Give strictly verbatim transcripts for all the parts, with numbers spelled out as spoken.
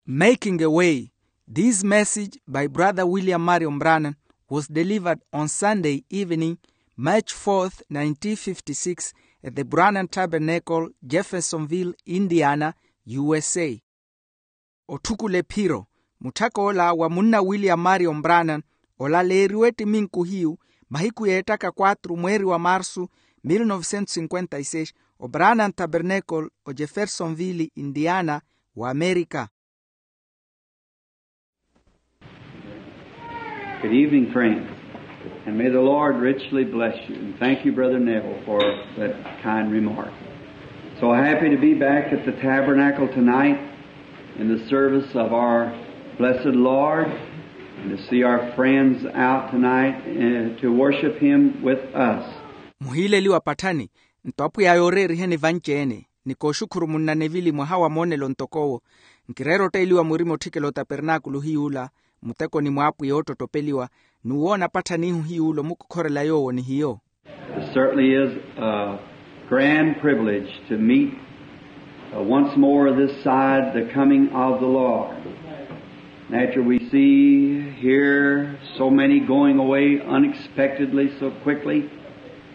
Making a Way. This message by Brother William Marion Branham was delivered on Sunday evening, March fourth, nineteen fifty-six, at the Branham Tabernacle, Jeffersonville, Indiana, U S A. Otthukula ephiro. Mutthak'ola wa munna William Marion Branham olaleeriwa ettiminku hiyu mahiku yeettaka quatro mweeri wa marsu, mil novecentos cinquenta y seis, o Branham Tabernacle, o Jeffersonville, Indiana, wa Amerika. Good evening, friends, and may the Lord richly bless you. And thank you, Brother Neville, for that kind remark. So happy to be back at the tabernacle tonight in the service of our blessed Lord, and to see our friends out tonight, uh, to worship Him with us. Muhiileliwa patthani. Nto apwiya yooreeriheni vanci-ene, ni kooxukhuru munna nevili mwaha wa moonelo ntok'owo. Nkireera otteeliwa murima otthikela otapernaakulu hiy'ula, muteko ni mwaapwiya oottottopeliwa, n'uwoona patthani ihu hiy'ula omukokhorela yoowo ni hiyo. It certainly is a grand privilege to meet, uh, once more this side the coming of the Lord. And after we see, hear so many going away unexpectedly, so quickly,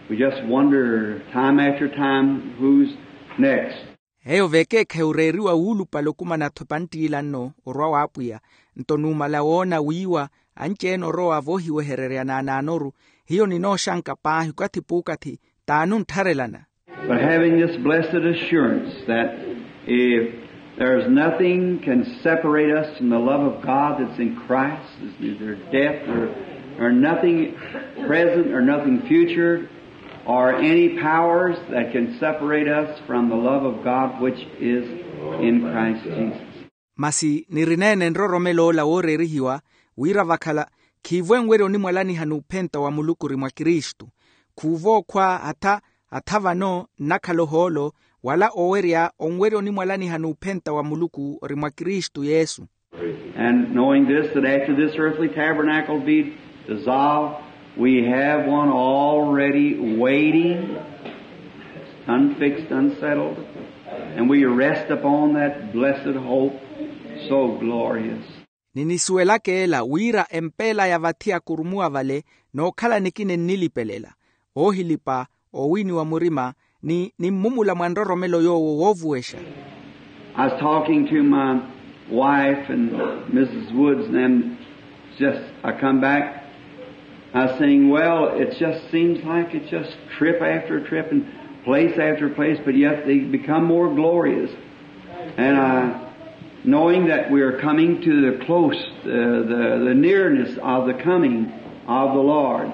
we just wonder time after time, who's next? Eyo veekeekhayi oreeriwa wuulupale okumana-tho epanttiila nno orwa w'apwiya. Nto numala woona wiiwa anci-ene orowa voohiwehererya naanaanoru, hiyo ninooxanka paahi okathi p'ukathi t'anuntharelana. But having this blessed assurance that if there's nothing can separate us from the love of God that's in Christ, there's neither death or, or nothing present or nothing future or any powers that can separate us from the love of God which is in Christ Jesus. Masi nirineene nroromelo ola wooreerihiwa, wira vakhala khiivo enwerya onimwalaniha n'uphenta wa Muluku ori mwa Kristu. Khuuvo okhwa atha, atha vano nnakhala ohoolo, wala owerya onwerya onimwalaniha n'uphenta wa Muluku ori mwa Kristu Yesu. And knowing this, that after this earthly tabernacle be dissolved, we have one already waiting, unfixed, unsettled, and we rest upon that blessed hope, so glorious. Ninisuwelaka ela wira empeela ya vathi akurumuwa vale nookhala nikina ennilipelela, oohilipa, oowiniwa murima, ni nimmumula mwa nroromelo yoowo woovuwexa. I was talking to my wife and Missus Woods, and then just I come back. I was saying, well, it just seems like it's just trip after trip and place after place, but yet they become more glorious. And I, knowing that we are coming to the close, uh, the, the nearness of the coming of the Lord.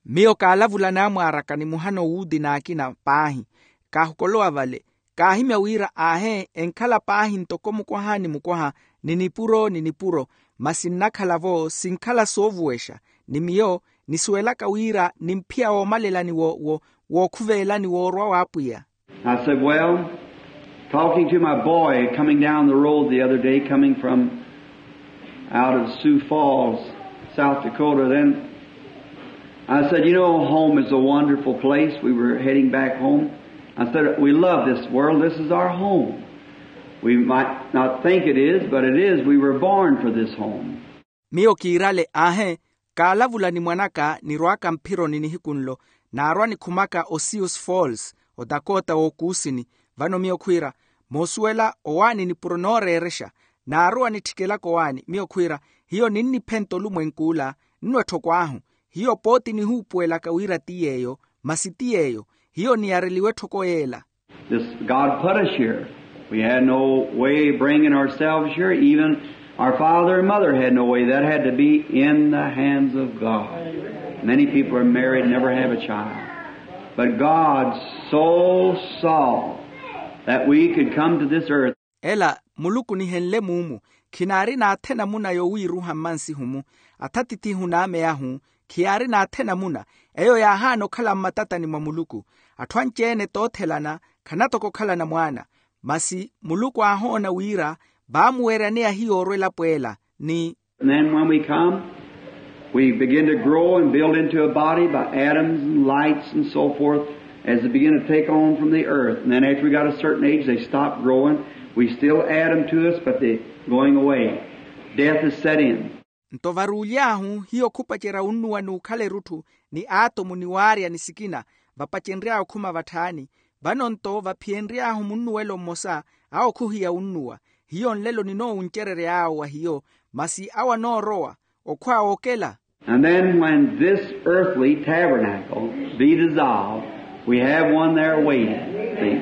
Miyo kaalavula naamwaaraka ni muhano wuuti n'akina paahi, kaahukolowa vale, kaahimya wira aahe enkhala paahi ntoko mukwaha ni mukwaha, ni nipuro ni nipuro, masi nnakhala-vo sinkhala soovuwexa, ni miyo nisuwelaka wira nimphiya woomalelani wo, wo, wookhuvelani woorwa w'apwiya. I said, well, talking to my boy coming down the road the other day, coming from out of Sioux Falls, South Dakota, then I said, you know, home is a wonderful place. We were heading back home. I said, we love this world. This is our home. We might not think it is, but it is. We were born for this home. Miyo kiirale, aahe, kaalavula ni mwan'aka nirw'aka mphironi nihiku nlo, naarwa nikhumaka o Sioux Falls, o Dakota w'okuusini. Vano miyo khwiira, moosuwela owaani nipuro nooreerexa, naarowa nittikelaka owaani. Miyo khwiira, hiyo ninniphenta olumwenk'ula, nno etthoko ahu. Hiyo pooti nihuupuwelaka wira ti yeeyo, masi ti yeeyo. Hiyo niyareliwa etthoko yeela. This, God put us here. We had no way of bringing ourselves here. Even our father and mother had no way. That had to be in the hands of God. Many people are married, never have a child. But God so saw that we could come to this earth. Ela muluku onihenle muumu, khinaari n'athe namuna yowiiruha mmansihu-mu. Atha atithihu n'ame ahu, khiyaari n'athe namuna. Eyo yaahaana okhala mmatatani mwa muluku. Atthu anci-ene toothelana, khanatoko okhalana mwaana. Masi muluku aahoona wira vaamuweryaneya hiyo orwa elapo ela, ni. And then when we come, we begin to grow and build into a body by atoms and lights and so forth, as they begin to take on from the earth. And then after we got a certain age, they stop growing. We still add them to us, but they're going away. Death is set in. Nto varuuly'ahu hiyo khupacerya wunnuwa n'ukhala erutthu, ni aatomu ni waarya ni sikina, vapacenry'awe okhuma vatthaani. Vano nto vaphiyenry'ahu munnuwelo mmosa, awo khuhiya wunnuwa. Hiyo nlelo ninoowuncerery'awe wa hiyo, masi awo anoorowa okhwa wookela. And then when this earthly tabernacle be dissolved, we have one there waiting. See?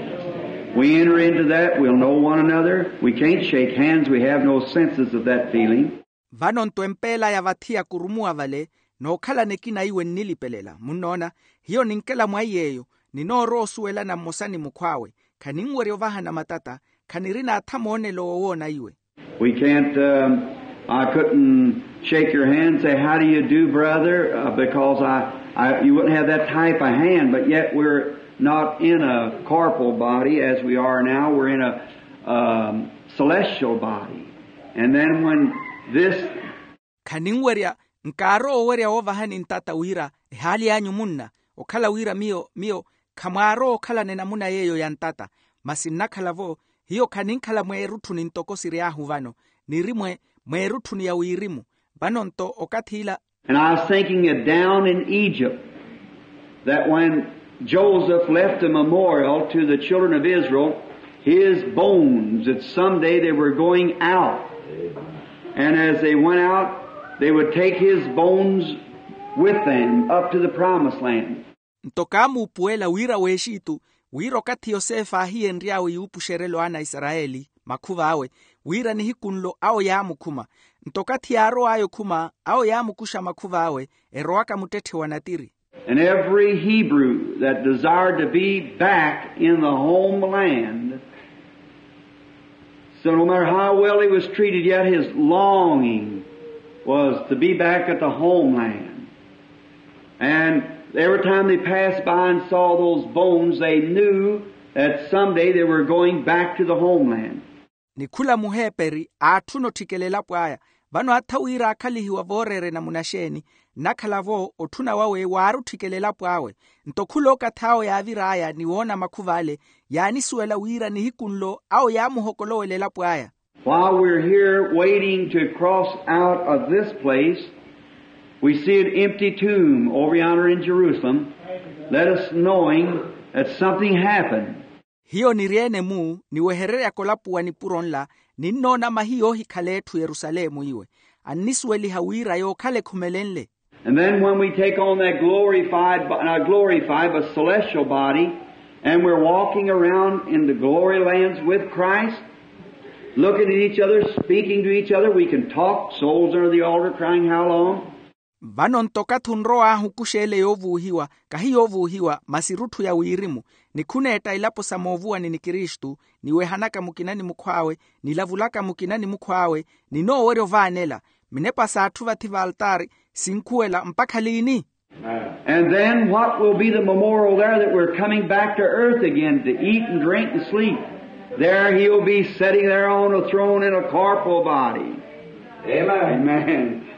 We enter into that, we'll know one another. We can't shake hands, we have no senses of that feeling. Vano nto empeela ya vathi yakurumuwa vale, nookhalana ekina iwe nnilipelela munnoona. Hiyo ninkela mwa iy'eyo, ninoorowa osuwelana mmosa ni mukhw'awe. Khaninwerya ovahana matata, khanirina atha moonelo woowoona iwe. We can't, um, I couldn't shake your hand and say, "How do you do, brother?" Uh, because I, I, you wouldn't have that type of hand, but yet we're not in a corporal body as we are now. We're in a, um, celestial body. And then when this Khaninwerya, nkaarowa owerya woovahani ntata wira ehaali anyu munna, okhala wira miyo, miyo khamwaarowa okhalana enamuna yeeyo ya ntata. Masi nnakhala-vo, hiyo khaninkhala mweerutthuni ntoko siry'ahu vano, niri mwe, mweerutthuni ya wirimu. Vano nto okathi ila. And I was thinking of down in Egypt, that when Joseph left a memorial to the children of Israel, his bones, that someday they were going out. And as they went out, they would take his bones with them up to the promised land. Nto kaamuupuwela wira w'exitu, wira okathi yosefe aahiyenry'awe yuupuxerela owana a isarayeli makhuv'awe, wira nihiku nlo awo yaamukhuma. Nto okathi yaarow'aya okhuma, awo yaamukuxa makhuv'awe, erowaka muttetthe wa natiri. And every Hebrew that desired to be back in the homeland, so no matter how well he was treated, yet his longing was to be back at the homeland. And every time they passed by and saw those bones, they knew that someday they were going back to the homeland. Ni khula muheperi aatthuna otthikela elapo aya. Vano atha wira aakhalihiwa vooreera enamuna xeeni, nnakhala-vo otthuna wawe waari otthikela elapo awe. Nto khula okathi awo yaavir'aya ni woona makhuv'ale, yaanisuwela wira nihiku nlo awo yaamuhokolowela elapo aya. While we're here waiting to cross out of this place, we see an empty tomb over yonder in Jerusalem. Let us knowing that something happened. Hiyo niri-ene-mu, niwehereryaka olapuwa nipuro nla, ninnoona mahiya oohikhala etthu yerusalemu iwe, annisuweliha wira yookhala ekhumelenle. And then when we take on that glorified, bo- not glorified, but celestial body, and we're walking around in the glory lands with Christ, looking at each other, speaking to each other, we can talk, souls under the altar crying, "How long?" Vano nto okathi onrow'ahu okuxa ele yoovuuhiwa, kahi yoovuuhiwa masi erutthu ya wirimu, nikhuneetta ilapo sa moovuwani ni kristu, niwehanaka mukina ni mukhw'awe, nilavulaka mukina ni mukhw'awe, ninoowerya ovaanela. Minepa s'atthu vathi valtaari sinkhuwela mpakha liini? And then what will be the memorial there that we're coming back to earth again to eat and drink and sleep? There he'll be sitting there on a throne in a corporal body. Amen.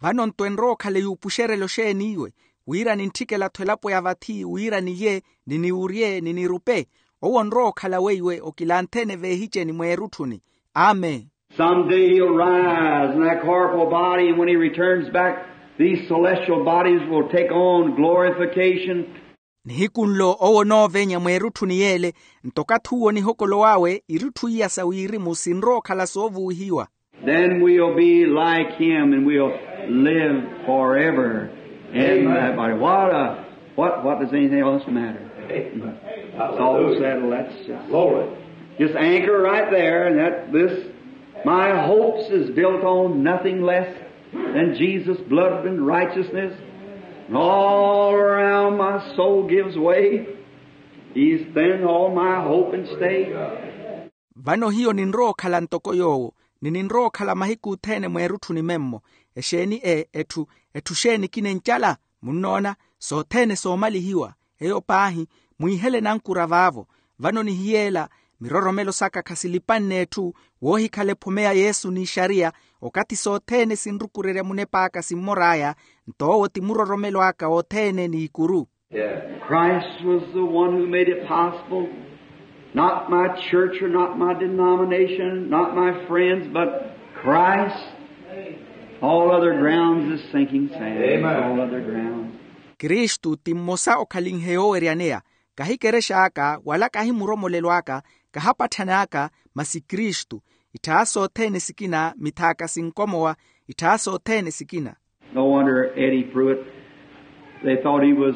Vano nto enrowa okhala yuupuxerela oxeeni iwe, wira nintthikela-tho elapo ya vathi wira niye, niniwurye ninirupe. Owo onrowa okhala weiwe okilantheene veehiceni mweerutthuni. Amen. Some day he'll rise in that corporal body, and when he returns back, these celestial bodies will take on glorification. Nihiku nlo owo onoovenya mweerutthuni yeele, nto okathi uwo nihokolow'awe irutthu iya sa wirimu sinrowa okhala soovuuhiwa. Then we'll be like him and we'll live forever in that body. What a, what, what does anything else matter? It's all settled. That's just, just anchor right there, and that this, my hopes is built on nothing less than Jesus' blood and righteousness. And all around my soul gives way. He's then all my hope and stay. Vano hiyo ninrowa okhala ntoko yoowo, ni ninrowa okhala mahiku othene mweerutthuni memmo. Exeeni e etthu, etthu xeeni kinencala? Munnoona, sothene soomalihiwa. Eyo paahi, mwiihele nankura vaavo. Vano nihiyeela, miroromelo saka khasilipanne etthu, woohikhala ephome ya yesu n'ixariya, okathi sothene sinrukurerya munep'aka simmor'aya, nto owo ti muroromelo aka othene n'ikuru. Christ was the one who made it possible. Not my church or not my denomination, not my friends, but Christ. All other grounds is sinking sand. Amen. All other grounds. Kristu ti mmosa okhalinhe yooweryaneya. Kahi kerex'aka wala kahi muromolelo aka, kahapatthan'aka, masi kristu. Itthaasa othene sikina mithaaka sinkomowa. Itthaasa othene sikina. No wonder Eddie Pruitt, they thought he was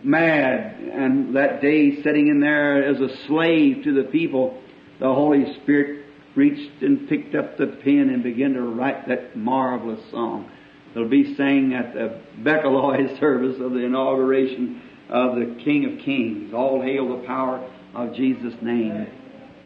mad, and that day sitting in there as a slave to the people, the Holy Spirit reached and picked up the pen and began to write that marvelous song that'll be sang at the Bekaloy service of the inauguration of the King of Kings. All hail the power of Jesus' name.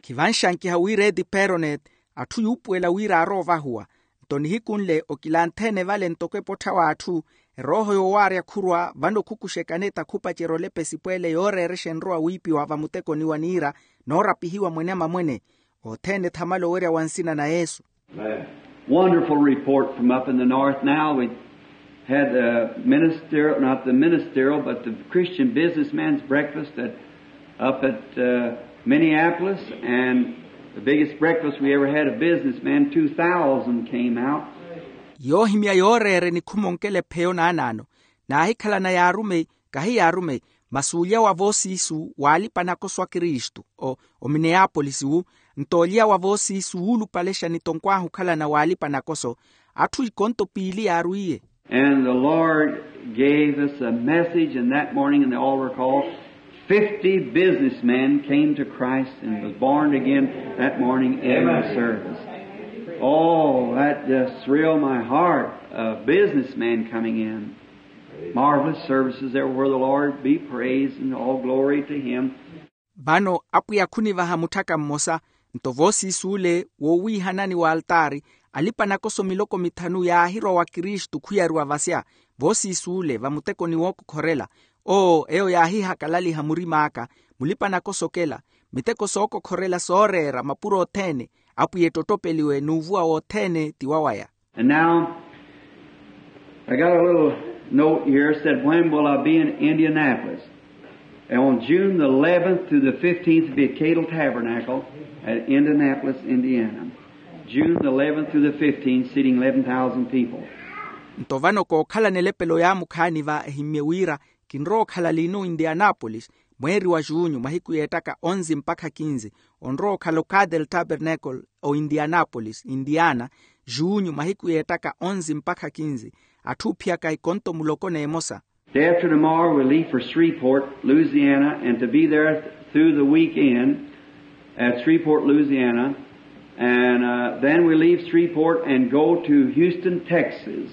Khivanxankiha wira eti peroneti atthu yuupuwela wira aroovahuwa. Nto nihiku nle okilanthene vale ntoko epottha w'atthu, erooho yoowaarya khurwa vano khukuxekane takhupacerya olepesipweele yooreerexa enrowa wiipiwa vamutekoni wa niira noorapihiwa mwene amamwene. Othene thamala owerya wa nsina na yesu. Wonderful report from up in the north now. We had the minister, not the ministerial, but the Christian businessman's breakfast at, up at uh, Minneapolis, and the biggest breakfast we ever had of businessmen, two thousand came out. Yoohimya yooreere nikhuma onkela epheyo naanaano, naahikhalana yaarumeyi, kahi yaarumeyi, masi olya wa voosiisu waalipa nakoso a kristu o omineyaapolisi wu. Nto olya wa voosiisu wuulupalexa nitonkw'ahu okhalana waalipa nakoso. Atthu ikonto piili yaarwiiye. And the Lord gave us a message, and that morning in the altar call, fifty businessmen came to Christ and was born again that morning in the service. Oh, that just thrilled my heart. A businessman coming in. Marvelous services everywhere. The Lord be praised and all glory to Him. Vano apwiya khunivaha mutthaka mmosa. Nto voosiis'ule woowiihanani w'altaari, alipa nakoso miloko mithanu yaahirwa wa kristu khuyariwa vasya. Voosiis'ule vamutekoni wookokhorela. Oo eyo yaahihakalaliha murim'aka. Mulipa nakoso okela, miteko sookokhorela sooreera mapuro othene. Apwiya ettottopeliwe n'uvuwa wothene ti wawaya. And now, I got a little note here, said, "When will I be in Indianapolis?" And on June the eleventh through the fifteenth, be at Cadle Tabernacle at Indianapolis, Indiana. June the eleventh through the fifteenth, seating eleven thousand people. Nto vano kookhalana elepelo yaamukhaani va ehimmye wira, kinrowa okhala liino oindianapolis, mweeri wa junyu mahiku yeettaka onzi mpakha kinzi. Onrowa okhala ocathel tabernacle oindianapolis indiana, junyu mahiku yeettaka onzi mpakha kinzi. Atthu oophiyaka ikonto muloko n'emosa. Day after tomorrow we'll leave for Shreveport, Louisiana, and to be there through the weekend at Shreveport, Louisiana. And uh, then we'll leave Shreveport and go to Houston, Texas.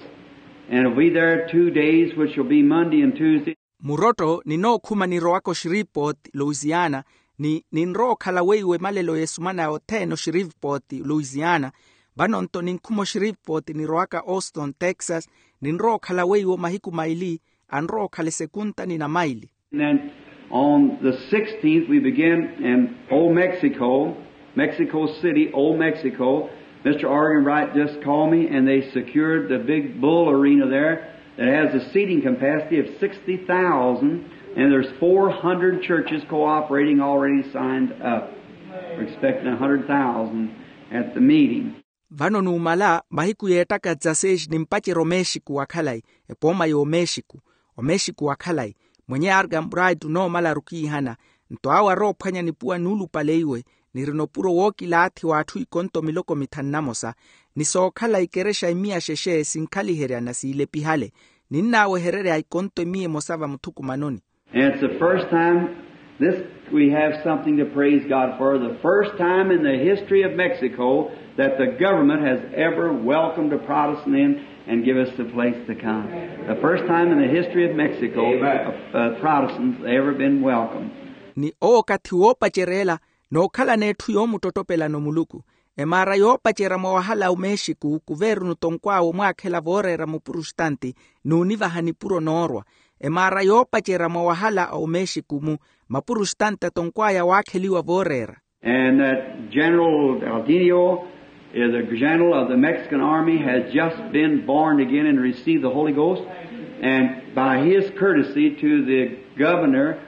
And we'll be there two days, which will be Monday and Tuesday. Murotto ninookhuma nirowaka oshiripoti louisiana, ni ninrowa okhala weiwo emalelo y'esumana othene oshiripoti louisiana. Vano-nto ninkhuma oshiripoti nirowaka auston texas. Ninrowa okhala weiwo mahiku maili. Anrowa okhala esekunta ni namaili. And then on the sixteenth we begin in old mexico, Mexico City, Old Mexico. Mister Argenbright just called me, and they secured the big Bull Arena there that has a seating capacity of sixty thousand, and there's four hundred churches cooperating already signed up. We're expecting a hundred thousand at the meeting. Vano numala mahiku yeettaka dzaseis nimpacerya omexiku wa khalayi, epooma y'omexiku, omexiku wa khalayi. Mwenye argenbright onoomalaru okiihana. Nto awo aroophwanya nipuwa nuulupaleiwe, nirina opuro wookilaathi w'atthu ikonto miloko mithanu namosa, ni sookhala ikerexa imiya xexe sinkhaliheryana siilepihale. Ninnaawehererya ikonto imiya emosa vamuthukumanoni. And it's the first time this, we have something to praise God for, the first time in the history of Mexico that the government has ever welcomed a Protestant in and give us the place to come. The first time in the history of Mexico, uh, Protestants ever been welcomed. Ni owo okathi woopacerya ela, nookhalana etthu yoomuttottopelano muluku. Emaara yoopacerya mwa wahala a omexiku kuveerunu tonkw'awe omwaakhela vooreera mupurositanti, n'univaha nipuro noorwa. Emaara yoopacerya mwa wahala a omexiku-mu, mapurositanti atonkw'aya waakheliwa vooreera. And that General Valdinio, uh, the general of the Mexican army, has just been born again and received the Holy Ghost. And by his courtesy to the governor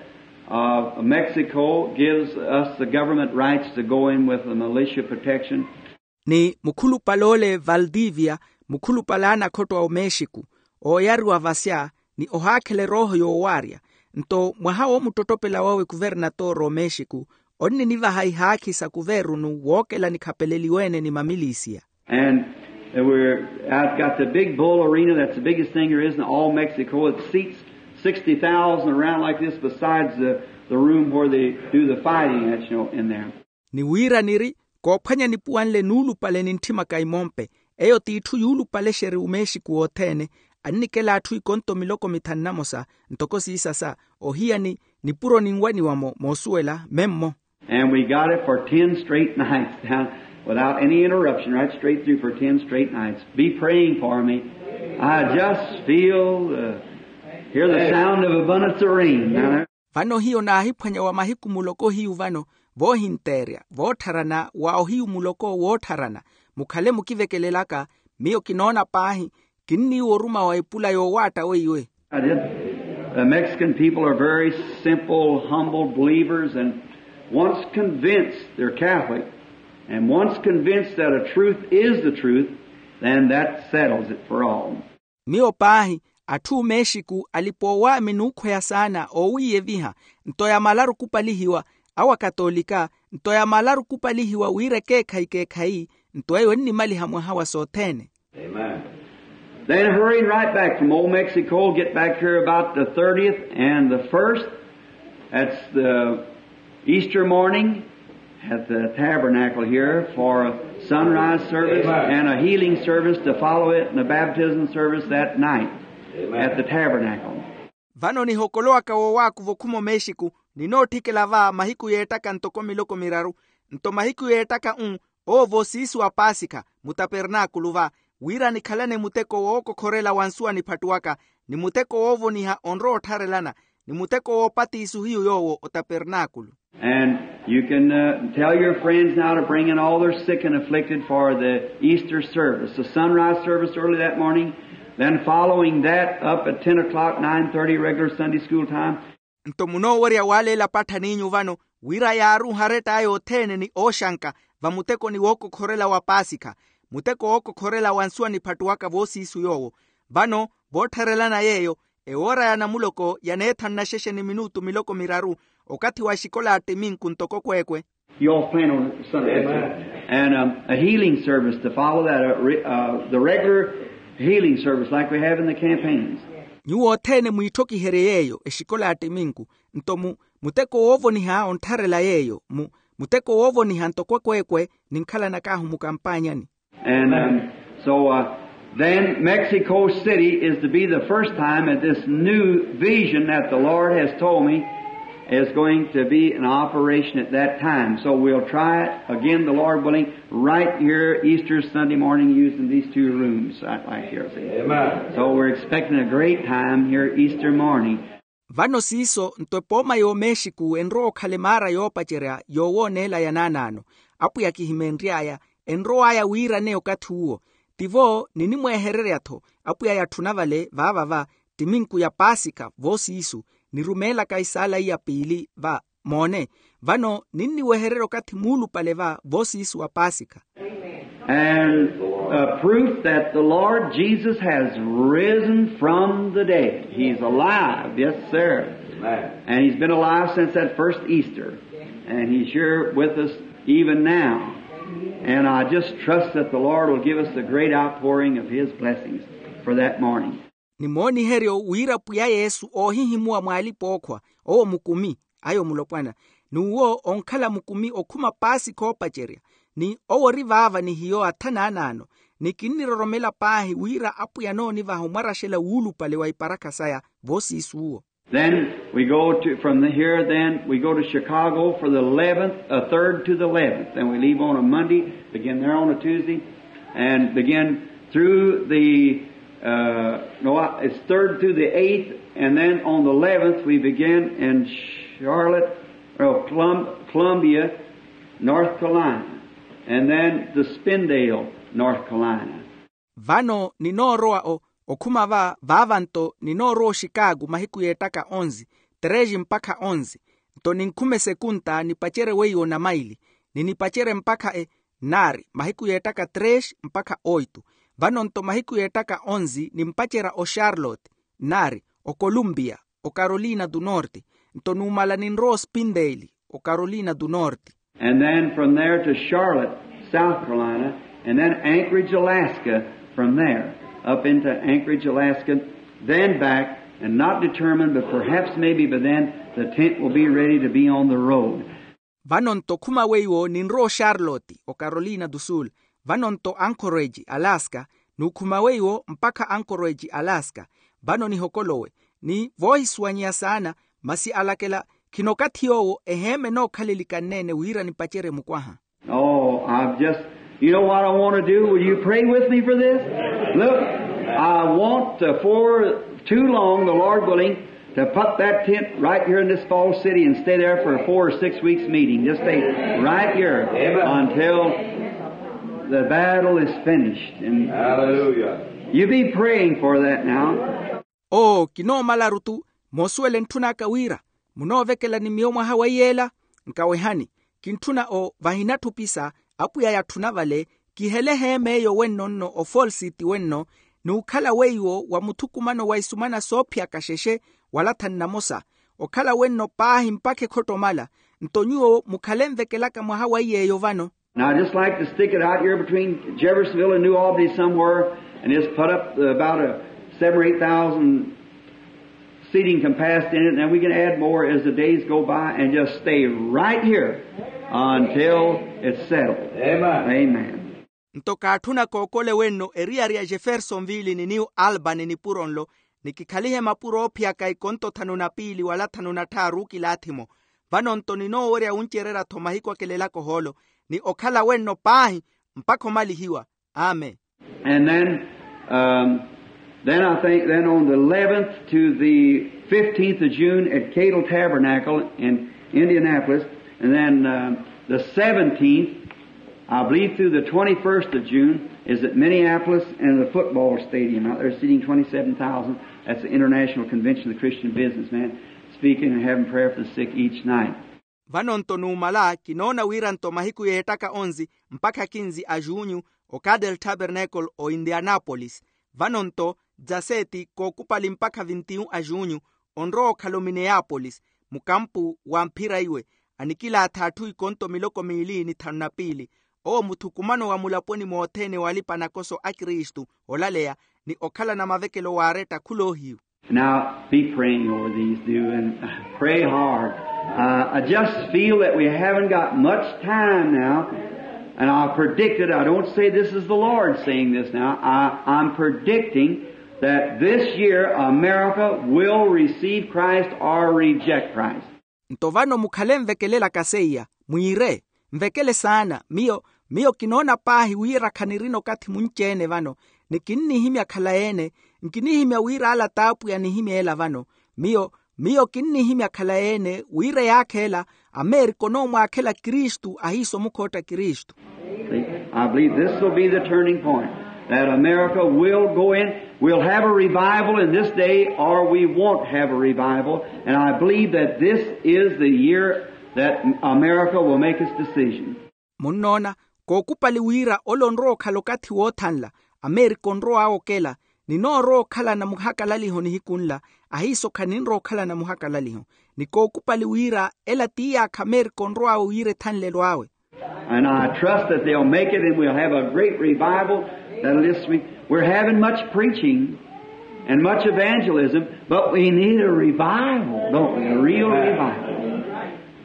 Mexico gives us the government rights to go in with the militia protection. Ni mukhulupale ole valdivia, mukhulupale a nakhotto a omexiku, ooyariwa vasya ni ohaakhela erooho yoowaarya. Nto mwaha woomuttottopela wawe kuvernatoro omexiku, onninivaha ihaakhi sa kuvernu wookela nikhapeleliwe-ene ni mamilisiya. And we're, I've got the big bull arena. That's the biggest thing there is in all Mexico. It seats sixty thousand around like this, besides the, the room where they do the fighting at, you know, in there. Ni wira niri koophwanya nipuwanle nuulupale nintthimaka imompe. Eyo t'itthu yuulupalexeri omexiku wothene. Annikela atthu ikonto miloko mithanu namosa, ntoko siisasa, ohiya ni nipuro ninwaniwa-mo moosuwela memmo. And we got it for ten straight nights down without any interruption, right straight through for ten straight nights. Be praying for me. I just feel, uh, hear the sound of abundance of rain. Vano hiyo naahiphwanya wa mahiku muloko hiyu vano, voohinteerya voottharana wa ohiyu muloko woottharana. Mukhale mukivekelelaka, miyo kinoona paahi, kinniiwa oruma wa epula yoowaatta weiwe. I did. The Mexican people are very simple, humble believers, and once convinced they're Catholic, and once convinced that a truth is the truth, then that settles it for all. Miyo paahi, atthu omexiku alipa owaami n'ukhweya saana oowiiyeviha. Nto yamalaru kupalihiwa, awo akatolika, nto yamalaru kupalihiwa wira ekeekhayi keekhayi. Nto eyo ennimaliha mwaha wa sothene. Then hurrying right back from old Mexico, get back here about the thirtieth and the first. That's the Easter morning at the tabernacle here for a sunrise service and a healing service to follow it and a baptism service that night at the tabernacle. Vano nihokolowaka woowaakuva okhuma omexiku, ninootthikela va mahiku yeettaka ntoko miloko miraru. Nto mahiku yeettaka-u, owo voosiisi wa paasikha mutapernaakulu va, wira nikhalane muteko wookokhorela wa nsuwa niphattuwaka, ni muteko woovoniha onrowa ottharelana, ni muteko woopatiisu hiyu yoowo otapernaakulu. And you can tell your friends now to bring in all their sick and afflicted for the Easter service, the sunrise service early that morning, then following that up at ten o'clock, nine thirty regular Sunday school time. Nto munoowerya waaleela patthan'inyu vano, wira yaaruuhe aretta aya othene ni ooxanka, va mutekoni wookokhorela wa paasikha, muteko wookokhorela wa nsuwa niphattuwaka voosiisu yoowo. Vano voottharelana yeeyo, ewoora ya namuloko ya neethanu naxexe ni minutu miloko miraru, okathi wa exikola ya ttiminku ntoko kweekwe. You all plan on Sunday. And a healing service to follow that, the regular healing service like we have in the campaigns. Nyuwo othene mwiitthokiherye yeeyo exikola ya ttiminku. Nto mu muteko woovoniha onttharela yeeyo mu muteko woovoniha ntoko kweekwe ninkhalanakahu mukampaanyani. And so then Mexico City is to be the first time that this new vision that the Lord has told me is going to be in operation at that time. So we'll try it again, the Lord willing, right here Easter Sunday morning using these two rooms right here. So we're expecting a great time here Easter morning. Vano siiso nto epooma y'omexiku enrowa okhala emaara yoopacerya yoowooneela ya naanaano. Apwiya kihimeenry'aya, enrow'aya wiiraneya okathi uwo. Tivo ninimweehererya-tho apwiya yatthuna vale vaava va ttiminku ya paasikha voosiisu, nirumeelaka isaala iya piili va moone. Vano ninniwehererya okathi muulupale va voosiisu wa paasikha. And a proof that the Lord Jesus has risen from the dead. He's alive, yes sir. And he's been alive since that first Easter. And he's here with us even now. And I just trust that the Lord will give us the great outpouring of his blessings for that morning. Ni mooniheryo wira pwiya yesu oohihimuwa mw'alipa-ookhwa, owo mukumi, ayo mulopwana, n'uwo onkhala mukumi okhuma paasikha oopacerya. Ni owo ori vaava ni hiyo atha naanaano. Ni kinniroromela paahi wira apwiya anoonivaha omwaraxela wuulupale wa iparakha saya voosiisi uwo. Then we go to from here then we go to Chicago for the eleventh, a third to the eleventh, and we leave on a Monday, begin there on a Tuesday, and begin through the no, it's third through the eighth, and then on the eleventh we begin in Charlotte, Columbia, North Carolina, and then to Spindale, North Carolina. Vano ninoorowa okhuma va vaava nto ninoorowa oxikaaku mahiku yeettaka onzi, treze mpakha onzi. Nto ninkhume sekunta nipacerye weiwo namaili, ni nipacerye mpakha e nari mahiku yeettaka tres mpakha oitu. Vano nto mahiku yeettaka onzi nimpacerya oxarlote nari okolumpiya okarolina tu norte. Nto numala ninrowa ospinteeli okarolina tu norte. And then from there to Charlotte, South Carolina, and then Anchorage, Alaska, from there up into Anchorage, Alaska, then back, and not determined, but perhaps maybe by then the tent will be ready to be on the road. Vano nto khuma weiwo ninrowa oxarlote okarolina tu sul, vano nto anchorage alaska, nukhuma weiwo mpakha anchorage alaska. Vano nihokolowe ni voohisuwanyeya saana, masi alakela khina okathi yoowo eheema enookhalelikanneene wira nipacerye mukwaha. Oh, i've just, you know what I want to do? Will you pray with me for this? Look, I want to, for too long, the Lord willing, to put that tent right here in this false city and stay there for a four or six weeks meeting. Just stay right here until the battle is finished. And you be praying for that now. Oo kinoomalaru-tu moosuwela entthun'aka wira munoovekela ni miyo mwaha wa iyeela. Nkawehani, kintthuna o vahina tthupisa apwiya yatthuna vale, kihele eheema eyo wenno nno ofalsiti wenno, n'ukhala weiwo wa muthukumano wa isumana soophiyaka xexe wala thanu namosa, okhala wenno paahi mpakha ekhottomala. Nto nyuwo mukhale nvekelaka mwaha wa iy'eyo vano. Now, I'd just like to stick it out here between Jeffersonville and New Albany somewhere and just put up about a seven or eight thousand seating capacity in it, and then we can add more as the days go by and just stay right here until it's settled. Amen. Nto kaatthuna kookole wenno eriyari ya jeffersonville ni new albany nipuro nlo, ni kikhalihe mapuro oophiyaka ikonto thanu na piili wala thanu na tthaaru okilaathi-mo. Vano nto ninoowerya wuncererya-tho mahiku akelelaka ohoolo, ni okhala wenno paahi mpakha omalihiwa. Amen. And then, um, then I think then on the eleventh to the fifteenth of June at Cadle Tabernacle in Indianapolis, and then, um, the seventeenth, I believe through the twenty-first of June is at Minneapolis and the football stadium. Out there seating twenty-seven thousand. That's the International Convention of the Christian Businessman, speaking and having prayer for the sick each night. Vano nto numala kinoona wira nto mahiku yeettaka onzi mpakha kinzi a junyu, o cadel tabernacle o indianapolis. Vano nto dzaseeti kookupali mpakha vintiyu a junyu, onrowa okhala omineyapolis, mukampu wa mphira iwe, anikilaatha atthu ikonto miloko miili ni thanu na piili. Owo muthukumano wa mulaponi mothene walipa nakoso a kristu, olaleya ni okhalana mavekelo waaretta khuloohiyu. Now be praying over these do and pray hard. Uh, I just feel that we haven't got much time now, and I predict it. I don't say this is the Lord saying this now. I, I'm predicting that this year America will receive Christ or reject Christ. Nto vano mukhale nvekelelaka seiya, mwiire, nvekele saana. Miyo miyo kinoona paahi wira khanirina okathi munci-ene vano, ni kinnihimya khalayi-ene. Nkinihimya wira ala t'apwiya anihimya ela vano. Miyo miyo kinnihimya khalayi-ene wira eyaakha ela, amerika onoomwaakhela kristu ahiisa omukhootta kristu. I believe this will be the turning point, that America will go in. We'll have a revival in this day, or we won't have a revival. And I believe that this is the year that America will make its decision. Munnoona, kookupali wira ole onrowa okhala okathi woothanla, amerika onrow'awe okela, ni noorowa okhalana muhakalaliho nihiku nla, ahiiso khaninrowa okhalana muhakalaliho. Ni kookupali wira ela ti yaakha amerika onrow'awe wira ethanlelo awe. And I trust that they'll make it, and we'll have a great revival. That'll just be, we're having much preaching and much evangelism, but we need a revival, don't we? A real revival.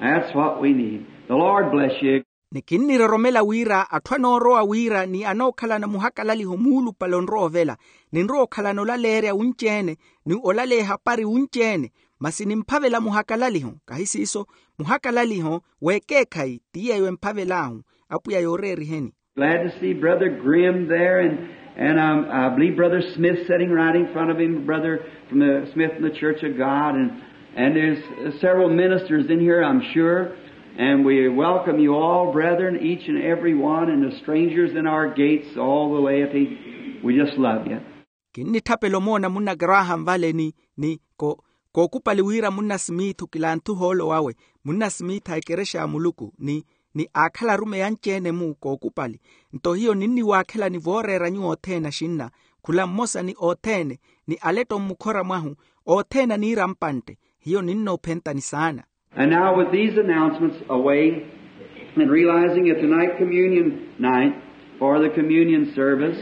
That's what we need. The Lord bless you. Ni kinniroromela wira atthu anoorowa wira ni anookhalana muhakalaliho muulupale onrowa ovela, ninrowa okhalana olaleerya wunci-ene, ni olaleya ehapari wunci-ene, masi nimphavela muhakalaliho, kahi siiso, muhakalaliho w'ekeekhayi ti yeeyo emphavel'ahu. Apwiya yooreeriheni. Glad to see Brother Grimm there, and, and um, I believe Brother Smith sitting right in front of him, brother from the Smith and the Church of God, and, and there's several ministers in here, I'm sure, and we welcome you all, brethren, each and every one, and the strangers in our gates, all the laity. We just love you. Kinnitthapela omoona munna graham vale ni ni ko Kookupali wira munna simiithu kilanthuha ole wawe, munna simiitha ekerexa ya muluku ni ni aakhala arumeyi anci-ene-mu kookupali. Nto hiyo ninniwaakhelani vooreera nyuwo othene axinna, khula mmosa ni othene ni aletto mmukhora mwahu, othene aniira mpantte. Hiyo ninnoophentani saana. And now with these announcements away, and realizing it's tonight communion night for the communion service,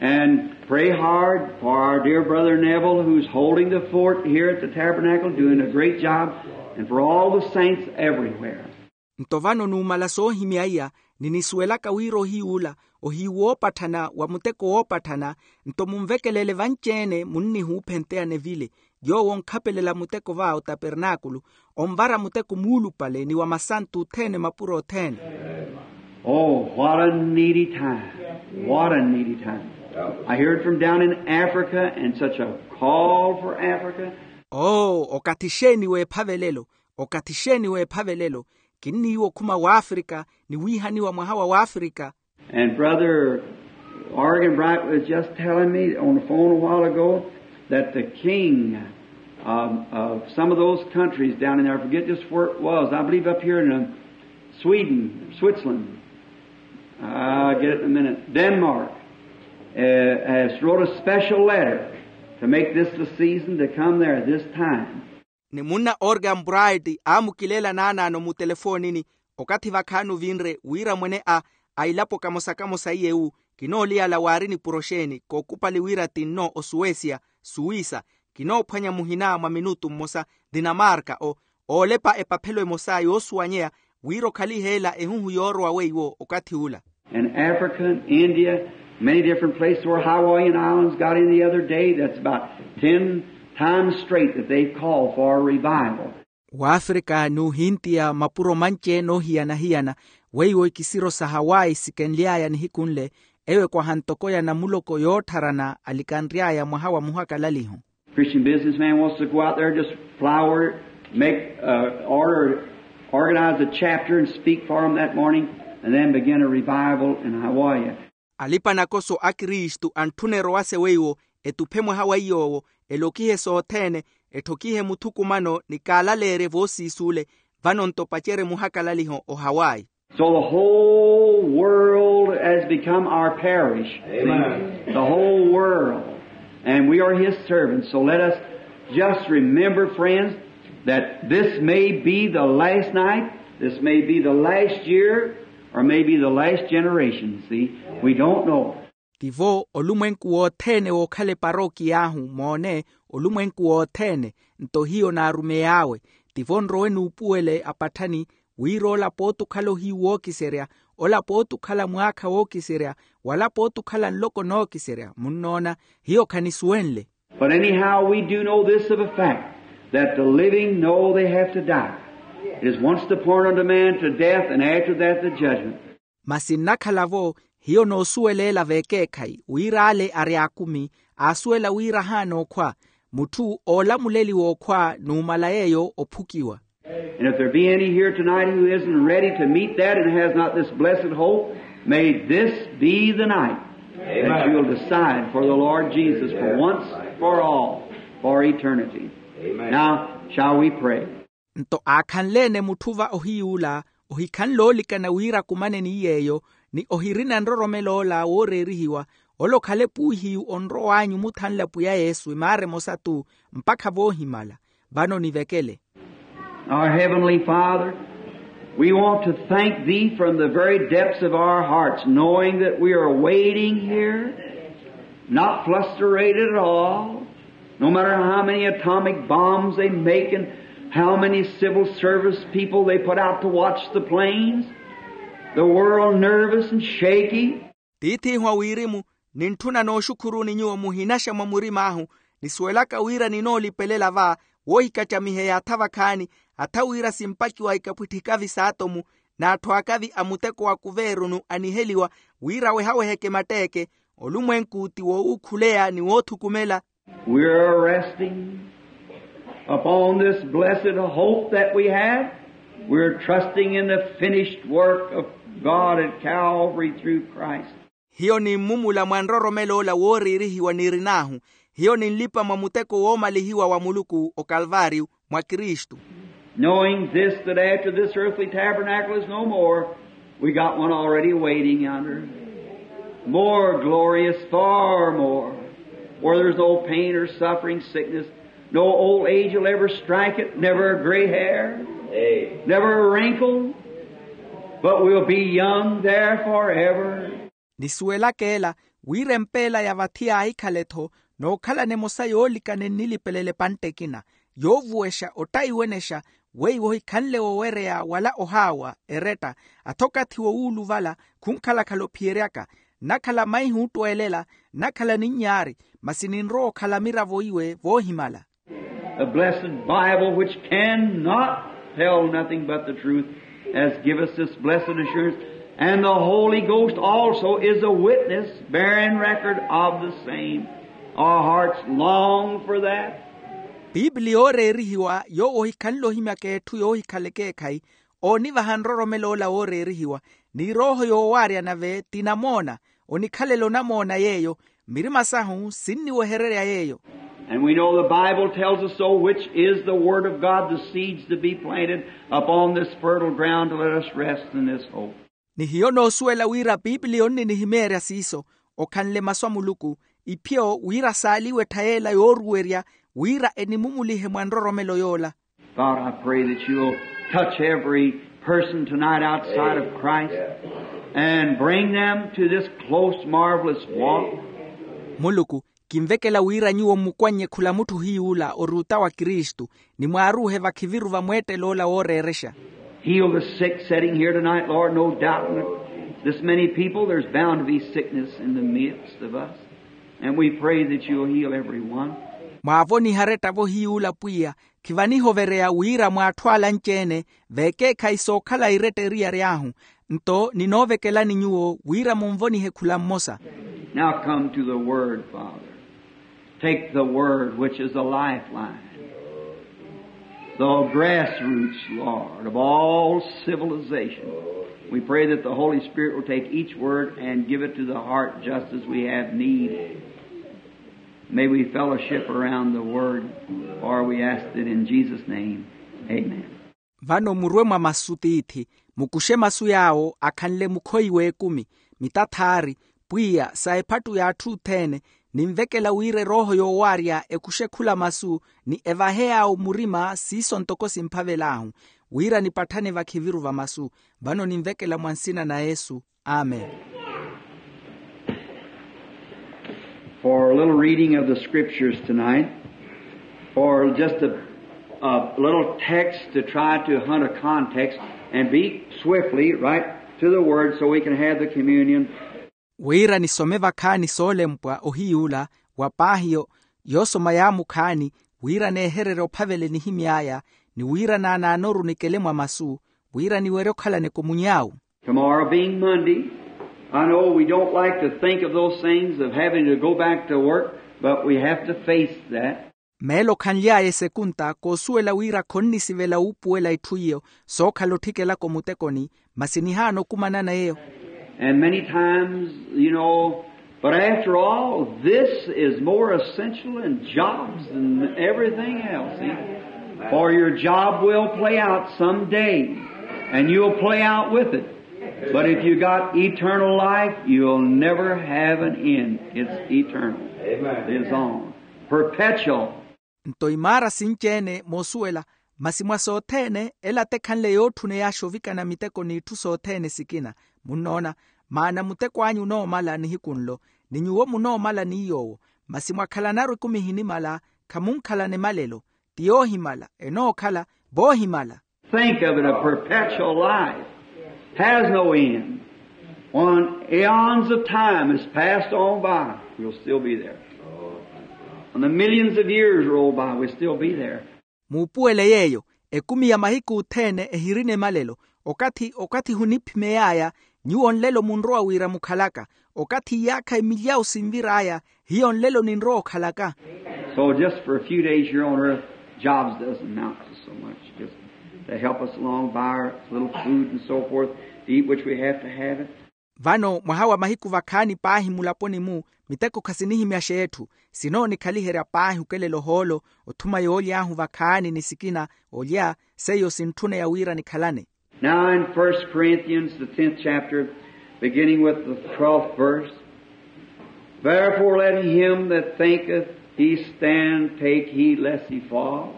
and pray hard for our dear brother Neville, who's holding the fort here at the tabernacle, doing a great job, and for all the saints everywhere. Nto vano numala soohimya iya, ni nisuwelaka wira ohiy'ula ohiyu woopatthana wa muteko woopatthana. Nto munvekelele vanci-ene munnihuuphenteyana evile, yoowo onkhapelela muteko va otapernaakulu, onvara muteko muulupale ni wa masantu othene mapuro othene. Oh, what a needy time. What a needy time. I hear it from down in Africa, and such a call for Africa. Oo, okathi xeeni w'ephavelelo, okathi xeeni w'ephavelelo. Kinniiwa okhuma w'afrika ni wiihaniwa mwaha wa w'afrika. And Brother Arganbright was just telling me on the phone a while ago that the king of, of some of those countries down in there, I forget just where it was, I believe up here in uh, Sweden, Switzerland, I'll get it in a minute, Denmark, uh, has wrote a special letter to make this the season to come there this time. Ni munna Organ Bright aamukileela naanaano mutelefoonini, okathi vakhaani ovinre wira mwene a a ilapo kamosa-kamosa iye wu kinooliyala waari nipuro xeeni kookupali wira tinno osuwesiya, suwisa, kinoophwanya muhina mwa minutu mmosa, dinamarka o oolepa epaphelo emosa yoosuwanyeya wira okhaliheela ehuhu yoorowa weiwo okathi ula. And Africa, India, many different places where Hawaiian Islands got in the other day, that's about ten times straight that they've called for a revival. W'afrika n'uhintiya mapuro manci-ene oohiyana-hiyana, weiwo ikisiro sa hawayi sikenly'aya nihiku nle, eyo ekwaha ntoko ya namuloko yoottharana alikanry'aya mwaha wa muhakalaliho. Christian businessman wants to go out there, just flower, make uh, order, organize a chapter and speak for them that morning, and then begin a revival in Hawaii. Alipa-nakoso a kristu antthuna erowase weiwo, etuphe mwaha wa iy'owo, elokihe sothene, etthokihe muthukumano ni kaalaleerye voosiis'ule. Vano-nto pacere muhakalaliho ohawayi. So the whole world has become our parish. Amen. The whole world. And we are his servants. So let us just remember, friends, that this may be the last night, this may be the last year, or may be the last generation. See, we don't know. Tivo olumwenku wothene wookhala eparookiya ahu moone, olumwenku wothene. Nto hiyo naarumey'awe. Tivo nrowe nuupuwele apatthani, wira ola pooti okhala ohiyu wookiserya, ola pooti okhala mwaakha wookiserya, wala pooti okhala nloko nookiserya munnoona. Hiyo khanisuwenle. But anyhow we do know this of a fact, that the living know they have to die. It is once appointed unto man to death, and after that the judgment. Masi nnakhala-vo, hiyo noosuweleela veekeekhayi wira ale ari aakumi, aasuwela wira ahaana okhwa, mutthu oolamuleliwa okhwa numala yeeyo ophukiwa. And if there be any here tonight who isn't ready to meet that and has not this blessed hope, may this be the night that you will decide for the Lord Jesus for once for all, for eternity. Now shall we pray. Nto aakhanle-ene mutthu va ohiy'ula ohikhanle oolikana wira akumane ni yeeyo, ni ohirina nroromel'ola wooreerihiwa, ole okhale puuhiyu onrow'anyu muthanle apwiya yesu emaara emosa-tu, mpakha voohimala. Vano nivekele. Our heavenly father, we want to thank thee from the very depths of our hearts, knowing that we are waiting here, not flustered at all, no matter how many atomic bombs they make and how many civil service people they put out to watch the planes, the world nervous and shaky. Tiith'ihu a wirimu, nintthuna nooxukhuruni nyuwo muhinaxa mwa murim'ahu, nisuwelaka wira ninoolipelela va woohikacamiheya atha vakhaani, atha wira simpakiwa ikapwitthikavi s'atomu, n'atthu akavi a muteko wa kuveerunu aniheliwa wira awehaweheke matteeke, olumwenku ti woowuukhuleya ni woothukumela. We're resting upon this blessed hope that we have. We're trusting in the finished work of God at Calvary through Christ. Hiyo nimmumula mwa nroromelo ola wooriirihiwa nirin'ahu, Hiyo ninlipa mwa muteko woomalihiwa wa muluku okalvaariyu mwa kristu. Knowing this, that after this earthly tabernacle is no more, we got one already waiting yonder, more glorious, far more, where there's no pain or suffering, sickness, no old age will ever strike it, never a gray hair, never a wrinkle, but we'll be young there forever. Nisuwelaka ela, wira empeela ya vathi yaahikhala-tho nookhalana emosa yoolikana ennilipelela epantta ekina, yoovuwexa ottaiwenexa, weiwo ohikhanle wowereya wala ohaawa eretta, atho okathi wowuuluvala khunkhalakhala ophiyeryaka. Nnakhala maihi oottweelela, nnakhala ninnyaari, masi ninrowa okhala miravo iwe voohimala. The blessed Bible, which cannot tell nothing but the truth, has given us this blessed assurance. And the Holy Ghost also is a witness bearing record of the same. Our hearts long for that. Piipili yooreerihiwa yoowo ohikhanle ohimyaka etthu yoohikhala ekeekhayi, oonivaha nroromelo ola wooreerihiwa, ni erooho yoowaaryana ve tinamoona, onikhalela onamoona yeeyo, mirima sahu sinniwehererya yeeyo. And we know the Bible tells us so, which is the Word of God, the seeds to be planted upon this fertile ground to let us rest in this hope. Ni hiyo noosuwela wira piipili yonninihimeerya siiso, okhanle masu a muluku, iphiyo wira saaliwe ettha yeela yooruwerya, wira enimumulihe mwa nroromelo yoola. God, I pray that you'll touch every person tonight outside of Christ and bring them to this close, marvelous walk. Muluku, kinvekela wira nyuwo mmukwannye khula mutthu hiy'ula ori otta wa kristu, ni mwaaruuhe vakhiviru va mweettelo ola wooreerexa. Heal the sick sitting here tonight, Lord. No doubt, this many people, there's bound to be sickness in the midst of us. And we pray that you'll heal every one. Mwaavoniha aretta vo hiy'ula pwiya, khivanihovereya wira mwa atthu ala anci-ene, veekeekhayi sookhala eretta eriyari ahu. Nto ninoovekelani nyuwo wira munvonihe khula mmosa. Now come to the Word, Father. Take the Word, which is a lifeline, the grassroots, Lord, of all civilization. We pray that the Holy Spirit will take each word and give it to the heart just as we have need. May we fellowship around the Word, for we ask it in Jesus' name. Amen. Vano murwe mwa masu tiithi, mukuxe masu yaawo akhanle mukhoyi w'ekumi, mitathaari, pwiya sa ephattu y'atthu othene. Ninvekela wira erooho yoowaarya ekuxe khula masu, ni evahe yaawo murima siiso ntoko simphavel'ahu, wira nipatthane vakhiviru va masu. Vano ninvekela mwa nsina na yesu. Amen. For a little reading of the scriptures tonight, for just a, a little text to try to hunt a context and be swiftly right to the word so we can have the communion. Wira nisome vakhaani soolempwa ohiy'ula wa paahi yoosoma yaamukhaani, wira neehererye ophavela enihimy'aya, ni wira naanaanoru nikele mwa masu, wira niwerye okhalana ekomuny'awu. Tomorrow being Monday, I know we don't like to think of those things of having to go back to work, but we have to face that. Meelo khanly'aya esekunta koosuwela wira khonnisivela wuupuwela itthu iyo sookhala otthikelaka omutekoni, masi nihaana okumanana eyo. And many times, you know, but after all, this is more essential than jobs and everything else, see? For your job will play out some day, and you'll play out with it. But if you got eternal life, you'll never have an end. It's eternal. Amen. It is on. Perpetual. Nto imaara sinci-ene moosuwela, masi mwa sothene ela tekhanle yootthuney'axa ovikana miteko n'itthu sothene sikina. Munnoona, maana muteko anyu onoomala nihiku nlo, ni nyuwo munoomala ni yoowo. Masi mwakhalanaru ekumi ehinimala, khamunkhalana emalelo. Ti yoohimala enookhala voohimala. Think of it, a perpetual life has no end. When eons of time has passed on by, we'll still be there. When the millions of years roll by, we'll still be there. Muupuwele yeeyo, ekumi ya mahiku othene ehirina emalelo. Okathi okathi huniphimey'aya, nyuwo nlelo munrowa wira mukhalaka. Okathi iyaakha emilyawu sinvir'aya, hiyo nlelo ninrowa okhalaka. So just for a few days here on earth, jobs doesn't amount to so much. Just to help us along, buy our little food and so forth, to eat which we have to have it. Vano mwaha wa mahiku vakhaani paahi mulaponi-mu, miteko khasinihimyaxa etthu. Sinoonikhaliherya paahi okelela ohoolo, othuma yooly'ahu vakhaani ni sikina, olya seiyo sintthuneya wira nikhalane. Now in First Corinthians, the tenth chapter, beginning with the twelfth verse, therefore let him that thinketh he stand take heed lest he falls.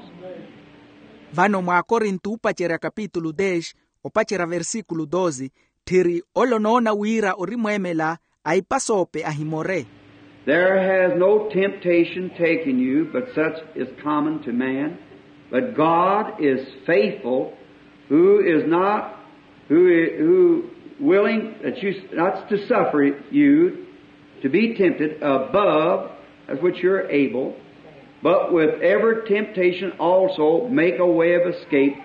Vano mwaakorinto oopacerya kapitulu dez, opacerya versikulu doze, tthiri ole onoona wira ori mweemela, a ipasoope ahimore. There has no temptation taken you but such is common to man, but God is faithful, who is not, who, who willing that you not to suffer you to be tempted above that which you're able, but with every temptation also make a way of escape,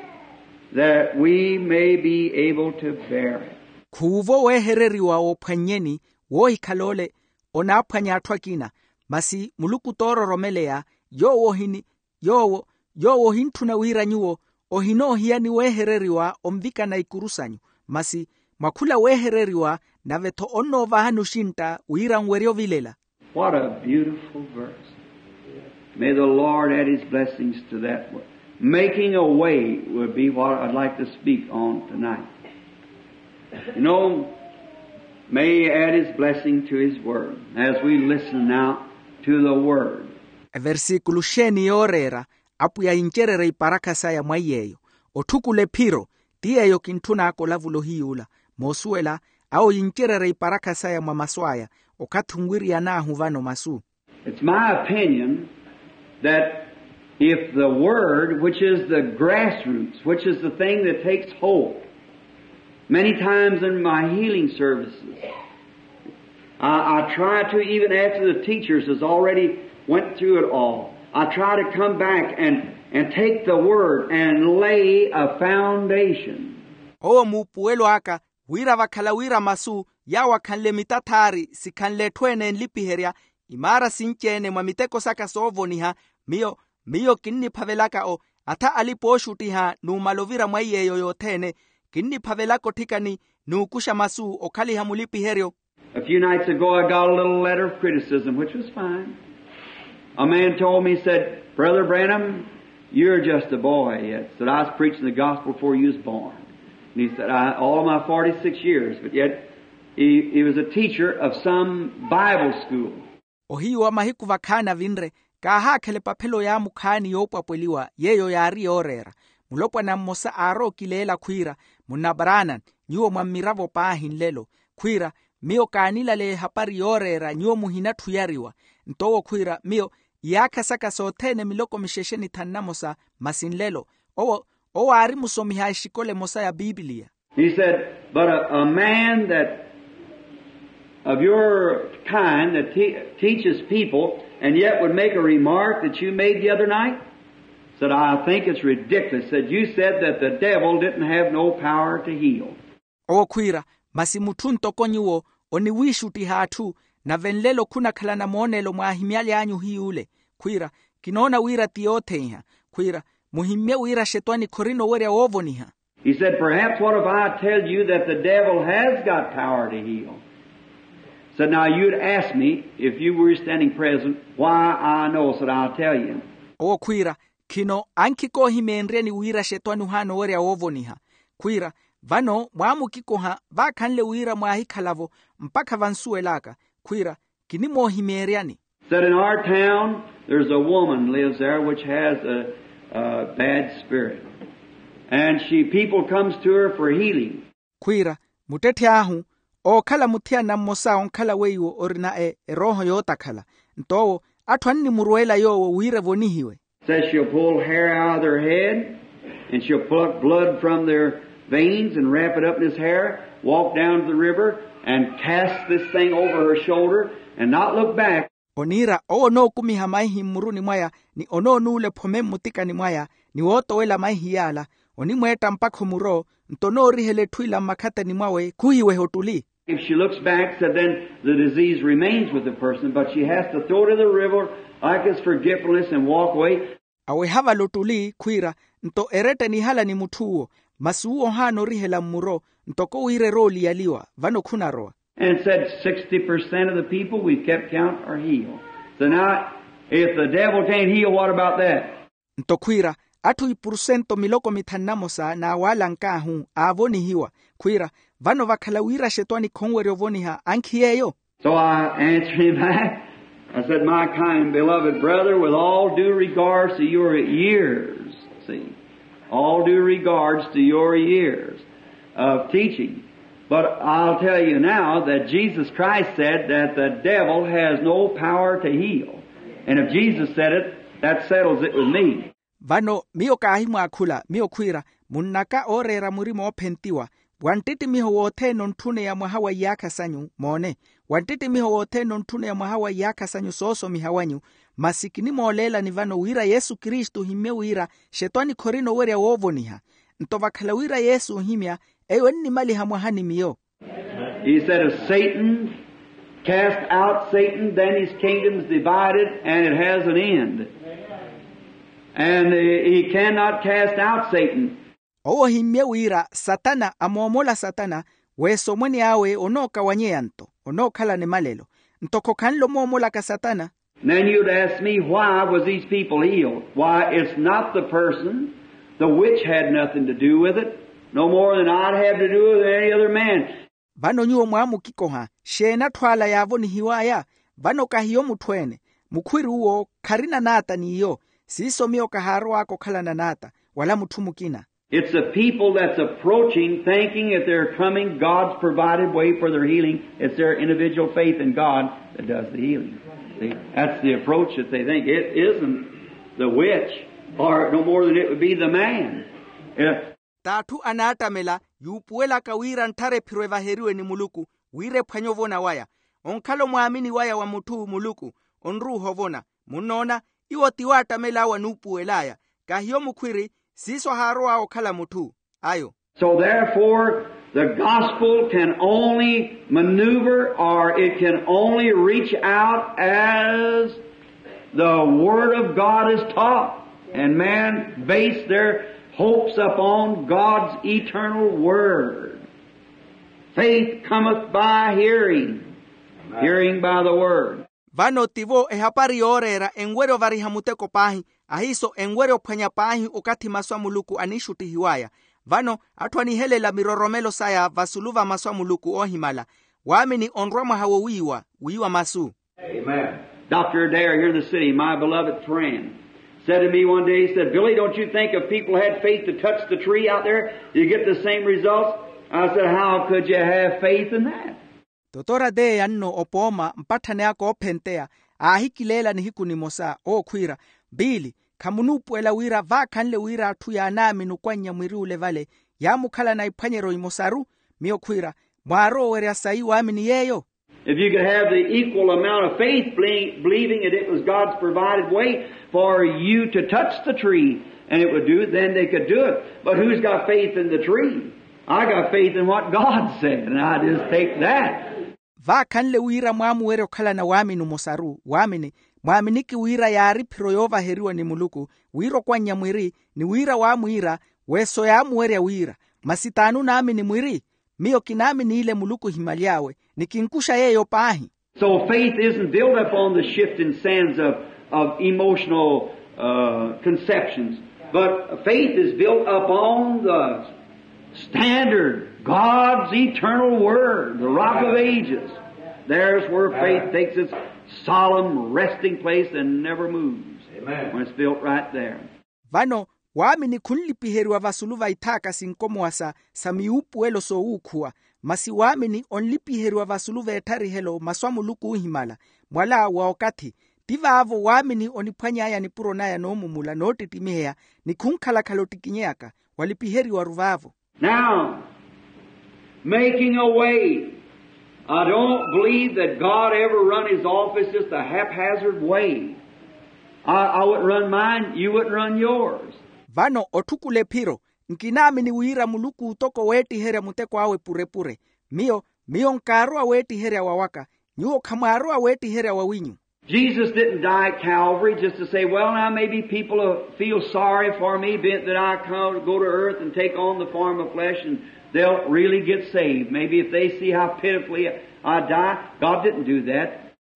that we may be able to bear it. Khuuvo weehereriwa woophwannyeni, woohikhala ole onaaphwanya atthu akina, masi muluku toororomeleya, yoowo ohini yoowo yoowo ohintthuna wira nyuwo ohinoohiyani weehereriwa onvikana ikuru sanyu, masi mwa khula weehereriwa nave-tho onnoovahani oxintta wira nwerye ovilela. What a beautiful verse. May the Lord add his blessings to that word. Making a way would be what I'd like to speak on tonight. You know, may he add his blessing to his word as we listen now to the word. Eversikulu xeeni yooreera? Apwiya yincererye iparakha saya mwa iy'eyo. Otthukula ephiro. Ti yeeyo kintthun'aka olavula ohiy'ula. Moosuwela, awo yincererye iparakha saya mwa masu aya. Okathi onwiriyan'ahu vano masu. It's my opinion that if the word, which is the grassroots, which is the thing that takes hold, many times in my healing services, I, I try to, even after the teachers has already went through it all, I try to come back and, and take the word and lay a foundation. Owo muupuwelo aka wira vakhala wira masu yaawakhanle mitathaari sikhanle etthu ene enlipiherya imaara sinci-ene mwa miteko saka soovoniha. Miyo miyo kinniphavelaka o atha alipa ooxuttiha numala ovira mwa iy'eyo yothene. Kinniphavelaka otthikani n'ukuxa masu okhaliha mulipiheryo. A few nights ago I got a little letter of criticism, which was fine. A man told me, said, "Brother Branham, you're just a boy yet." Said, "I was preaching the gospel before you was born." And he said, "I, all my forty-six years, but yet he, he was a teacher of some Bible school." Ohiyu wa mahiku vakhaani avinre kaahaakhela epaphelo yaamukhaani yoopwapweliwa yeeyo yaari yooreera. Mulopwana mmosa aarowa okileela khwiira, munna Branham, nyuwo mwammiravo paahi nlelo. Khwiira, miyo kaanilaleya ehapari yooreera nyuwo muhinatthuyariwa. Nto owo khwiira miyo iyaakha saka sothene miloko mixexe ni thanu namosa, masi nlelo. Owo owo aari musomiha a exikola emosa ya pipiliya. He said, "But a, a man that of your kind that te- teaches people and yet would make a remark that you made the other night," said, "I think it's ridiculous." Said, "You said that the devil didn't have no power to heal." Owo khwiira, masi mutthu ntoko nyuwo oniwiixuttiha atthu, nave nlelo khunakhalana moonelo mwaahimyaly'anyu hiy'ule. Khwiira, kinoona wira ti yootheiha. Khwiira, muhimmye wira xetwani khorina owerya woovoniha. He said, "Perhaps what if I tell you that the devil has got power to heal?" Said, "Now you'd ask me if you were standing present why I know," said, "I'll tell you." Owo khwiira, khino ankhikoohimeenryeni wira xetwani ohaana owerya woovoniha. Khwiira, vano mwaamukikoha vaakhanle wira mwaahikhala-vo mpakha vansuwel'aka. Khwiira, kinimoohimeeryani. Said, "In our town there's a woman lives there which has a, a bad spirit, and she, people comes to her for healing." Khwiira, muttetthi ahu ookhala muthiyana mmosa onkhala weiwo orina e erooho yootakhala. Nto owo atthu annimurweela yoowo wira evonihiwe. Says she'll pull hair out of their head, and she'll pluck blood from their veins and wrap it up in this hair, walk down to the river and cast this thing over her shoulder and not look back. Oniira owo onookumiha maihi mmuruni mwaya, ni onoonuula ephome mmutikani mwaya, ni wootowela maihi yaala, onimweetta mpakha omuro, nto onoorihela etthu ila mmakhatani mwawe khuhiweha ottuli. If she looks back, said, then the disease remains with the person, but she has to throw it in the river like it's forgetfulness and walk away. Aweha vale ottuli khwiira, nto eretta enihala ni mutth'uwo, masi uwo ohaana orihela mmuro, ntoko wira erowa oliyaliwa vano khunarowa. And said, sixty percent of the people we've kept count are healed. So now, if the devil can't heal, what about that? Nto khwiira, atthu ipurusento miloko mithanu na mosa n'awe alank'ahu aavonihiwa. Khwiira, vano vakhala wira axetwani khonwerya ovoniha ankhi yeeyo? So I answered him back. I said, my kind beloved brother, with all due regards to your years, see, all due regards to your years of teaching, but I'll tell you now that Jesus Christ said that the devil has no power to heal. And if Jesus said it, that settles it with me. Vano miyo kaahimwaakhula miyo khwiira, munnaka ooreera murima oophentiwa, wa nttittimiho wothene ontthuneya mwaha wa iyaakha sanyu moone, wa nttittimiho wothene ontthuneya mwaha wa iyaakha sanyu soosomiha wanyu. Masi kinimooleelani vano wira yesu kristu ohimmye wira xetwani khorina owerya woovoniha. Nto vakhala wira yesu ohimya, eyo ennimaliha mwaha ni miyo. He said, if Satan cast out Satan, then his kingdom's divided and it has an end. And he cannot cast out Satan. Owo ohimmye wira satana amoomola satana, wesomweni awe onookawanyeya nto onookhala ni malelo. Nto khokhanle omoomolaka satana. Then you'd ask me, why was these people healed? Why, it's not the person. The witch had nothing to do with it, no more than I'd have to do with any other man. Vano nyuwo mwaamukikoha, xeeni atthu ala yaavonihiw'aya? Vano kahiyo mutthu-ene. Mukhwiri uwo kharina n'ata n'iyo. Siiso miyo kahaarow'aka okhalana n'ata, wala mutthu mukina. It's the people that's approaching thinking that they're coming, God's provided way for their healing. It's their individual faith in God that does the healing. See, that's the approach that they think. It isn't the witch, or no more than it would be the man. T'atthu anaattamela, yuupuwelaka wira ntthara ephiro evaheriwe ni muluku, wira ephwanye ovona waya. Onkhala omwaamini waya wa mutthu muluku, onruuha ovona. Munnoona, iwo ti waattamel'awe anuupuwel'aya. Kahiyo mukhwiri, siiso ahaarow'awe okhala mutthu ayo. So therefore, the gospel can only maneuver, or it can only reach out as the word of God is taught, and man base their hopes upon God's eternal word. Faith cometh by hearing, hearing by the word. Vano tivo ehapari yooreera enwerya ovariha muteko paahi, ahiiso enwerya ophwanya paahi okathi masu a muluku aniixuttihiw'aya. Vano atthu anihelela miroromelo saya vasulu va masu a muluku oohimala. Waamini onrwa mwaha wowiiwa wiiwa masu. Amen. Dr Adair here in the city, my beloved friend, said to me one day, he said, Billy, don't you think if people had faith to touch the tree out there, you get the same results? I said, how could you have faith in that? Totora teeya nno opooma mpatthani aka oophenteya, aahikileela nihiku nimosa ookhwiira, piili, khamunuupuwela wira vaakhanle wira atthu yaanaamini okwannya mwiri ole vale, yaamukhalana iphwanyeryo imosaru? Miyo khwiira, mwaarowa owerya sayi waamini yeeyo? If you could have the equal amount of faith, believing that it was God's provided way for you to touch the tree and it would do it, then they could do it. But who's got faith in the tree? I got faith in what God said, and I just take that. Vaakhanle wira mwaamuwerya okhalana waamini omosaru waamini, mwaaminiki wira yaari phiro yoovaheriwa ni muluku, wira okwannya mwiri, ni wira waamwiira, weso yaamuwerya wira. Masi t'ani onaamini mwiri? Miyo kinaamin'ile muluku ohimaly'awe, ni kinkuxa yeeyo paahi. So faith isn't built upon the shifting sands of, of emotional uh, conceptions, but faith is built upon the standard, God's eternal word, the rock of ages. There's where faith takes its solemn resting place and never moves. Amen. When it's built right there. Vano waamini khunlipiheriwa vasulu va ithaaka sinkomowa sa sa miwuupuwelo soowuukhuwa. Masi waamini onlipiheriwa vasulu v'ettharihelo masu a muluku oohimala. Mwala wa okathi, ti vaavo waamini oniphwany'aya nipuro naya noomumula noottittimiheya, ni khunkhalakhala ottikinyeyaka, walipiheriwaru vaavo. Now, making a way. I don't believe that God ever run his office just a haphazard way. I, I wouldn't run mine, you wouldn't run yours. Vano otthukula ephiro, nkinaamini wira muluku ootoko weettiherya muteko awe purepure. Miyo miyo nkaarowa weettiherya wawaka, nyuwo khamwaarowa weettiherya wawinyu. Jesus didn't die at Calvary just to say, well, now maybe people will feel sorry for me, being that I come, go to earth and take on the form of flesh and They'll really get saved. Maybe if they see how pitifully I die. God didn't do that.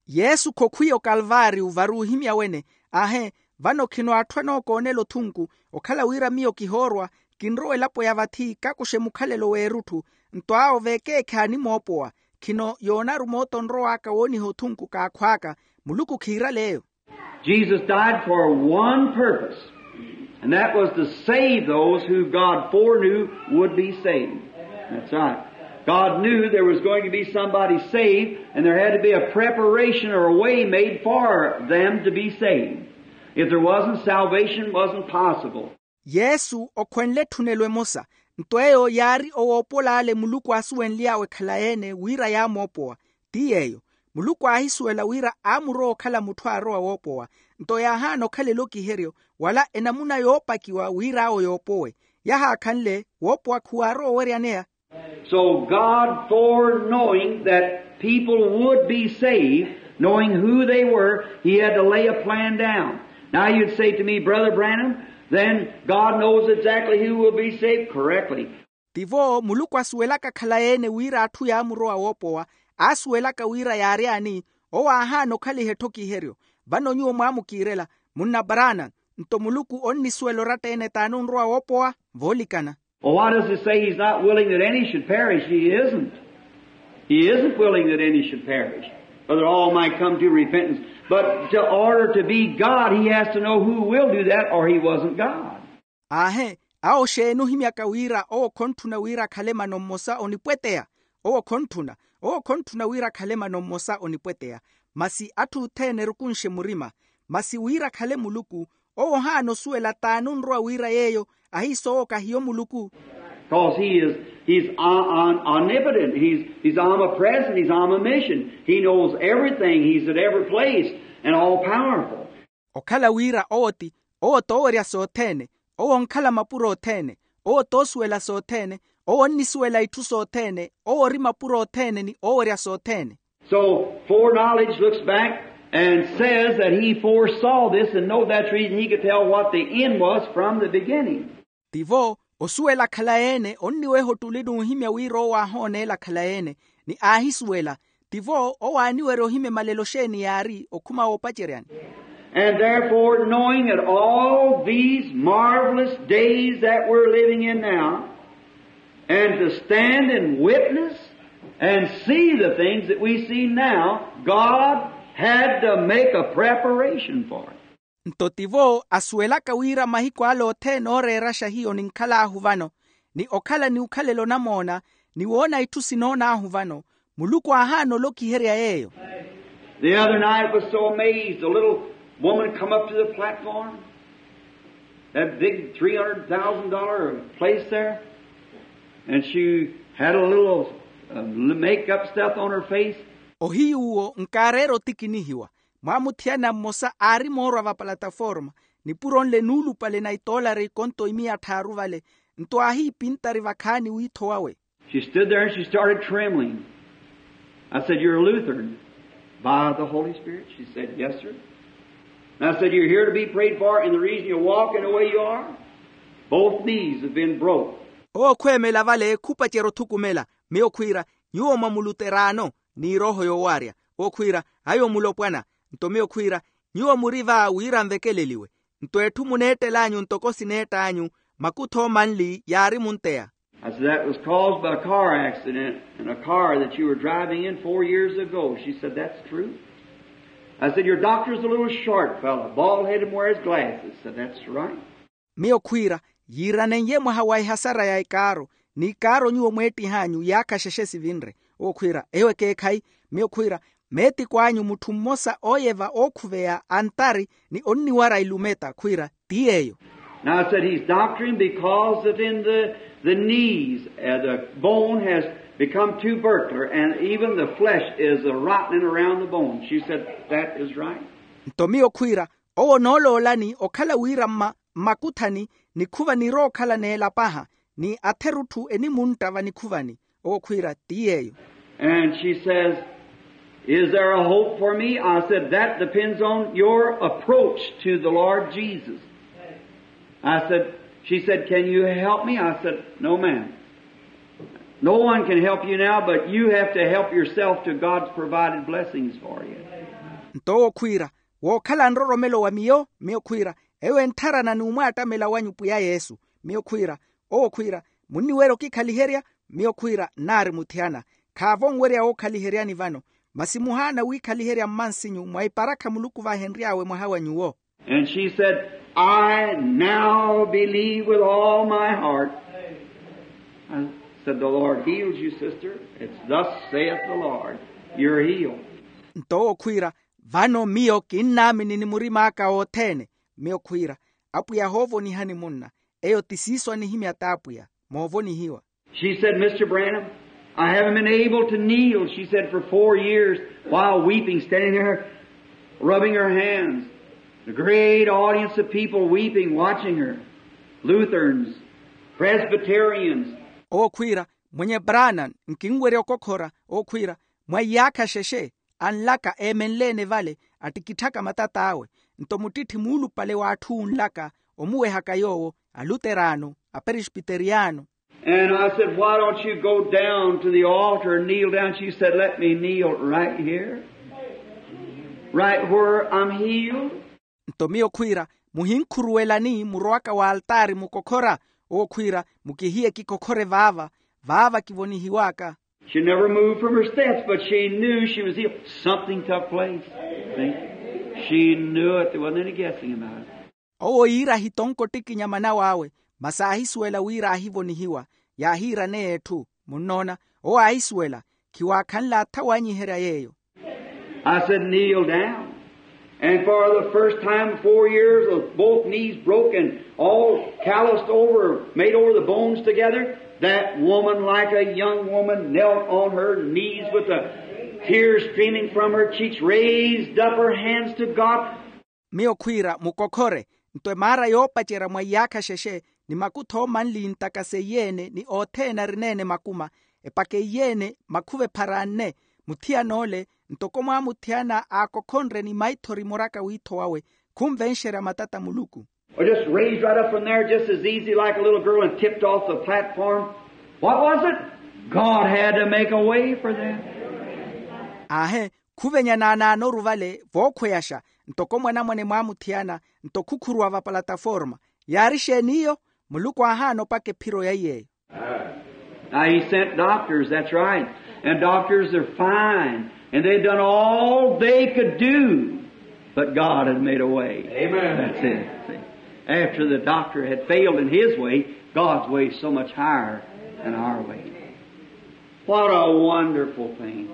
Yesu khokhwiya okalvaariyu vari ohimya wene. Aahe, vano khino atthu anookoonela othunku, okhala wira miyo kihoorwa, kinrowa elapo ya vathi kakuxe mukhalelo w'erutthu. Nto awo veekeekhe animoopowa. Khino yoonaru mooto onrow'aka wooniha othunku kaakhw'aka. Muluku khiirale eyo. Jesus died for one purpose, and that was to save those who God foreknew would be saved. That's right. God knew there was going to be somebody saved, and there had to be a preparation or a way made for them to be saved. If there wasn't, salvation wasn't possible. Yesu okhwenle etthunelo emosa. Nto eyo yaari owoopol'ale muluku aasuwenly'awe ekhalayi-ene wira yaamoopowa. Ti yeeyo, muluku aahisuwela wira aamurowa okhala mutthu aarowa woopowa. Nto yaahaana okhalela okiheryo wala enamuna yoopakiwa wira awo yoopowe. Yahaakhanle woopowa khuwaarowa oweryaneya. So God, foreknowing that people would be saved, knowing who they were, he had to lay a plan down. Now you'd say to me, "Brother Branham, then God knows exactly who will be saved." Correctly. Tivo muluku asuwelaka khalayi-ene wira atthu yaamurowa woopowa, aasuwelaka wira yaaryaani. Owo aahaana okhaliha etthu okiheryo. Vano nyuwo mwaamukiirela, munna parana. Nto muluku onnisuwela oratta-ene t'anonrowa woopowa. Voolikana. Well, why does it say he's not willing that any should perish? He isn't. He isn't willing that any should perish, but that all might come to repentance. But to order to be God, he has to know who will do that, or he wasn't God. Aahe, awo xeeni ohimyaka wira owo khonttuna wira akhale mano mmosa onipweteya? Owo khonttuna. Owo khonttuna wira akhale mano mmosa onipweteya. Masi atthu othene erukunxe murima. Masi wira akhale muluku, owo ohaana osuwela t'anunrowa wira yeeyo ahiisoowo kahiyo muluku. Because he is, he's on- on- omnipotent. He's, he's omnipresent. He's omniscient. He knows everything. He's at every place and all powerful. Okhala wira owo ti, owo t'owerya sothene. Owo onkhala mapuro othene. Owo t'osuwela sothene. Owo onnisuwela itthu sothene. Owo ori mapuro othene ni owerya sothene. So foreknowledge looks back and says that he foresaw this and know that's the reason he could tell what the end was from the beginning. Tivo osuwela khalayi-ene onniweha ottuli n'uhimya wira owo aahooneela khalayi-ene, ni aahisuwela. Tivo owo aaniwerya ohimya emalelo xeeni yaari okhuma woopaceryani. And therefore, knowing that all these marvelous days that we're living in now, and to stand and witness and see the things that we see now, God had to make a preparation for it. Nto tivo asuwelaka wira mahiku ale othene ooreeraxa hiyo ninkhal'ahu vano, ni okhala ni ukhalela onamoona, ni woona itthu sinoon'ahu vano, muluku aahaana olokiherya yeeyo. The other night I was so amazed. A little woman come up to the platform, that big three hundred thousand dollar place there, and she had a little uh, makeup stuff on her face. Ohiyu uwo nkaareera otikinihiwa. Mwaamuthiyana mmosa aari moorwa vapalataforma, nipuro nle nuulupale na itoolari konto imiya tthaaru vale. Nto aahiipintari vakhaani wiitho wawe. She stood there and she started trembling. I said, "You're a Lutheran by the Holy Spirit?" She said, "Yes, sir." And I said, "You're here to be prayed for, and the reason you're walking the way you are, both knees have been broke." Owo khweemela vale khupacerya othukumela. Miyo khwiira, nyuwo mwa muluteraano ni erooho yoowarya. Owo khwiira, ayo mulopwana. Nto miyo khwiira, nyuwo muri va wira nvekeleliwe. Nto etthu muneettel'anyu ntoko sineett'anyu, makutho manli yaari munteya. I said, "That was caused by a car accident in a car that you were driving in four years ago." She said, "That's true." I said, "Your doctor's a little short fellow, bald headed, wears glasses." Said, "That's right." Miyo khwiira, yiiranen'ye mwaha wa ehasara ya ekaaro, ni ekaaro nyuwo mweettih'anyu yaakhaxexe sivinre. Owo khwiira, eyo ekeekhayi. Miyo khwiira, meetikw'anyu mutthu mmosa ooyeva ookhuveya antari ni onniwara ilumeta khwiira, ti yeeyo. Now I said, "He's doctoring because that in the, the knees, uh, the bone has become tubercular, and even the flesh is, uh, rotting around the bone." She said, "That is right." Nto miyo khwiira, owo onooloolani okhala wira mma mmakuthani nikhuva nirookhala neelapaha, ni atherutthu enimuntta vanikhuvani. Owo khwiira ti yeeyo. And she says, "Is there a hope for me?" I said, "That depends on your approach to the Lord Jesus." I said, she said, "Can you help me?" I said, "No, ma'am." No one can help you now, but you have to help yourself to God's provided blessings for you. Nto owo khwiira, wookhala nroromelo wa miyo, miyo khwiira, eyo entharana n'umwaattamela wanyu pwiya yesu. Miyo khwiira, owo khwiira, munniwerya okikhaliherya. Miyo khwiira, nnaari muthiyana, khaavo onwerya wookhaliheryani vano, masi muhaana wiikhaliherya mmansinyu mwa iparakha muluku vahenry'awe mwaha wa nyuwo. And she said, I now believe with all my heart. I said, the Lord heals you, sister. It's thus saith the Lord. You're healed. Nto owo khwiira, vano miyo kinnaamini ni murim'aka othene. Miyo khwiira, apwiya hoovonihani munna. Eyo ti siiso anihimya t'apwiya, moovonihiwa. She said, Mister Branham, I haven't been able to kneel, she said, for four years while weeping, standing there rubbing her hands. The great audience of people weeping, watching her. Lutherans, Presbyterians. Owo khwiira, mwenye Branham, nkinwerya okokhora. Owo khwiira, mwa iyaakha xexe, anlaka eemenle-ene vale, attikitthaka matat'awe, nto muttitthi muulupale w'atthu unlaka omuwehaka yoowo, aluteraano, aperespiteriyano. And I said, why don't you go down to the altar and kneel down? She said, let me kneel right here, right where I'm healed. Nto miyo khwiira, muhinkhuruwelani murowaka w'altaari mukokhora? Owo khwiira, mukihiye kikokhore vaava, vaava kivonihiw'aka. She never moved from her steps, but she knew she was healed. Something took place. See? She knew it. There wasn't any guessing about it. Owo iira ahitonka ottikinya manaw'awe, masi aahisuwela wira aahivonihiwa. Yaahiiraneya etthu. Munnoona, owo aahisuwela, khiwaakhanle athawanyiherya yeeyo. I said, kneel down. And for the first time in four years, with both knees broken, all calloused over, made over the bones together, that woman, like a young woman, knelt on her knees with the tears streaming from her cheeks, raised up her hands to God. Miyo khwiira mukokhore, nto emaara yoopacerya mwa iyaakha xexe, ni makutho manli ntaka seiye-ene ni othene arineene makuma, epaka eiye-ene makhuva ephara anne, muthiyan'ole, ntoko mwaamuthiyana aakokhonre ni maithori muraka wiitho wawe, khunvenxerya matata muluku. Or just raised right up from there just as easy like a little girl and tipped off the platform. What was it? God had to make a way for them. Aahe, khuvenya naanaanoru vale vookhweyaxa, ntoko mwanamwane mwaamuthiyana, nto khukhuruwa vapalataforma. Yaari xeeni iyo? Muluku aahaana opaka ephiro ya iy'eyo. Now, he sent doctors, that's right. And doctors are fine. And they've done all they could do. But God had made a way. Amen. That's it. See? After the doctor had failed in his way, God's way is so much higher than our way. What a wonderful thing.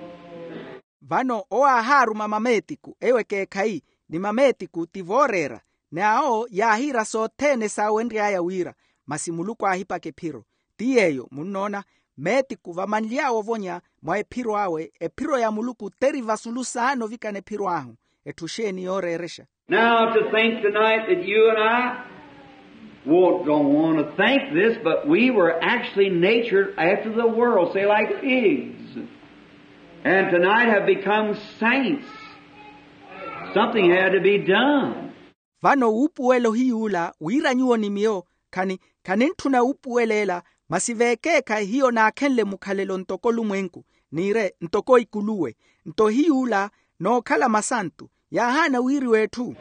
Vano owo aahaaruma mameetiku, eyo ekeekhayi, ni mameetiku ti vooreera, ni awo yaahiira sothene saawenry'aya wira, masi muluku aahipaka ephiro. Ti yeeyo munnoona, meetiku vamanly'awe ovonya mwa ephiro awe, ephiro ya muluku t'eri vasulu saana ovikana ephiro ahu. Etthu xeeni yooreerexa? Now, to think tonight that you and I won't, don't want to think this, but we were actually natured after the world, say, like pigs, and tonight have become saints. Something had to be done. Vano wuupuwela ohiy'ula wira nyuwo ni miyo khani, khanintthuna wuupuwela ela, masi veekeekhayi hiyo naakhenle mukhalelo ntoko olumwenku, niire ntoko ikuluwe. Nto hiy'ula nookhala masantu yaahaana wiiriwa etthu.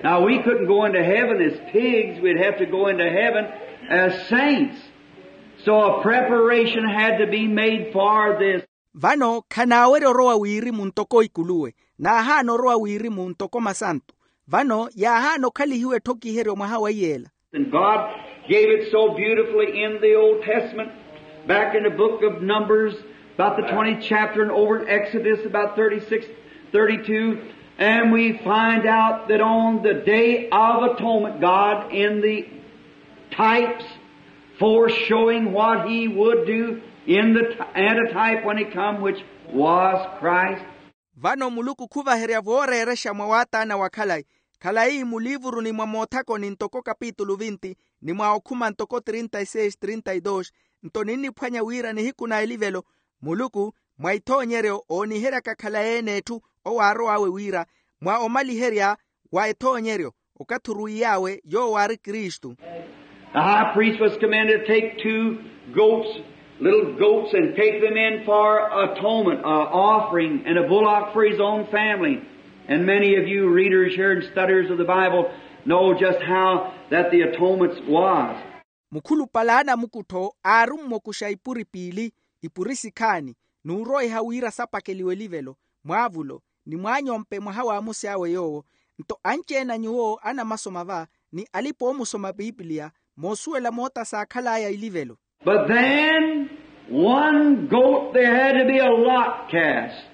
Now, we couldn't go into heaven as pigs. We'd have to go into heaven as saints. So a preparation had to be made for this. Vano khanaawerya orowa wirimu ntoko ikuluwe, naahaana orowa wirimu ntoko masantu. Vano yaahaana okhalihiwa etthokiheryo mwaha wa iy'ela. And God gave it so beautifully in the Old Testament, back in the book of Numbers, about the twentieth chapter, and over in Exodus, about thirty-six, thirty-two. And we find out that on the Day of Atonement, God, in the types, foreshowing what he would do in the t-, antitype when he come, which was Christ. Vano muluku khuvaherya vooreerexa mwa waataana wa khalayi, khalayi muliivuruni mwa moothakoni ntoko kapitulu vinti, ni mwa okhuma ntoko trinta y seis, trinta y dos. Nto ninniphwanya wira nihiku na elivelo, muluku mwa ithoonyeryo ooniheryaka khalayi-ene etthu, owo aarow'awe wira mwa omaliherya wa ethoonyeryo, okathi oruwiy'awe yoowo aari kristu. The high priest was commanded to take two goats Little goats and take them in for atonement, an offering, and a bullock for his own family. And many of you readers here and studiers of the Bible know just how that the atonement was. Mukhulupale a anamukuttho aarumme okuxa ipuri piili, ipuri sikhaani, n'uroiha wira sapakeliwe elivelo mwaavulo, ni mwaanyompe mwaha wa amusi awe yoowo. Nto anci-ene a nyuwo anamasoma va, ni alipa-oomusoma pipiliya, moosuwela moota saakhal'aya ilivelo. But then, one goat, there had to be a lot cast.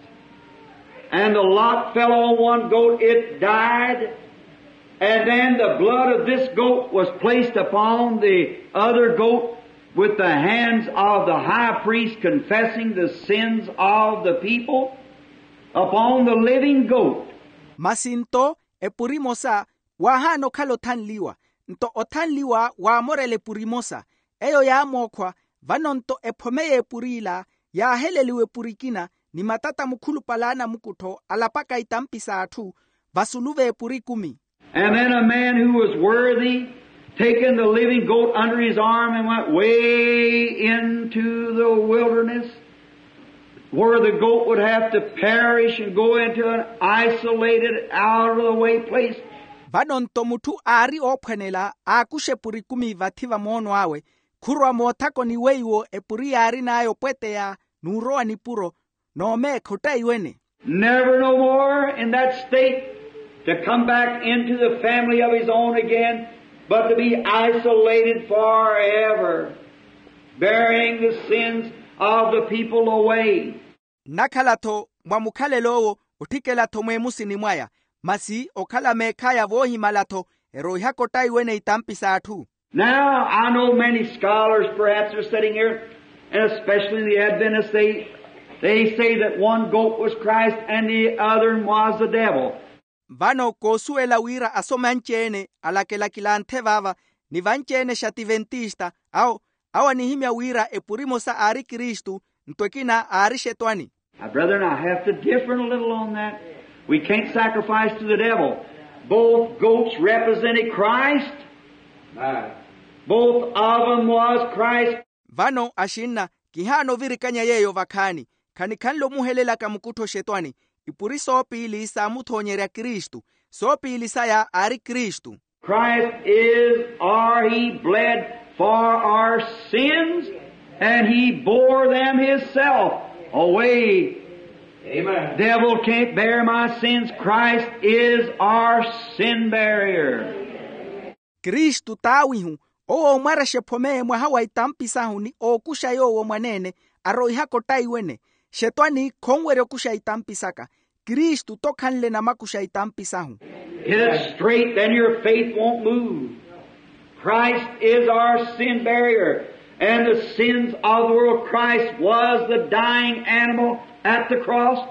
And the lot fell on one goat, it died. And then the blood of this goat was placed upon the other goat with the hands of the high priest confessing the sins of the people upon the living goat. Masi nto epuri emosa waahaana okhala othanliwa, nto othanliwa waamorela epuri emosa, eyo yaamookhwa. Vano nto ephome y'epur'ila yaaheleliwa epuri ekina, ni matata mukhulupale a anamukuttho alapaka itampi s'atthu vasulu v'epuri ekumi. And then a man who was worthy, taking the living goat under his arm and went way into the wilderness, where the goat would have to perish and go into an isolated, out of the way place. Vano nto mutthu aari oophwanela aakuxa epuri ekumi vathi va moono awe, khurwa moothakoni weiwo epuri yaarin'aya opweteya n'urowa nipuro, n'omeekha ottaiwene. Never no more in that state to come back into the family of his own again, but to be isolated forever, bearing the sins of the people away. Nnakhala-tho mwa mukhalelo-wo, otthikela-tho mweemusini mwaya, masi okhala meekhaya voohimala-tho, eroihaka ottaiwene itampi s'atthu. Now, I know many scholars perhaps are sitting here, and especially the Adventists, they, they say that one goat was Christ and the other was the devil. Vano koosuwela wira asoma anci-ene alakelakilanthe vaava, ni vanci-ene xativentista, awo, awo anihimya wira epuri emosa aari kristu, nto ekina aari xetwani. Now, brethren, I have to differ a little on that. We can't sacrifice to the devil. Both goats represented Christ. Both of them was Christ. Vano axinna, kihaana ovirikanya yeeyo vakhaani. Khanikhanle omuhelelaka mukuttho xetwani. Ipuri soopiili saamuthonyerya kristu. Soopiili saya aari kristu. Christ is our, he bled for our sins, and he bore them himself away. Amen. Devil can't bear my sins. Christ is our sin barrier. Kristu t'awihu, owo oomwarexa ephome mwaha wa itampi sahu ni ookuxa yoowo mwaneene, aroihaka ottaiwene. Xetwani khonwerya okuxa itampi saka. Kristu t'okhanle namakuxa itampi sahu. Get it straight, then your faith won't move. Christ is our sin barrier, and the sins of the world. Christ was the dying animal at the cross.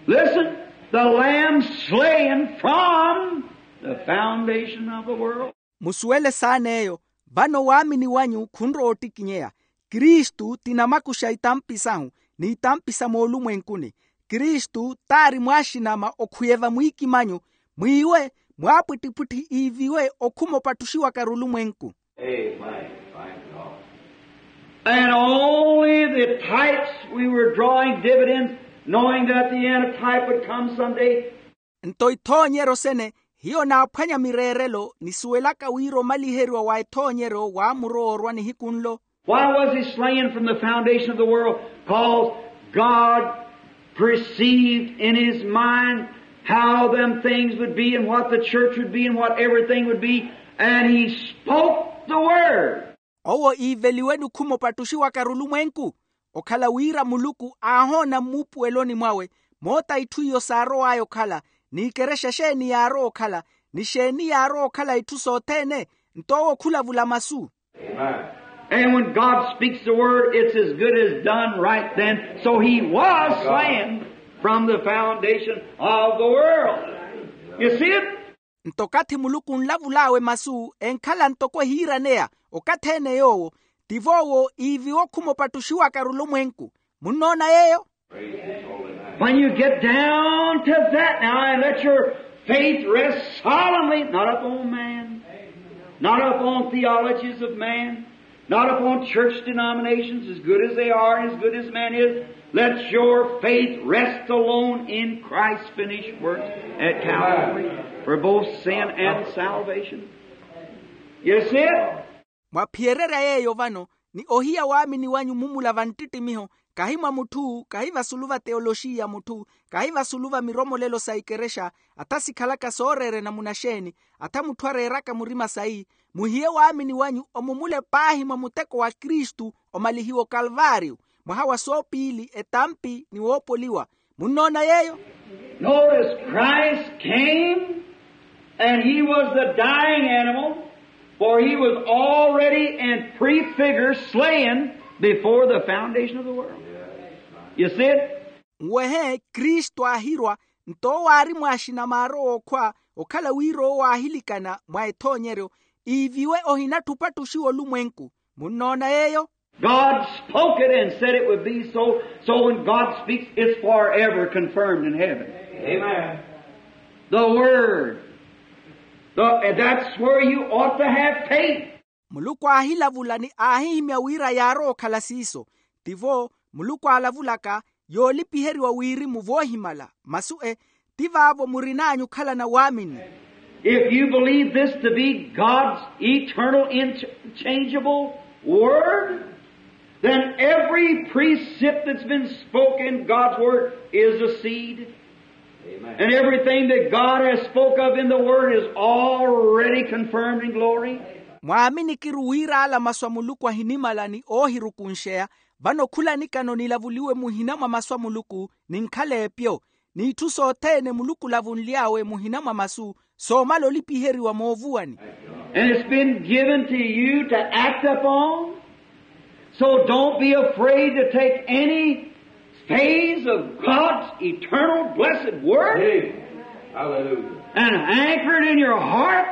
Listen, the Lamb slain from the foundation of the world. Musuwele saana eyo. Vano waamini wanyu khunrowa ottikinyeya. Kristu ti namakuxa itampi sahu, ni itampi sa moolumwenkuni. Kristu t'ari mwaaxinama okhwiye vamwiikimanyu, mwiiwe mwaapwittipwitthi iiviwe okhuma opattuxiwaka r'ulumwenku. And only the types we were drawing dividends, knowing that the end of type would come someday. Nto ithoonyeryo sene, hiyo naaphwanya mireerelo nisuwelaka wira omaliheriwa wa ethoonyeryo waamurowa orwa nihiku nlo. Why was he slain from the foundation of the world? Cause God perceived in his mind how them things would be and what the church would be and what everything would be, and he spoke the word. Owo iiveliwe ni okhuma opattuxiwaka r'ulumwenku, okhala wira muluku aahoona mmuupuweloni mwawe moota itthu iyo saarow'aya okhala, ni ikerexa exeeni yaarowa okhala, ni xeeni yaarowa okhala itthu sothene. Nto owo khulavula masu. And when God speaks the word, it's as good as done right then. So he was slain from the foundation of the world. You see it? Nto okathi muluku onlavul'awe masu enkhala ntoko ehiiraneya, okathi-ene yoowo tivo owo iiviwe okhuma opattuxiwaka r'ulumwenku. Munnoona yeeyo? When you get down to that now and let your faith rest solemnly, not upon man, not upon theologies of man, Not upon church denominations, as good as they are, as good as man is. Let your faith rest alone in Christ's finished work at Calvary for both sin and salvation. You see it? Mwaphiyererya yeeyo vano, ni ohiya waamini wanyu mumula va nttittimiho, kahi mwa mutthu, kahi vasulu va teoloxiya mutthu, kahi vasulu va miromolelo sa ikerexa, atha sikhalaka sooreerya namuna xeeni, atha mutthu areeraka murima sayi, muhiye waamini wanyu omumule paahi mwa muteko wa kristu, omalihiwa okalvaariyo, mwaha wa soopiili etampi ni woopoliwa. Munnoona yeeyo? Notice, Christ came and he was the dying animal, for he was already in prefigure slain before the foundation of the world. You see it? Nwehe kristu aahirwa, nto owo aari mwaaxinamaaro wookhwa, okhala wira owo aahilikana mwa ethoonyeryo, iiviwe ohinatthupatthuxiwa olumwenku. Munnoona yeeyo? God spoke it and said it would be so. So when God speaks, it's forever confirmed in heaven. Amen. The Word. The, that's where you ought to have faith. Muluku aahilavula ni aahihimya wira yaarowa okhala siiso. Tivo muluku aalavulaka, yoolipiheriwa wirimu voohimala. Masu e, ti vaavo murin'anyu okhalana waamini. If you believe this to be God's eternal, unchangeable Word, then every precept that's been spoken in God's Word is a seed. And everything that God has spoke of in the Word is already confirmed in glory. Mwaaminiki-ru wira ala masu a muluku ahinimala ni oohirukunxeya, vano khula nikano nilavuliwe muhina mwa masu a muluku, ninkhala epyo, n'itthu sothene muluku olavunly'awe muhina mwa masu, soomala olipiheriwa moovuwani. And it's been given to you to act upon. So don't be afraid to take any phase of God's eternal blessed word. Hallelujah. And anchor it in your heart.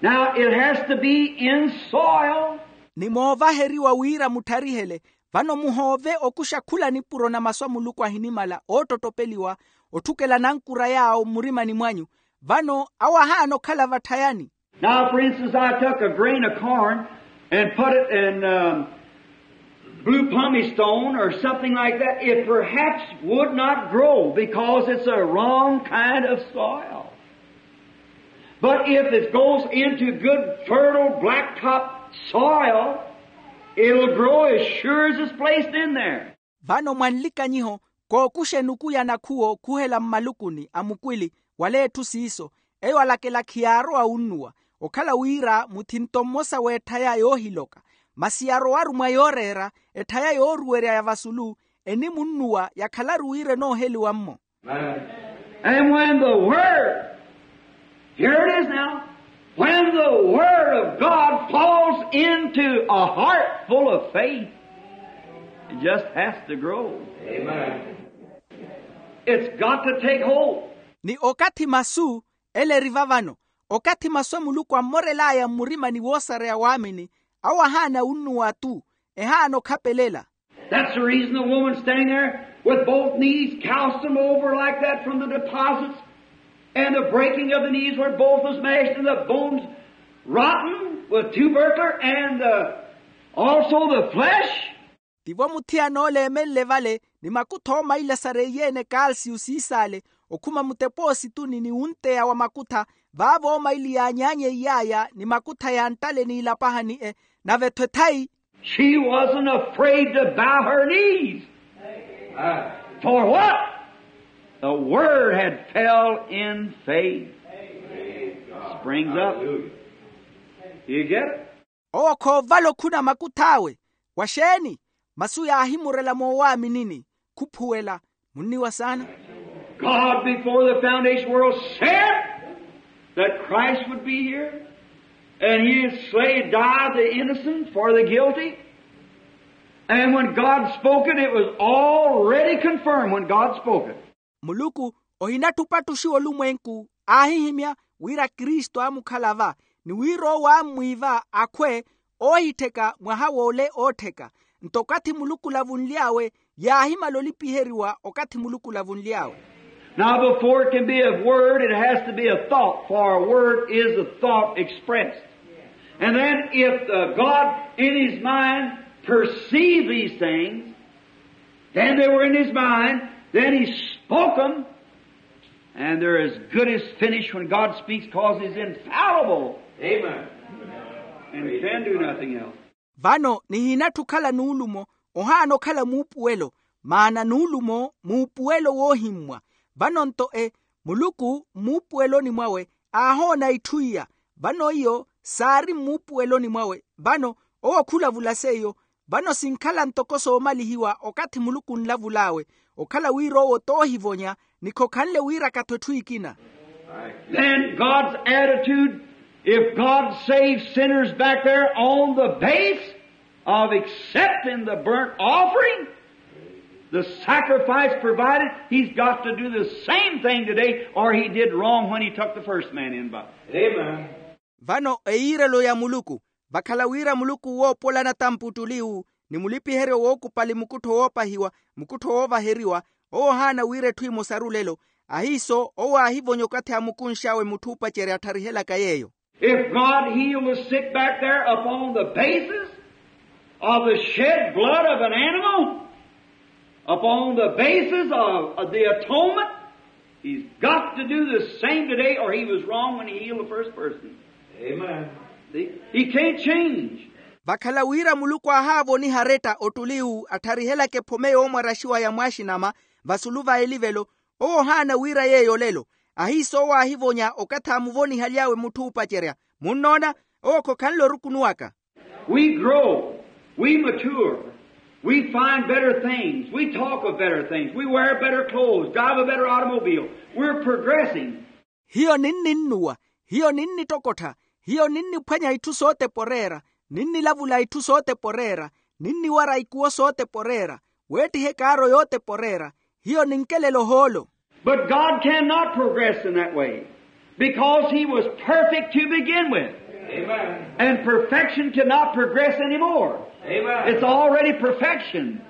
Now it has to be in soil. Ni moovaheriwa wira muttharihele. Vano muhoove okuxa khula nipuro na masu a muluku ahinimala oottottopeliwa, otthukela nankura yaawo mmurimani mwanyu. Vano awo ahaana okhala vatthayani. Now, for instance, I took a grain of corn and put it in, um, blue pumice stone or something like that. It perhaps would not grow because it's a wrong kind of soil. But if it goes into good, fertile, blacktop soil, it'll grow as sure as it's placed in there. Vano mwa nlikanyiho, kookuxa enuku ya nakhuwo khuhela mmalukuni a mukwili, wala etthu siiso, eyo alakela khiyaarowa wunnuwa, okhala wira muthinto mmosa w'etthaya yoohiloka, masi yarowaru mwa yooreera, etthaya yooruwerya ya vasulu, enimunnuwa yakhalaru wira enooheliwa-mmo. And when the word, here it is now, when the word of God falls into a heart full of faith, it just has to grow. Amen. It's got to take hold. Ni okathi masu, ele eri va vano, okathi masu a muluku ammorel'aya mmurimani woosareya waamini, awo ahaana wunnuwa-tu, ehaana okhapelela. That's the reason the woman standing there with both knees calcium over like that from the deposits, and the breaking of the knees where both was mashed, and the bones rotten with tubercle, and the, also the flesh. Tivo muthiyana ole eemenle vale, ni makutha oomaili asareiye-ene kalsiyu siisale, okhuma mutepoosituni ni wunteya wa makutha, vaavo oomaili yaanyaanyeiy'aya ni makutha yanttale n'ilapahani-e, nave-tho ethayi. She wasn't afraid to bow her knees. For what? The word had fell in faith. Springs up. You get it? Owo khoovala okhuna makuth'awe. Wa xeeni? Masu yaahimurela moowaaminini. Khuphuwela. Munniwa saana. God before the foundation of the world said that Christ would be here, and he would slay, die the innocent for the guilty. And when God spoke it, it was already confirmed when God spoke it. Muluku ohinattupatthuxiwa olumwenku, aahihimya wira kristu aamukhala va, ni wira owo aammwiiva akhwe oohittheka mwaha w'ole oottheka. Nto okathi muluku olavunly'awe, yaahimala olipiheriwa okathi muluku olavunly'awe. Now, before it can be a word, it has to be a thought, for a word is a thought expressed. And then if the God in his mind perceived these things, then they were in his mind, then he spoke them, and they're as good as finished when God speaks, 'cause he's infallible. Amen. And can do nothing else. Vano nihiinatthi okhala nuulumo, ohaana okhala muupuwelo, maana nuulumo muupuwelo woohimmwa. Vano-nto e muluku mmuupuweloni mwawe aahoona itthu iya. Vano iyo saari mmuupuweloni mwawe. Vano owo khulavula seiyo. Vano sinkhala ntoko soomalihiwa okathi muluku onlavul'awe, okhala wira owo t'ohivonya ni khokhanle wiiraka-tho etthu ekina. Then God's attitude, if God saves sinners back there on the base of accepting the burnt offering, the sacrifice provided, he's got to do the same thing today, or he did wrong when he took the first man in by. Amen. Vano eyiirelo ya muluku, vakhala wira muluku woopolana tamputtuli-wu ni mulipiheryo wookupali mukuttho woopahiwa, mukuttho woovaheriwa, owo ohaana wira etthu emosaru lelo. Ahiiso owo aahivonya okathi aamukunx'awe mutthu oopacerya attharihelaka yeeyo. If God healed the sick back there upon the basis of the shed blood of an animal, upon the basis of, of the atonement, he's got to do the same today, or he was wrong when he healed the first person. Amen. See? He can't change. Vakhala wira muluku aahaavoniha aretta ottuli-wu attharihelaka ephome yoomwaraxiwa ya mwaaxinama vasulu va elivelo, owo ohaana wira yeeyo lelo. Ahiiso owo aahivonya okathi aamuvonihaly'awe mutthu oopacerya. Munnoona, owo khokhanle orukunuwaka. We grow, we mature, we find better things, we talk of better things, we wear better clothes, drive a better automobile. We're progressing. Hiyo ninninnuwa, hiyo ninnittokottha, hiyo ninniphwanya itthu sootepa oreera, ninnilavula itthu sootepa oreera, ninniwara ikuwo sootepa oreera, weettiha ekaaro yootepa oreera. Hiyo ninkelela ohoolo. But God cannot progress in that way, because he was perfect to begin with. Amen. And perfection cannot progress anymore. Amen. It's already perfection.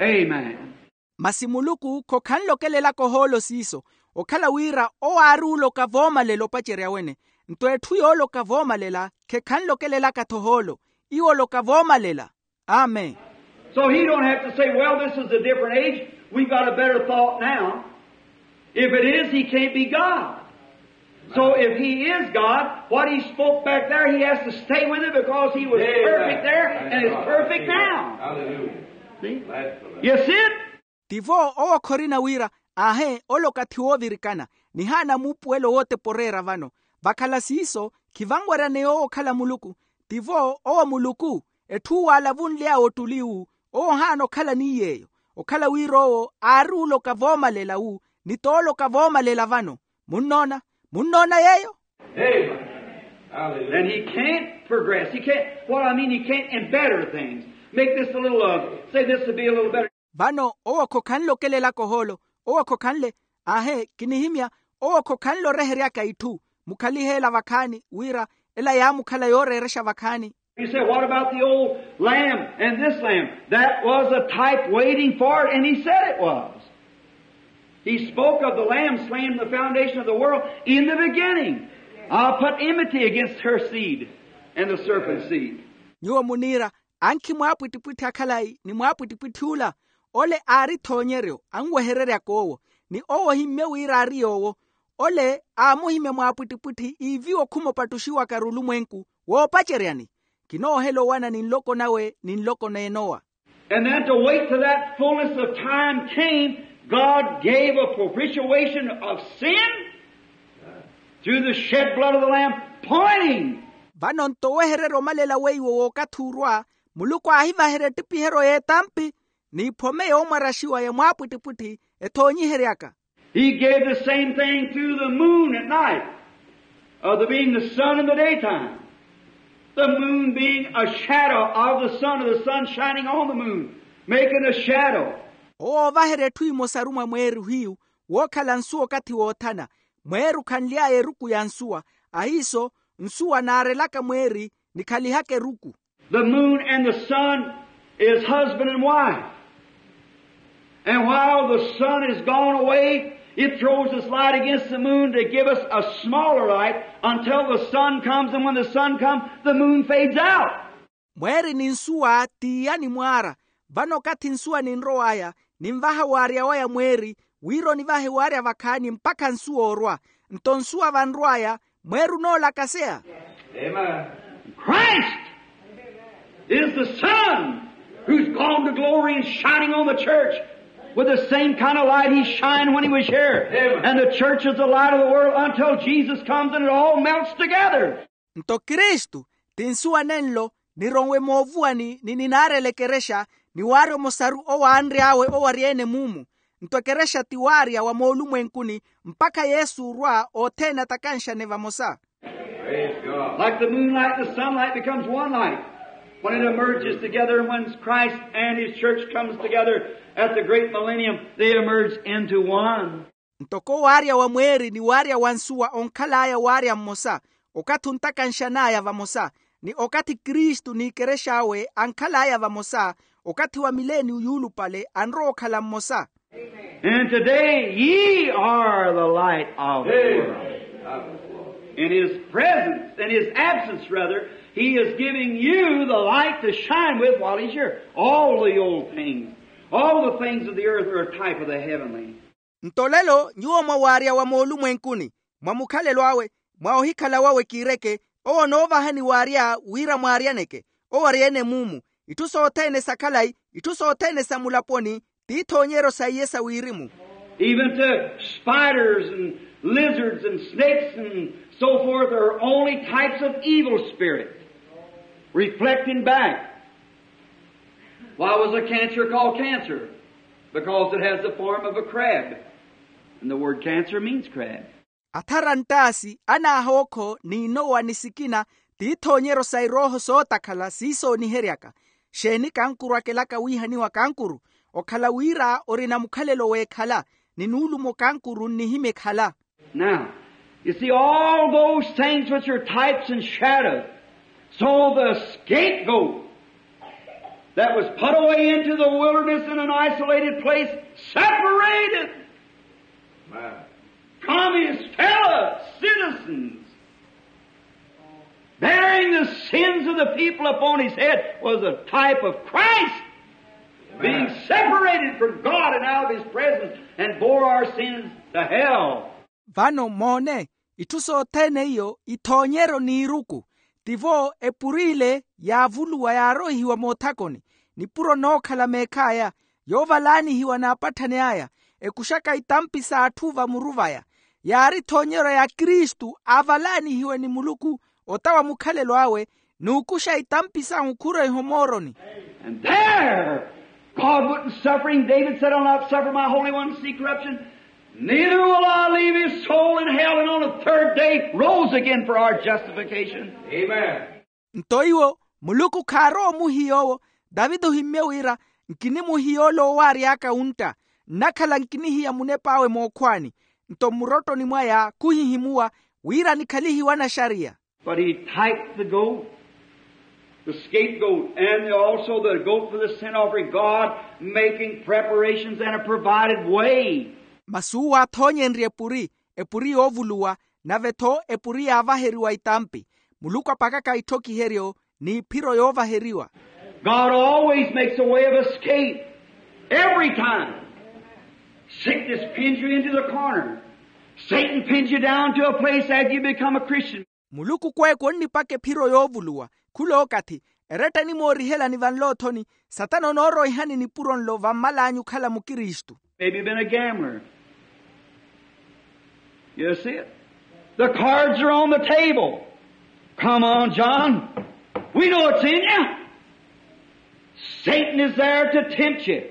Amen. Masi muluku khokhanle okelelaka ohoolo siiso, okhala wira owo aari oloka voomalela opacerya wene. Nto etthu yooloka voomalela khekhanle okelelaka-tho ohoolo. Iwo oloka voomalela. Amen. So he don't have to say, well, this is a different age. We've got a better thought now. If it is, he can't be God. So if he is God, what he spoke back there, he has to stay with it, because he was perfect there and is perfect now. Hallelujah. See? Yes, it. Tivo owo khorina wira, aahe, ole okathi woovirikana, nihaana muupuwelo wootepa oreera vano. Vakhala siiso, khivanweryaneya owo okhala muluku. Tivo owo muluku, etthu uwo aalavunly'awe ottuli-wu, owo ohaana okhala ni yeeyo. Okhala wira owo aari oloka voomalela-wu, ni tooloka voomalela vano. Munnoona? Munnoona yeeyo? Amen. Hallelujah. Then he can't progress. He can't, what I mean, he can't in better things. Make this a little, uh, say this would be a little better. Vano owo khokhanle okelelaka ohoolo, owo khokhanle, aahe, kinihimya, owo khokhanle oreheryaka itthu. Mukhalihe ela vakhaani wira ela yaamukhala yooreerexa vakhaani. You say, what about the old lamb and this lamb? That was a type waiting for it, and he said it was. He spoke of the lamb slain in the foundation of the world in the beginning. I'll put enmity against her seed and the serpent's seed. Nyuwo muniira, ankhi mwaapwittipwitthi akhalayi ni mwaapwittipwitthi ola, ole aari ethoonyeryo anwehereryaka owo, ni owo ohimmye wira aari yoowo. Ole aamuhimya mwaapwittipwitthi iiviwa okhuma opattuxiwaka arulumwenku woopaceryani. Kinoohela owana ni nloko nawe ni nloko n'enowa. And then to wait till that fullness of time came, God gave a propitiation of sin through the shed blood of the Lamb, pointing. Vano nto owehererya omalela weiwo w'okathi urwa, muluku aahivaherya ettipiheryo y'etampi n'iphome yoomwaraxiwa ya mwaapwittipwitthi ethoonyiheryaka. He gave the same thing through the moon at night, of the being the sun in the daytime, the moon being a shadow of the sun, or the sun shining on the moon, making a shadow. Owo oovaherya etthu emosaru mwa mweeri hiyu, wookhala nsuwa okathi woothana. Mweeri okhanly'aya eruku ya nsuwa, ahiiso nsuwa naarelaka mweeri nikhalihaka eruku. The moon and the sun is husband and wife. And while the sun is gone away, It throws its light against the moon to give us a smaller light until the sun comes, and when the sun comes, the moon fades out. Mweeri ni nsuwa tiyani mwaara. Vano okathi nsuwa ninrow'aya, ninvaha waarya waya mweeri, wira onivahe waarya vakhaani mpakha nsuwa orwa. Nto nsuwa vanrw'aya, mweeri onoolakaseya. Christ is the sun who's gone to glory and shining on the church with the same kind of light he shined when he was here. And the church is the light of the world until Jesus comes and it all melts together. Nto kristu ti nsuwa nenlo, nironwe moovuwani ni ninaarela ekerexa, ni waarya omosaru owaanry'awe owarya-ene mumu. Nto ekerexa ti waarya wa moolumwenkuni, mpakha yesu orwa othene atakanxane vamosa. Like the moonlight and the sunlight becomes one light when it emerges together, and when Christ and his church comes together at the great millennium, they emerge into one. Ntoko waarya wa mweeri ni waarya wa nsuwa onkhal'aya waarya mmosa, okathi ontakanxan'aya vamosa, ni okathi kristu n'ekerex'awe ankhal'aya vamosa, okathi wa mileniyo yuulupale anrowa okhala mmosa. And today ye are the light of the world. In his presence, in his absence rather, he is giving you the light to shine with while he's here. All the old things, all the things of the earth are a type of the heavenly. Nto lelo nyuwo mwa waarya wa moolumwenkuni, mwa mukhalelo awe, mwa ohikhala wawe kiireke, owo onoovahani waarya wira mwaaryaneke owarya-ene mumu. Itthu sothene sa khalayi, itthu sothene sa mulaponi, ti ithoonyeryo sa iye sa wirimu. Even to spiders and lizards and snakes and so forth are only types of evil spirit reflecting back. Why was a cancer called cancer? Because it has the form of a crab. And the word cancer means crab. Athara nttaasi, anaahookho, n'inowa ni sikina, ti ithoonyeryo sa irooho sootakhala siisooniheryaka. Xeeni kankuru akelaka wiihaniwa kankuru? Okhala wira orina mukhalelo w'ekhala, ni nuulumo kankuru nnihimya ekhala. Now, you see, all those things which are types and shadows. So the scapegoat that was put away into the wilderness in an isolated place, separated from his fellow citizens, bearing the sins of the people upon his head, was a type of Christ being separated from God and out of his presence, and bore our sins to hell. Vano moone, itthu sothene iyo ithoonyeryo n'iruku. Tivo epuri ile yaavuluwa yaaroihiwa moothakoni, nipuro nookhala meekh'aya, yoovalaanihiwa n'apatthani aya, ekuxaka itampi s'atthu vamuru vaya. Yaari ithoonyeryo ya kristu aavalaanihiwe ni muluku, ota wa mukhalelo awe, n'ukuxa itampi sahu khuroiha omooroni. And there God wouldn't suffer him. David said, I'll not suffer my Holy One to see corruption. Neither will I leave his soul in hell. And on the third day rose again for our justification. Amen. Nto iwo, muluku khaarowa omuhiya owo. Taviti ohimmye wira, nkinimuhiya ole owaary'aka wuntta, nnakhala nkinihiya munep'awe mookhwaani. Nto mmurottoni mwaya khuhihimuwa, wira anikhalihiwe anaxariya. But he typed the goat, the scapegoat, and also the goat for the sin offering, God making preparations and a provided way. Masi uwo aathoonyenrye epuri, epuri yoovuluwa, nave-tho epuri yaavaheriwa itampi. Muluku apakaka itthokiheryo, n'iphiro yoovaheriwa. God always makes a way of escape. Every time. Sickness pins you into the corner. Satan pins you down to a place after you become a Christian. Muluku kweeku onnipaka ephiro yoovuluwa. Khulookathi, eretta enimoorihelani vanloothoni, satana onooroihani nipuro nlo vammal'anyu okhala mukristu. Maybe you've been a gambler. You see it? The cards are on the table. Come on, John. We know it's in you. Satan is there to tempt you.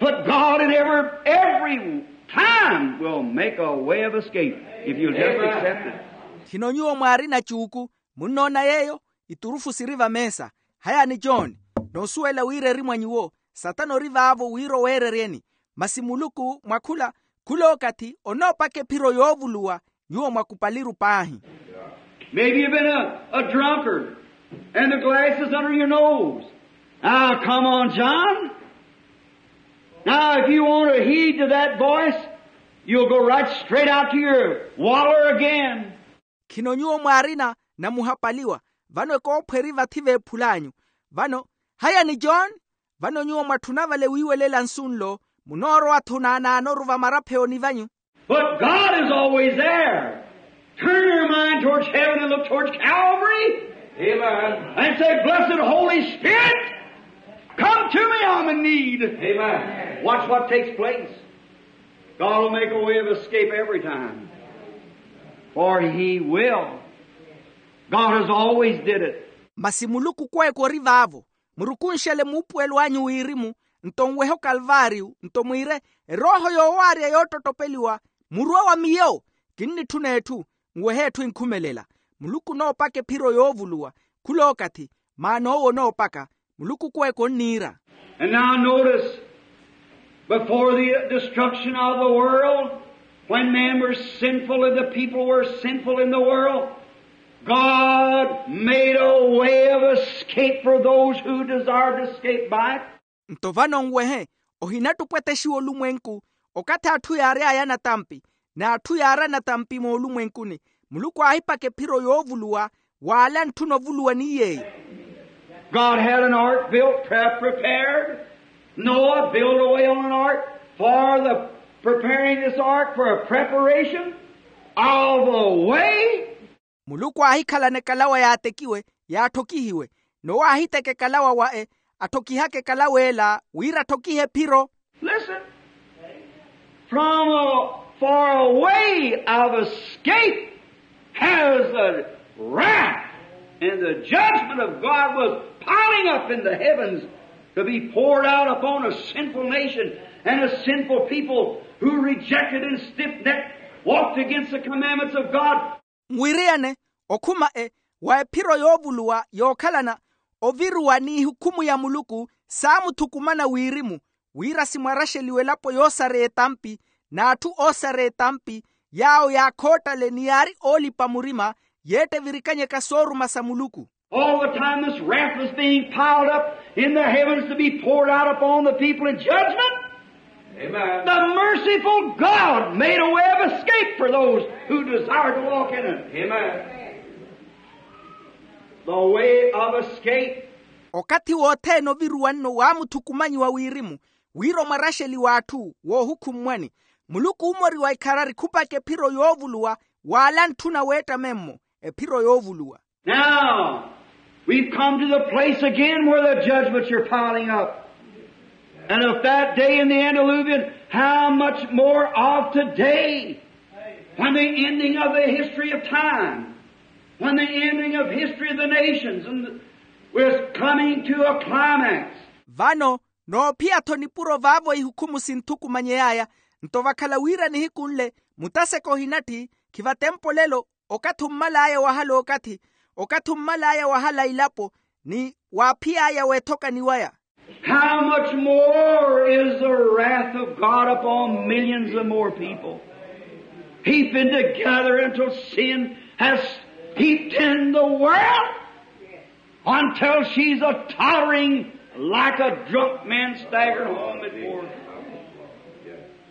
But God in every, every time will make a way of escape if you'll just accept it. Khino nyuwo mwaarina cuuku, munnoona yeeyo? Iturufu siri vameesa. Hayani john, noosuwela wira eri mwa nyuwo. Satana ori vaavo wira oweereryeni. Masi muluku mwa khula, khulookathi onoopaka ephiro yoovuluwa. Nyuwo mwakupaliru paahi. Maybe you've been a, a drunkard and the glass is under your nose. Now, come on, John. Now, if you want to heed to that voice, You'll go right straight out to your waller again. Khino nyuwo mwaarina namuhapaliwa. Vano ekoophweri vathi veephul'anyu. Vano, haya ni john. Vano nyuwo mwatthuna vale wiiwelela nsu nlo, munoorowa-tho naanaanoru vamarapheyoni vanyu. But God is always there. Turn your mind towards heaven and look towards Calvary. Amen. And say, "Blessed Holy Spirit, come to me, I'm in need." Amen. Watch what takes place. God will make a way of escape every time. For he will. God has always did it. Masi muluku kweeko ori vaavo. Murukunxele muupuwelo anyu wirimu, nto nwehe okalvaariyu nto mwiire, erooho yoowaarya yoottottopeliwa, muruwe wa miyo. Kinnitthuna etthu. Nwehe etthu enkhumelela. Muluku onoopaka ephiro yoovuluwa. Khul'okathi. Maana owo onoopaka. Muluku kweeko onniira. And now notice, before the destruction of the world, when men were sinful and the people were sinful in the world, God made a way of escape for those who desired to escape by it. Nto vano nwehe, ohinattupwetexiwa olumwenku, okathi atthu yaary'aya natampi, n'atthu yaara natampi moolumwenkuni, muluku aahipaka ephiro yoovuluwa, w'ale antthuna ovuluwa ni yeeyo. God had an ark built, pre- prepared. Noah built a way on an ark for the preparing this ark for a preparation of a way. Muluku aahikhalana ekalawa yaatekiwe, yaatthokihiwe. Nowa aahiteka ekalawa wa e, atthokihaka ekalawa ela wira atthokihe ephiro. Listen. From a, for a way of escape has the wrath and the judgment of God was piling up in the heavens to be poured out upon a sinful nation and a sinful people who rejected and stiff-necked, walked against the commandments of God. Nwiriyane, okhuma e, wa ephiro yoovuluwa yookhalana oviruwa n'ihukhumu ya muluku saamuthukumana wirimu, wira simwaraxeliwe elapo yoosareya etampi, n'atthu oosareya etampi, yaawo yaakhoottale ni yaari oolipa murima, yeettevirikanyaka sooruma sa muluku. All the time this wrath was being piled up in the heavens to be poured out upon the people in judgment. Amen. The merciful God made a way of escape for those who desired to walk in it. Amen. The way of escape. Okathi wothene oviruwa nno waamuthukumanyiwa wirimu, wira omwaraxeliwa atthu woohukhummwani, muluku oomoriwa ikharari khupaka ephiro yoovuluwa, w'ale antthuna weettame-mmo ephiro yoovuluwa. Now, we've come to the place again where the judgments are piling up. And if that day in the antediluvian, how much more of today, when the ending of the history of time, when the ending of history of the nations and is coming to a climax. Vano, noophiya-tho nipuro vaavo ihukhumu sinthukumanyey'aya, nto vakhala wira nihiku nle, mutaseka ohinatthi, khivatempolelo, okathi ommal'aya wahala okathi, okathi ommal'aya wahala ilapo, ni waaphiy'aya weethokani waya. How much more is the wrath of God upon millions of more people, heaping together until sin has heaped in the world, until she's a tottering like a drunk man staggered home at four.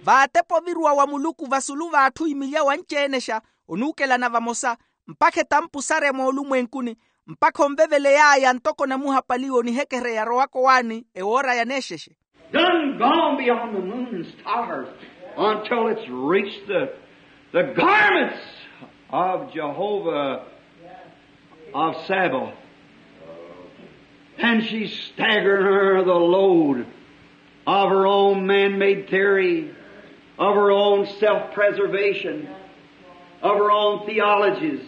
Vaatepa oviruwa wa muluku vasulu v'atthu imilya wanci-enexa, onuukelana vamosa, mpakha etampu sarya moolumwenkuni, mpakha onveveley'aya ntoko namuhapaliwa onihekereya arowaka owaani ewoora yaneexexe. Done gone beyond the moon and stars until it's reached the, the garments of Jehovah of Sabaoth. And she's staggering under the load of her own man-made theory, of her own self-preservation, of her own theologies.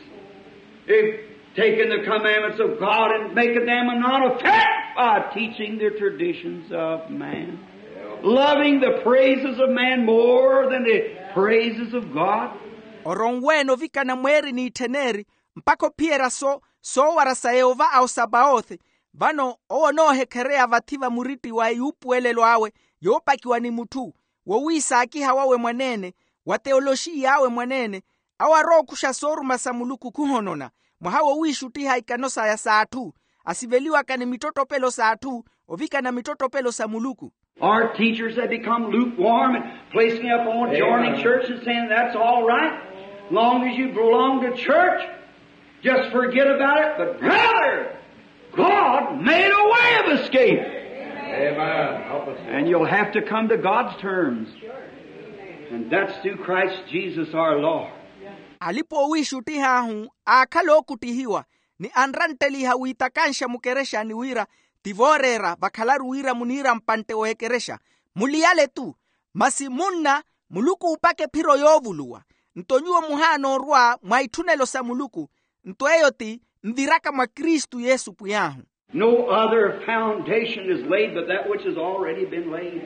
They've taken the commandments of God and making them a non-effect by teaching the traditions of man, loving the praises of man more than the praises of God. Oronweene ovikana mweeri n'itthen'eri, mpakha ophiyerya so soowara sa yehova a osabawothi. Vano owo onoohekhereya vathi va muritti wa eyuupuwelelo awe yoopakiwa ni mutthu, wowiisaakiha wawe mwaneene, wa teyoloxiy'awe mwaneene, awo arookuxa sooruma sa muluku khuhonona. Mwaha wowiixuttiha ikano saya s'atthu, asiveliwaka ni mittottopelo s'atthu ovikana mittottopelo sa muluku. Our teachers have become lukewarm and placing up on joining church and saying, "That's all right. Long as you belong to church, just forget about it." But brother, God made a way of escape. Amen. And you'll have to come to God's terms. And that's through Christ Jesus our Lord. Alipa owiixuttih'ahu aakhala ookuttihiwa, ni anrantteliha wiitakanxa mukerexani wira ti vooreera vakhalaru wira muniira mpantte w'ekerexa. Muliyale-tu. Masi munna, muluku uupaka ephiro yoovuluwa. Nto nyuwo muhaana orwa mwa itthunelo sa muluku. Nto eyo ti nviraka mwa kristu yesu pwiy'ahu. No other foundation is laid but that which has already been laid.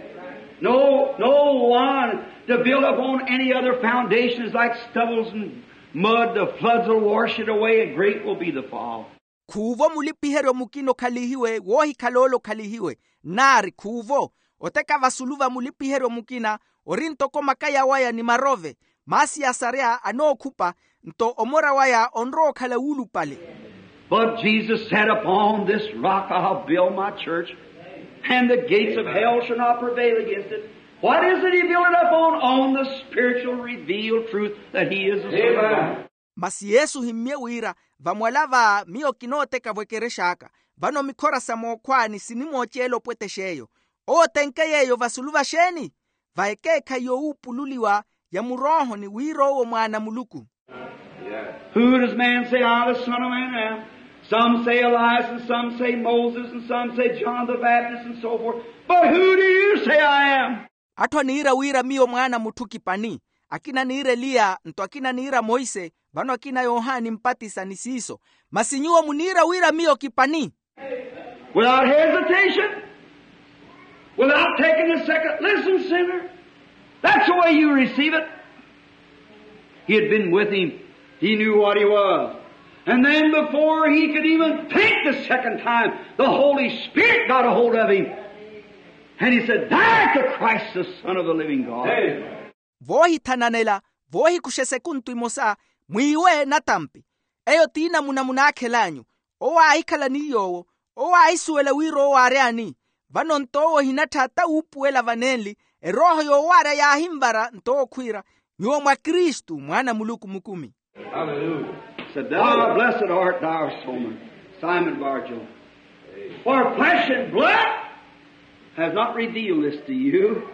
No, no one to build upon any other foundation is like stubbles and mud. The floods will wash it away and great will be the fall. Khuuvo mulipiheryo mukina okhalihiwe woohikhala ole okhalihiwe. Nnaari khuuvo, oteka vasulu va mulipiheryo mukina ori ntoko makaya waya ni marove. Maasi ya sarya anookhupa, nto omora waya onrowa okhala wuulupale. But Jesus said, "Upon this rock I'll build my church, and the gates of hell shall not prevail against it." What is it he built it upon? On the spiritual revealed truth that he is the Son of God. Masi yesu himmye wira, vamwala va miyo kinooteka-vo ekerex'aka. Vano mikhora sa mookhwaani sinimooceela opwetex'eyo. Owo otenke yeeyo vasulu va xeeni? Va ekeekhayi yoowuupululiwa ya muroohoni wira owo mwaana a muluku. Who does man say I, the Son of Man, am? Some say Elias, and some say Moses, and some say John the Baptist, and so forth. But who do you say I am? Atthu aniira wira miyo mwaana a mutthu kipani. Akina aniira eliya, nto akina aniira monse, vano akina yohani mpatisa ni siiso. Masi nyuwo muniira wira miyo kipani? Without hesitation, without taking a second, listen, sinner. That's the way you receive it. He had been with him. He knew what he was. And then before he could even think the second time, the Holy Spirit got a hold of him. And he said, "Thou art the Christ, the Son of the living God." Voohithananela, voohikuxa esekuntu emosa, mwiiwe natampi. Eyo ti namuna munaakhel'anyu. Owo aahikhala ni yoowo, owo aahisuwela wira owo aary'ani. Vano nto owo ohinattha ata wuupuwela vanenli, erooho yoowarya yaahinvara nto owo khwiira, nyuwo mwa kristu mwaana a muluku mukumi. Hallelujah. Said, "Thou blessed art thou, Simon, Simon Bar-Jonah. For flesh and blood has not revealed this to you."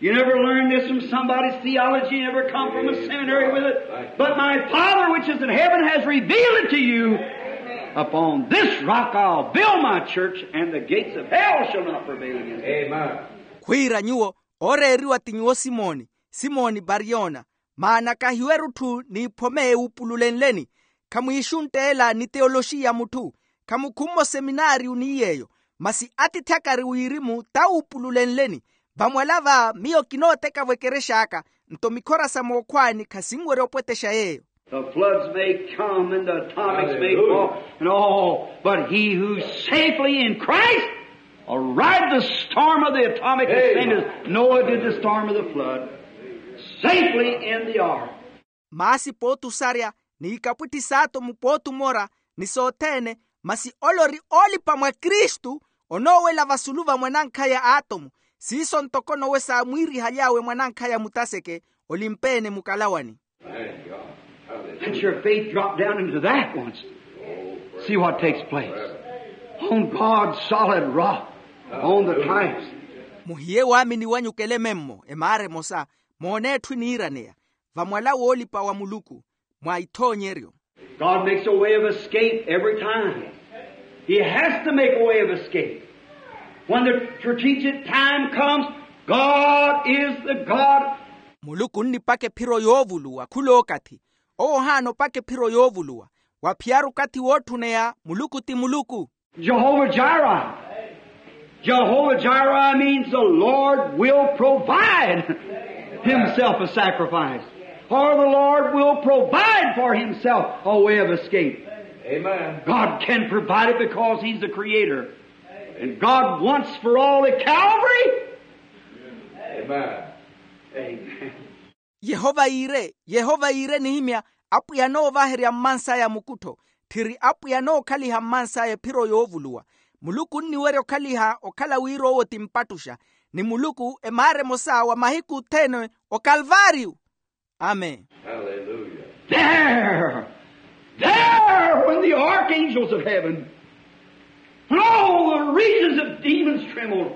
You never learned this from somebody's theology, you never come from a seminary with it. But my Father which is in heaven has revealed it to you. Upon this rock I'll build my church, and the gates of hell shall not prevail against it. Amen. Khwiira nyuwo, ooreeriwa ti nyuwo simoni, simoni bariyona. Maana kahiwe erutthu n'iphome ewupululenleni. Khamwiixuntteela ni teyoloxiya ya mutthu. Khamukhummo seminaariyu ni yeeyo. Masi atiithi akari wirimu t'awuupululenleni. Vamwala va miyo kinooteka-vo ekerex'aka, nto mikhora sa mookhwaani khasinwerya opwetexa yeeyo. The floods may come and the atomics may fall and all, but he who's safely in Christ will ride the storm of the atomic, the same as Noah did the storm of the flood, safely in the ark. Maasi pootusarya, n'ikapwitthi s'atomu pootumora, ni sothene, masi ole ori oolipa mwa kristu, onoowela vasulu va mwanankhaya atomu. Siiso ntoko nowe saamwiirihaly'awe mwanankhaya mutaseke, olimpeene mukalawani. Let your faith drop down into that once. See what takes place. On God's solid rock, on the types. Muhiye waamini wanyu kelememmo emaara emosa, moone etthu eniiraneya, vamwala woolipa wa muluku, mwa ithoonyeryo. God makes a way of escape every time. He has to make a way of escape. When the strategic time comes, God is the God. Muluku onnipaka ephiro yoovuluwa khulookathi. Owo ohaana opaka ephiro yoovuluwa. Waphiyaru okathi wootthuneya, muluku ti muluku. Jehovah Jireh. Jehovah Jireh means the Lord will provide himself a sacrifice, or the Lord will provide for himself a way of escape. Amen. God can provide it because he's the creator. And God wants for all at Calvary. Amen. Amen. Yehova yiire, yehova yiire nihimya, apwiya anoovaherya mmansaya mukuttho. Tthiri apwiya anookhaliha mmansaya ephiro yoovuluwa. Muluku onniwerya okhaliha okhala wira owo ti mpattuxa. ni muluku emaara emosa wa mahiku othene okalvaariyu. Amen. There, there, when the archangels of heaven, when all the regions of demons trembled,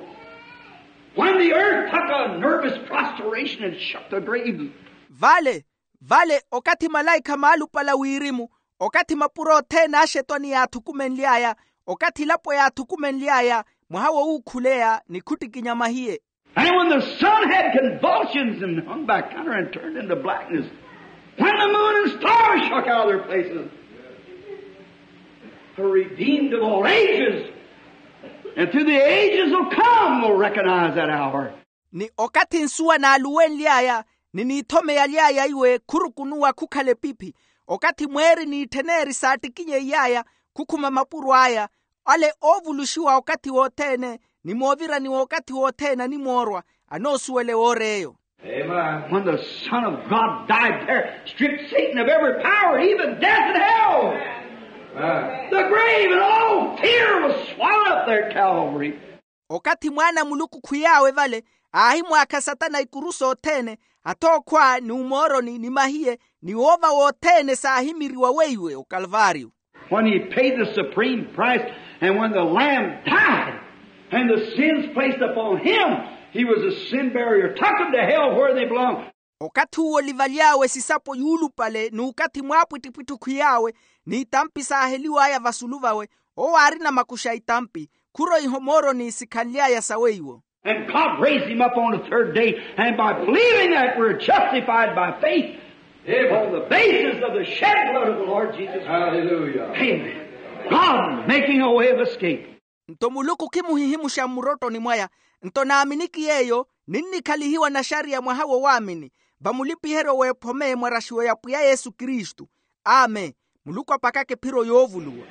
when the earth took a nervous prostration and shook the grave. Vale, vale, okathi malaikha maalupala wirimu, okathi mapuro othene axetwani yaathukumenly'aya, okathi elapo yaathukumenly'aya, mwaha wo wuukhuleya ni khuttikinya mahiye. And when the sun had convulsions and hung back under and turned into blackness, when the moon and stars shook out of their places, the redeemed of all ages and through the ages will come will recognize that hour. Ni okathi nsuwa naaluwenly'aya, ni niithome yaly'aya iwe khurukunuwa khukhala epiphi, okathi mweeri n'itthen'eri saattikinyeiy'aya, khukhuma mapuro aya, ale oovuluxiwa okathi wothene, ni moovirani w'okathi wothene animoorwa, anoosuwele woor'eyo. When the Son of God died there, stripped Satan of every power, even death and hell. The grave and all fear was swallowed up there at Calvary. Okathi mwaana a muluku khwiy'awe vale, aahimwaakha satana ikuru sothene, athookhwa ni umooroni ni mahiye, ni woova wothene saahimiriwa weiwe okalvaariyo. When he paid the supreme price, and when the Lamb died, and the sins placed upon him, he was a sin bearer, took them to hell where they belong. Okathi uwo olivaly'awe sisapo yuulupale n'ukathi mwaapwittipwitti okhwiy'awe, n'itampi saaheliw'aya vasulu vawe, owo aarina makuxa a itampi, khuroiha omooroni sikhanly'aya saweiwo. And God raised him up on the third day, and by believing that we're justified by faith on the basis of the shed blood of the Lord Jesus Christ. Amen. God making a way of escape. Nto muluku khimuhihimuxa mmurottoni mwaya, nto naaminiki yeeyo, ninnikhalihiwa naxariya mwaha wo waamini, vamulipiheryo w'ephome mwaraxiwe ya pwiya yesu kristu. Amen. Muluku apakaka ephiro yoovuluwa.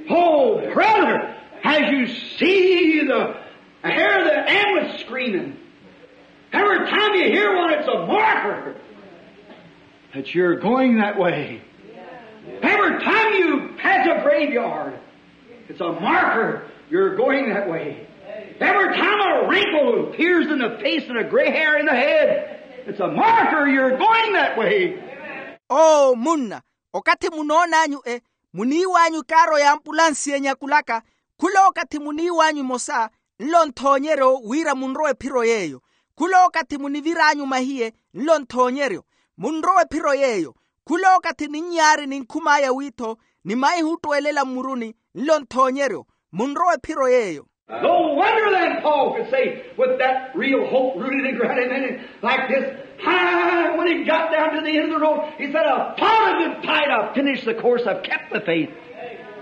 Oh brother, as you see the, hear the ambulance screaming, every time you hear one, it's a marker that you're going that way. Every time you pass a graveyard, it's a marker you're going that way. Every time a wrinkle appears in the face and a gray hair in the head, it's a marker you're going that way. Oo munna, okathi munoon'anyu e, muniiw'anyu ikaaro y'ampulansi enyakulaka, khulookathi muniiw'anyu emosa, nlo nthoonyeryo wira munrowe ephiro yeeyo. Khulookathi munivir'anyu mahiye, nlo nthoonyeryo, munrowe ephiro yeeyo. Khulookathi ninnyaari ninkhum'aya wiitho, ni maihi ottweelela mmuruni, nlo nthoonyeryo, munrowe ephiro yeeyo. No wonder then Paul could say with that real hope rooted and grounded in him like this, high, when he got down to the end of the road, he said, "I've fought a good fight, I've finished the course, I've kept the faith.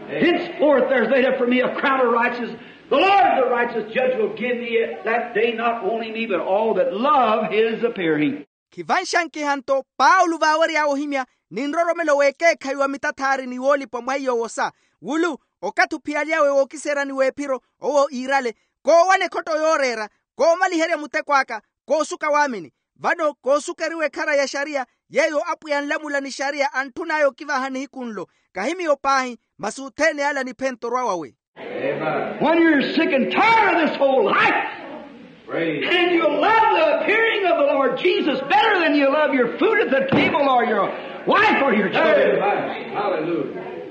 Henceforth there's laid up for me a crown of righteousness. The Lord, the righteous judge, will give me it that day, not only me, but all that love his appearing." Khivanxankiha nto paulo vaawery'awe ohimya, ni nroromelo w'ekeekhayi wa mitathaari ni woolipa mwa iyo wosa, wulu, okathi ophiyaly'awe wookiseeryani w'ephiro, owo iirale, koowana ekhotto yooreera, koomaliherya muteko aka, koosuka waamini. Vano koosukeriwa ekhara ya xariya, yeeyo apwiya anlamula ni xariya antthun'aya okivaha nihiku nlo. Kahi miyo paahi, masi othene ala ni phenttorwa wawe. When you're sick and tired of this whole life, and you love the appearing of the Lord Jesus better than you love your food at the table or your wife or your children,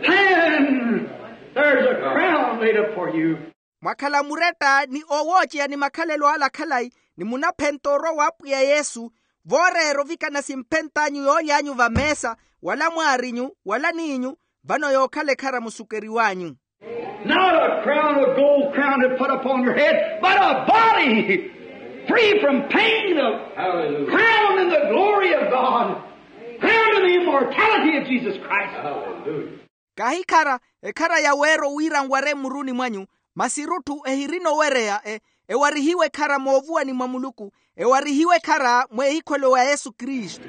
then there's a crown laid up for you. Mwakhala muretta ni owooceya ni makhalelo ala khalayi, ni munaphenta orwa w'apwiya yesu, vooreera ovikana simphent'anyu yooly'anyu vameesa, wala mwaarinyu, wala n'inyu, vano yookhala ekhara musukeriw'anyu. Not a crown of gold crown to put upon your head, but a body free from pain, a crown in the glory of God, crown in the immortality of Jesus Christ. Kahi ekhara, ekhara ya weero wira nware mmuruni mwanyu, masi erutthu ehirina owereya, e, ewarihiwe ekhara moovuwani mwa muluku, ewarihiwe ekhara mweehikhwelo wa yesu kristu.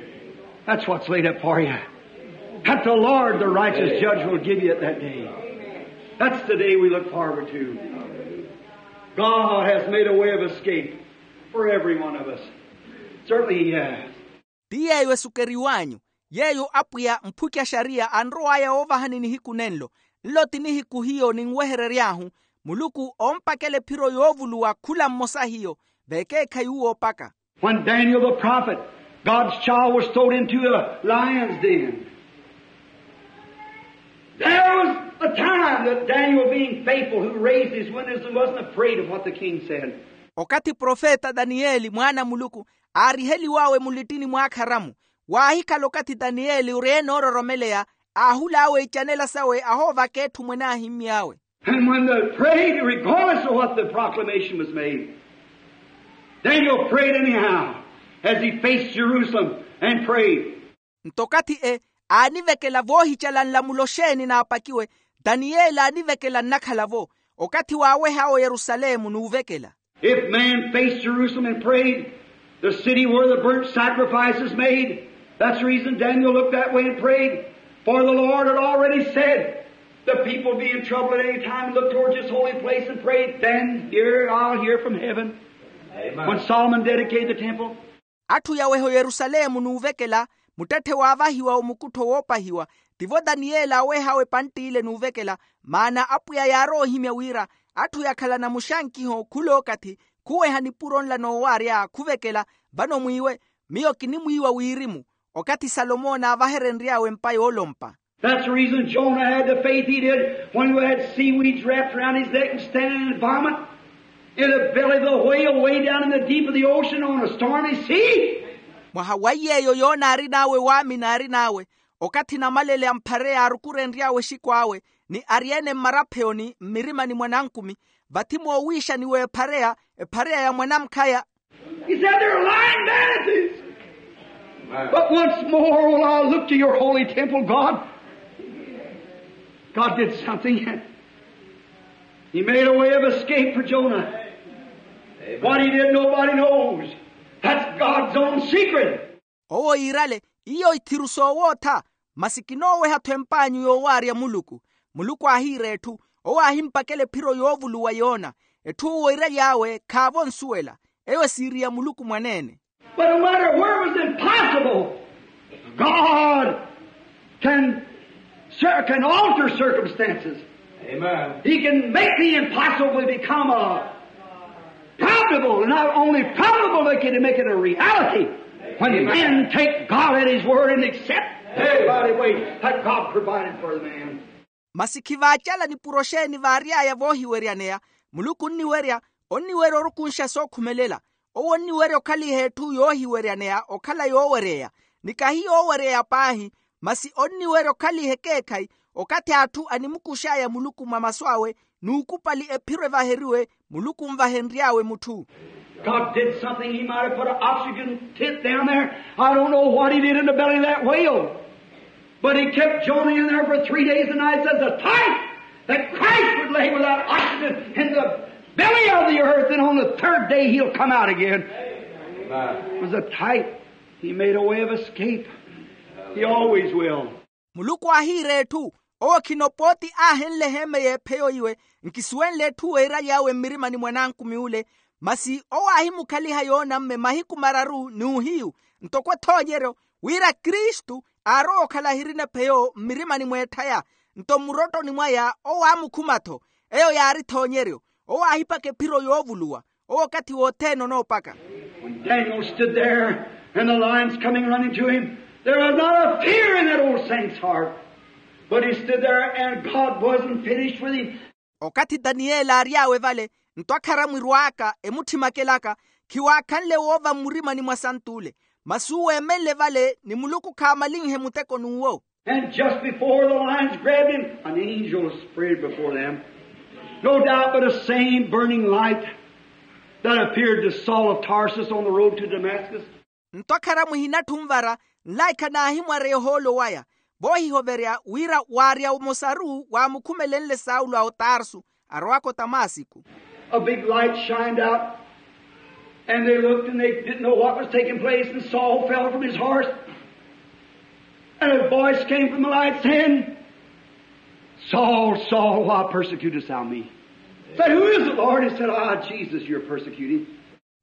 That's what's laid up for you. That the Lord, the righteous judge, will give you it that day. That's the day we look forward to. God has made a way of escape for every one of us. Certainly he has. Ti yeeyo esukeriw'anyu, yeeyo apwiya mphuci a xariya anrow'aya woovahani nihiku nenlo. Nlo ti nihiku hiyo ninweherery'ahu, muluku oompakela ephiro yoovuluwa khula mmosa hiyo, Vekeekhayi uwo opaka. When Daniel the prophet, God's child, was thrown into a lion's den, there was a time that Daniel, being faithful, who raised his windows and wasn't afraid of what the king said. Okathi profeta daniyeli mwaana a muluku aariheliwawe mulittini mwaakharamu, waahikhala okathi daniyeli ori enoororomeleya, aahulaawe icanela sawe ahoovaka etthu mwene aahimmy'awe. And when they prayed, regardless of what the proclamation was made, Daniel prayed anyhow as he faced Jerusalem and prayed. Nto okathi e aanivekela voohicala nlamulo xeeni naapakiwe, daniyeli aanivekela nnakhala-vo okathi waaweh'awe oyerusalemu n'uvekela. If man faced Jerusalem and prayed, the city where the burnt sacrifice is made, that's the reason Daniel looked that way and prayed. For the Lord had already said, the people be in trouble at any time, look towards this holy place and pray, then hear, I'll hear from heaven. Amen. When Solomon dedicated the temple. Atthu yaweha oyerusalemu n'uvekela, muttetthe waavahiwa omukuttho woopahiwa. Tivo daniyeli aaweh'awe epantt'ile n'uvekela, maana apwiya yaarowa ohimya wira atthu yakhalana muxankiho khul'okathi khuweha nipuro nla noowaarya khuvekela. Vano mwiiwe, miyo kinimwiiwa wirimu okathi salomo naavaherenry'awe empa yoolompa. That's the reason Jonah had the faith he did when he had seaweeds wrapped around his neck and standing in the vomit, in the belly of the whale, way down in the deep of the ocean on a stormy sea. Mwaha wa iy'eyo yona aarin'awe waamini aarin'awe, okathi namalele a mphareya aarukurenry'awe exiko awe ni aryeene mmarapheoni mmirimani mwa nankumi, vathi moowiixaniwa ephareya, ephareya ya mwanamkhaya. He said, they're lying vanities. But once more will I look to your holy temple, God. God did something. He made a way of escape for Jonah. What he did, nobody knows. That's God's own secret. Owo iirale, iyo ithiru soowootha, masi kinooweha-tho empaanyu yoowaarya muluku. Muluku aahiira etthu, owo aahimpakela ephiro yoovuluwa yoona. Etthu owo iiraly'awe khaavo nsuwela, eyo esiiri ya muluku mwaneene. But no matter where it was impossible, God can, can alter circumstances. Amen. He can make the impossible become a probable, not only probable, but can make it a reality. When men take God at His word and accept everybody way that God provided for the man. Masi khivaacala nipuro xeeni vaary'aya voohiweryaneya, muluku onniwerya, onniwerya orukunxa sookhumelela. Owo onniwerya okhaliha etthu yoohiweryaneya okhala yoowereya, ni kahi yoowereya paahi, masi onniwerya okhaliha ekeekhayi okathi atthu animukux'aya muluku mwa masu awe, n'ukupali ephiro evaheriwe muluku onvahenry'awe mutthu. God did something. He might have put an oxygen tent down there. I don't know what He did in the belly of that whale. But He kept Jonah in there for three days and nights as a type that Christ would lay without oxygen in the belly of the earth, and on the third day He'll come out again. Amen. It was a type. He made a way of escape. He always will. Muluku aahiira etthu, owo khino pooti aahenle eheeme y'epheyo iwe, nkisuwenle etthu weeraly'awe mmirimani mwa nankumi ule, masi owo aahimukhaliha yoonamme mahiku mararu n'uhiyu, ntoko ethoonyeryo, wira kristu aarowa okhala ahirina epheyo mmirimani mw'etthaya. Nto mmurottoni mwaya owo aamukhuma-tho. Eyo yaari ethoonyeryo. Owo aahipaka ephiro yoovuluwa. Owo okathi wothene onoopaka. When Daniel stood there and the lions coming running to him, there was not a fear in that old saint's heart. But he stood there and God wasn't finished with him. Okathi daniyeli aary'awe vale, nto akharamu erwaaka emutthimakelaka, khiwaakhanle woova mmurimani mwa sant'ule. Masi uwo eemenle vale ni muluku khaamalinhe muteko n'uwo. And just before the lions grabbed him, an angel sprayed before them. No doubt but the same burning light that appeared to Saul of Tarsus on the road to Damascus. Nto akharamu ehinatthi onvara, nlaikha naahimwareya ohoolo waya, voohihoverya wira waarya omosaru waamukhumelenle saulo a otarsu, arowaka otamasiku. A big light shined out, and they looked and they didn't know what was taking place, and Saul fell from his horse. And a voice came from the light saying, Saul, Saul, why persecutest thou me? Said, who is it, Lord? He said, ah, Jesus, you're persecuting.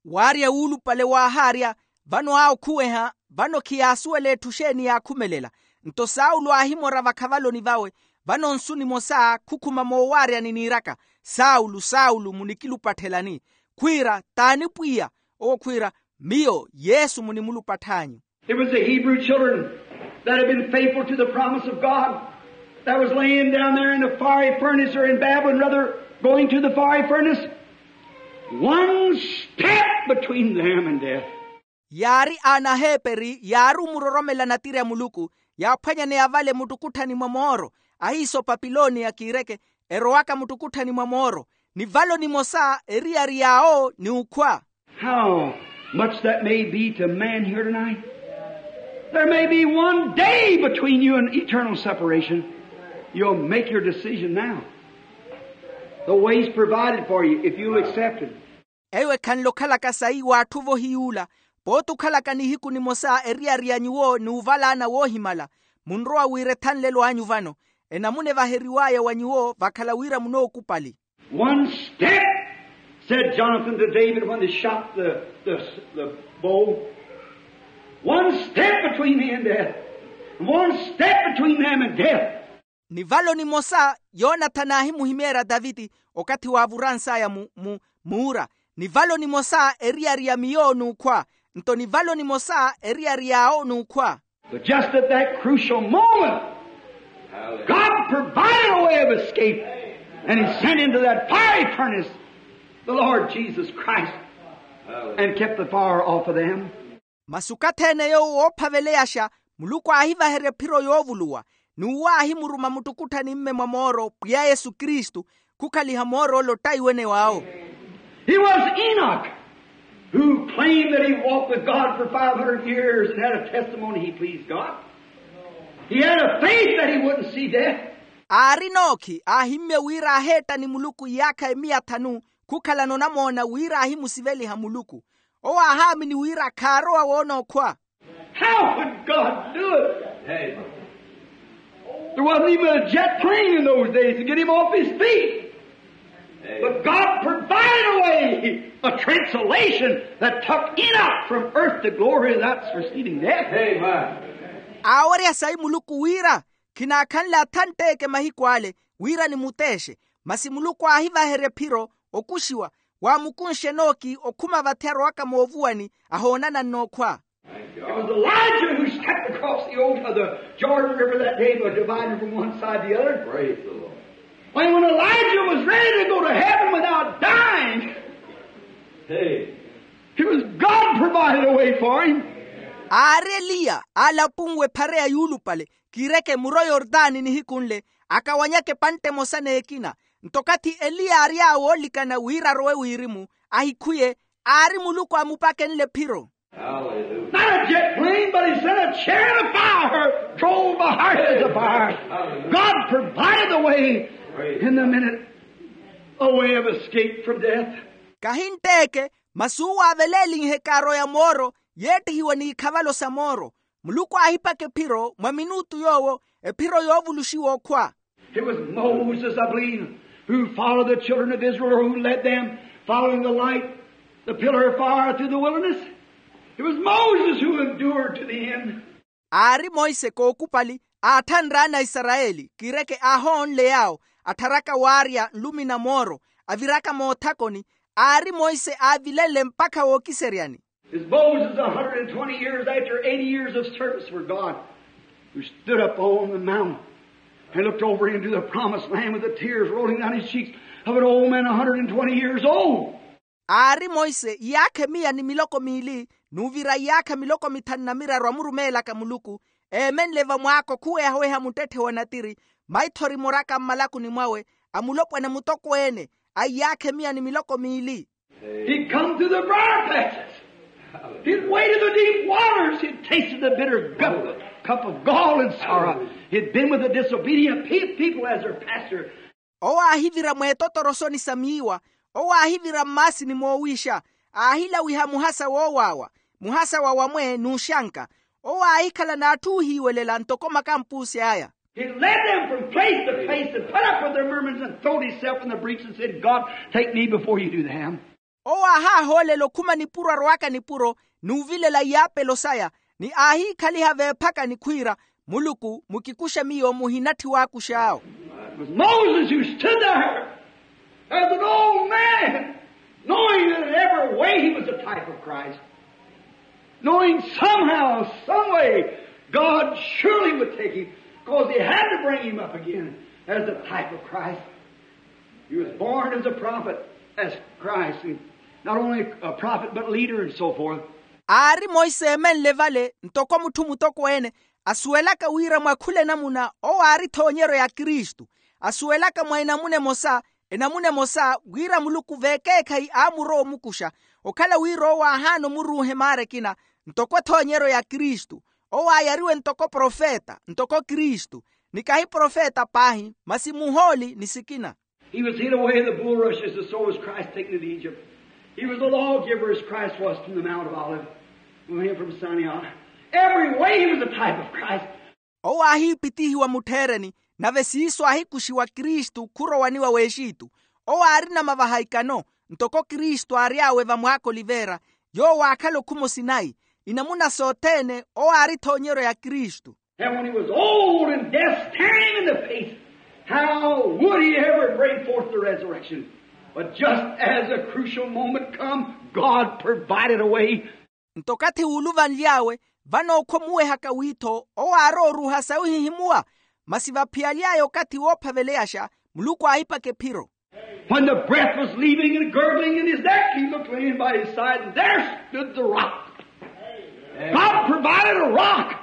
Waarya wuulupale waahaarya, vano awo khuweha, vano khiyaasuwela etthu xeeni yaakhumelela. Nto saulo aahimora vakhavaloni vawe, vano nsu nimosa khukhuma moowaaryani niiraka, saulo, saulo, munikilupatthelani? khwiira, taani pwiya? Owo khwiira, miyo yesu munimulupatth'anyu. It was the Hebrew children that had been faithful to the promise of God that was laying down there in the fiery furnace or in Babylon, rather, going to the fiery furnace. One step between them and death. Yaari anaheeperi yaari omuroromela natiri a muluku, yaaphwanyaneya vale muttukutthani mwa mooro, ahiisa opapiloniya kiireke, erowaka muttukutthani mwa mooro, ni valo nimosa eriyari yaawo ni ukhwa. How much that may be to man here tonight. There may be one day between you and eternal separation. You'll make your decision now. The way's provided for you if you'll accept it. Eyo ekhanle okhalaka sayi w'atthu vohiy'ula, pooti okhalaka nihiku nimosa eriyari ya nyuwo ni ovalaana woohimala, munrowa wira ethanlelo anyu vano, enamuna evaheriw'aya wa nyuwo vakhala wira munookupali. One step, said Jonathan to David when they shot the, the, the bow. One step between me and death. One step between them and death. Ni valo nimosa yonathani aahimuhimeerya taviti okathi waavurans'aya mu, mu, muura, ni valo nimosa eriyari ya miyo n'ukhwa, nto ni valo nimosa eriyari yaawo n'ukhwa. But just at that crucial moment, God provided a way of escape, and he sent into that fiery furnace the Lord Jesus Christ, and kept the fire off of them. Masi okathi-ene yoowo woophaveleyaxa, muluku aahivaherya ephiro yoovuluwa, n'uwo aahimuruma muttukutthani mme mwa mooro pwiya yesu kristu, khukhaliha mooro ole ottaiwene waawo. He was Enoch, who claimed that he walked with God for five hundred years and had a testimony he pleased God. He had a faith that he wouldn't see death. Aari enookhi aahimmye wira aaheetta ni muluku iyaakha emiya thanu, khukhalana onamoona wira aahimusiveliha muluku. Owo aahaamini wira khaarowa woona okhwa. How could God do it? There wasn't even a jet plane in those days to get him off his feet. But God provided a way, a translation that took Enoch from earth to glory without preceding death. Aawerya sayi muluku wira khinaakhanle athantteke mahiku ale, wira nimuteexe. Masi muluku aahivaherya ephiro okuxiwa, waamukunxe enooki okhuma vathi arowaka moovuwani, ahoonana nnookhwa. It was Elijah who stepped across the old, uh, the Jordan River that day, was divided from one side to the other. Praise the Lord. When, when Elijah was ready to go to heaven without dying, hey, it was God provided a way for him. Aari eliya aalapunwe ephareya yuulupale, kiireke muro yortani nihiku nle, akawanyaka epantte emosa n'ekina. Nto okathi eliya aary'awe oolikana wira arowe wirimu, ahikhwiye, aari muluku aamupakenle ephiro. Not a jet plane, but he sent a chariot of fire, drove the heart of the fire. God provided a way in the minute, a way of escape from death. Kahi ntteeke, masi uwo aavelelinhe ekaaro ya mooro, yeettihiwa n'ikhavalo sa mooro. Muluku aahipaka ephiro mwa minutu yoowo, ephiro yoovuluxiwa okhwa. It was Moses, I believe, who followed the children of Israel, or who led them, following the light, the pillar of fire through the wilderness. It was Moses who endured to the end. Aari monse kookupali, aatthanre ana a isarayeli kiireke aahoonle yaawo, attharaka waarya nlumi na mooro, aviraka moothakoni. Aari monse aavilenle mpakha wookiseryani. Is Moses, a hundred and twenty years after eighty years of service for God, who stood up on the mountain and looked over into the promised land with the tears rolling down his cheeks of an old man a hundred and twenty years old. Aari monse iyaakha emiya ni miloko miili, n'uvira iyaakha miloko mithanu na miraru amurumeelaka muluku, eemenle vamwaako khuwehaweha muttetthe wa natiri, maithori moraka mmalakuni mwawe, amulopwana mutokweene, a iyaakha emiya ni miloko miili. He'd come through the briar patches. He'd waded the deep waters. He'd tasted the bitter cup, cup of gall and sorrow. He'd been with the disobedient pe-, people as their pastor. Owo aahivira mweetotorosoni sa miiwa, owo aahivira mmaasini moowiixa, aahilawiha muhasa woowaawa, muhasa wa wamwe n'uxanka. Owo aahikhala n'atthu oohiiwelela ntoko makampuusi aya. He led them from place to place and put up with their murmurings and throwed himself in the breach and said, "God, take me before you do them." Owo aahaahoolela okhuma nipuro arowaka nipuro, n'uvilela iyaapelo saya, ni aahiikhaliha veephakani khwiira, muluku mukikuxe miyo muhinatthi waakux'awo. It was Moses who stood there as an old man. Knowing that in every way he was a type of Christ, knowing somehow, some way, God surely would take him, because he had to bring him up again as a type of Christ. He was born as a prophet, as Christ, and not only a prophet, but leader and so forth. Aari monse emenle vale ntoko mutthu mutokweene, asuwelaka wira mwa khula enamuna owo aari ethoonyeryo ya kristu, asuwelaka mwa enamuna emosa, enamuna emosa wira muluku vekeekhayi aamurowa omukuxa, okhala wira owo aahaana omuruuha emaara ekina, ntoko ethoonyeryo ya kristu. Owo aayariwe ntoko profeta ntoko kristu, ni kahi profeta paahi masi muhooli ni sikina. He was hid away in the bulrushes, and so was Christ taken into Egypt. He was a lawgiver as Christ was from the Mount of Olives, when he came from Sinai. Every way he was a type of Christ. Owo aahiipitihiwa muttheereni, nave siiso aahikuxiwa kristu khurowaniwa w'exitu. Owo aarina mavaha ikano, ntoko kristu aary'awe vamwaaka oliveera, yoowo aakhala okhumo sinayi. Inamuna sothene owo aari ethoonyeryo ya kristu. And when he was old and death staring him in the face, how would he ever bring forth the resurrection? But just as the crucial moment come, God provided a way. Nto okathi wuuluvanly'awe, vano okhwa omuwehaka wiitho owo aarowa oruuha sayi ohihimuwa. Masi vaphiyaly'aya okathi woophaveleyaxa, muluku aahipaka ephiro. When the breath was leaving and gurgling in his neck, he looked laying by his side, and there stood the rock. God provided a rock.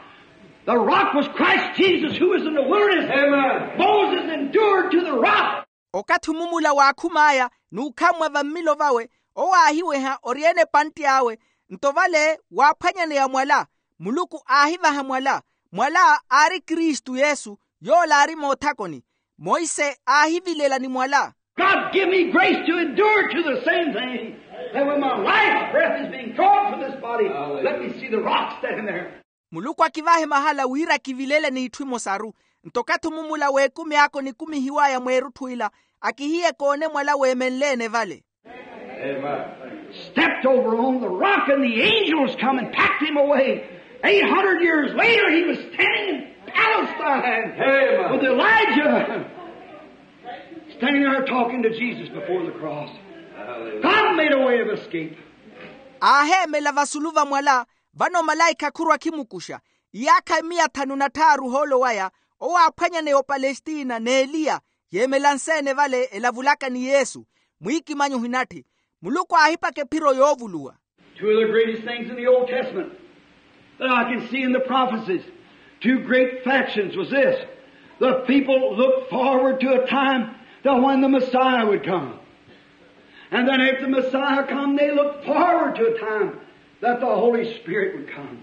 The rock was Christ Jesus, who was in the wilderness. Amen. Moses endured to the rock. Okathi omumula waakhum'aya n'ukhammwa vammilo vawe, owo aahiweha ori-ene epantti awe. Nto vale waaphwanyaneya mwala, muluku aahivaha mwala. Mwala aari kristu yesu, yoola aari moothakoni. Monse aahivilela ni mwala. God give me grace to endure to the same thing, that when my life's breath is being drawn from this body, let me see the rock standing there. Muluku akivahe mahala wira kivilele n'itthu imosaru. Nto okathi omumula w'ekumi ako nikumihiw'aya mweerutthu ila, akihiye koone mwala weemenle-ene vale. Stepped over on the rock, and the angels come and packed him away. Eight hundred years later, he was standing in Palestine with Elijah, standing there talking to Jesus before the cross. God made a way of escape. Aaheemela vasulu va mwala. Vano malaikha khurwa akhimukuxa. Iyaakha miya thanu na tthaaru ohoolo waya, owo aaphwanyaneya opalestina n'eliya, yeemela nse-ene vale elavulaka ni yesu. Mwiikimanyi ohinatthi. Muluku aahipaka ephiro yoovuluwa. Two of the greatest things in the Old Testament that I can see in the prophecies, two great factions, was this. The people looked forward to a time that when the Messiah would come. And then after the Messiah come, they looked forward to a time that the Holy Spirit would come.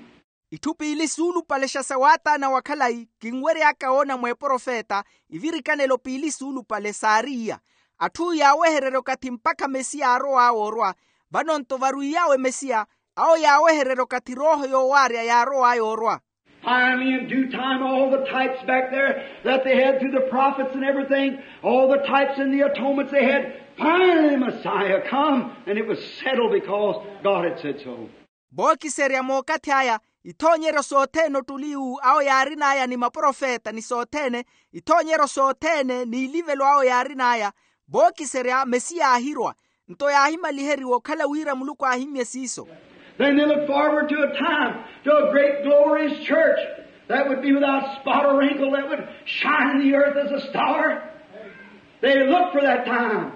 Itthu piili suulupalexa sa waataana wa khalayi kinwery'aka woona mweeprofeta, ivirikanelo piili suulupale saari iya. Atthu yaawehererya okathi mpakha mesiya aarow'awe orwa. Vano-nto varwiiy'awe mesiya, awo yaawehererya okathi rooho yoowaarya yaarow'aya orwa. Finally, in due time, all the types back there that they had through the prophets and everything, all the types and the atonements they had, finally Messiah come, and it was settled because God had said so. Vookiserya mookathi aya, ithoonyeryo sothene ottuli iwu awo yaarin'aya ni maprofeta ni sothene, ithoonyeryo sothene n'ilivelo awo yaarin'aya, vookiserya mesiya aahirwa. Nto yaahimaliheriwa okhala wira muluku aahimmye siiso. Then they look forward to a time, to a great glorious church that would be without spot or wrinkle, that would shine in the earth as a star. They look for that time.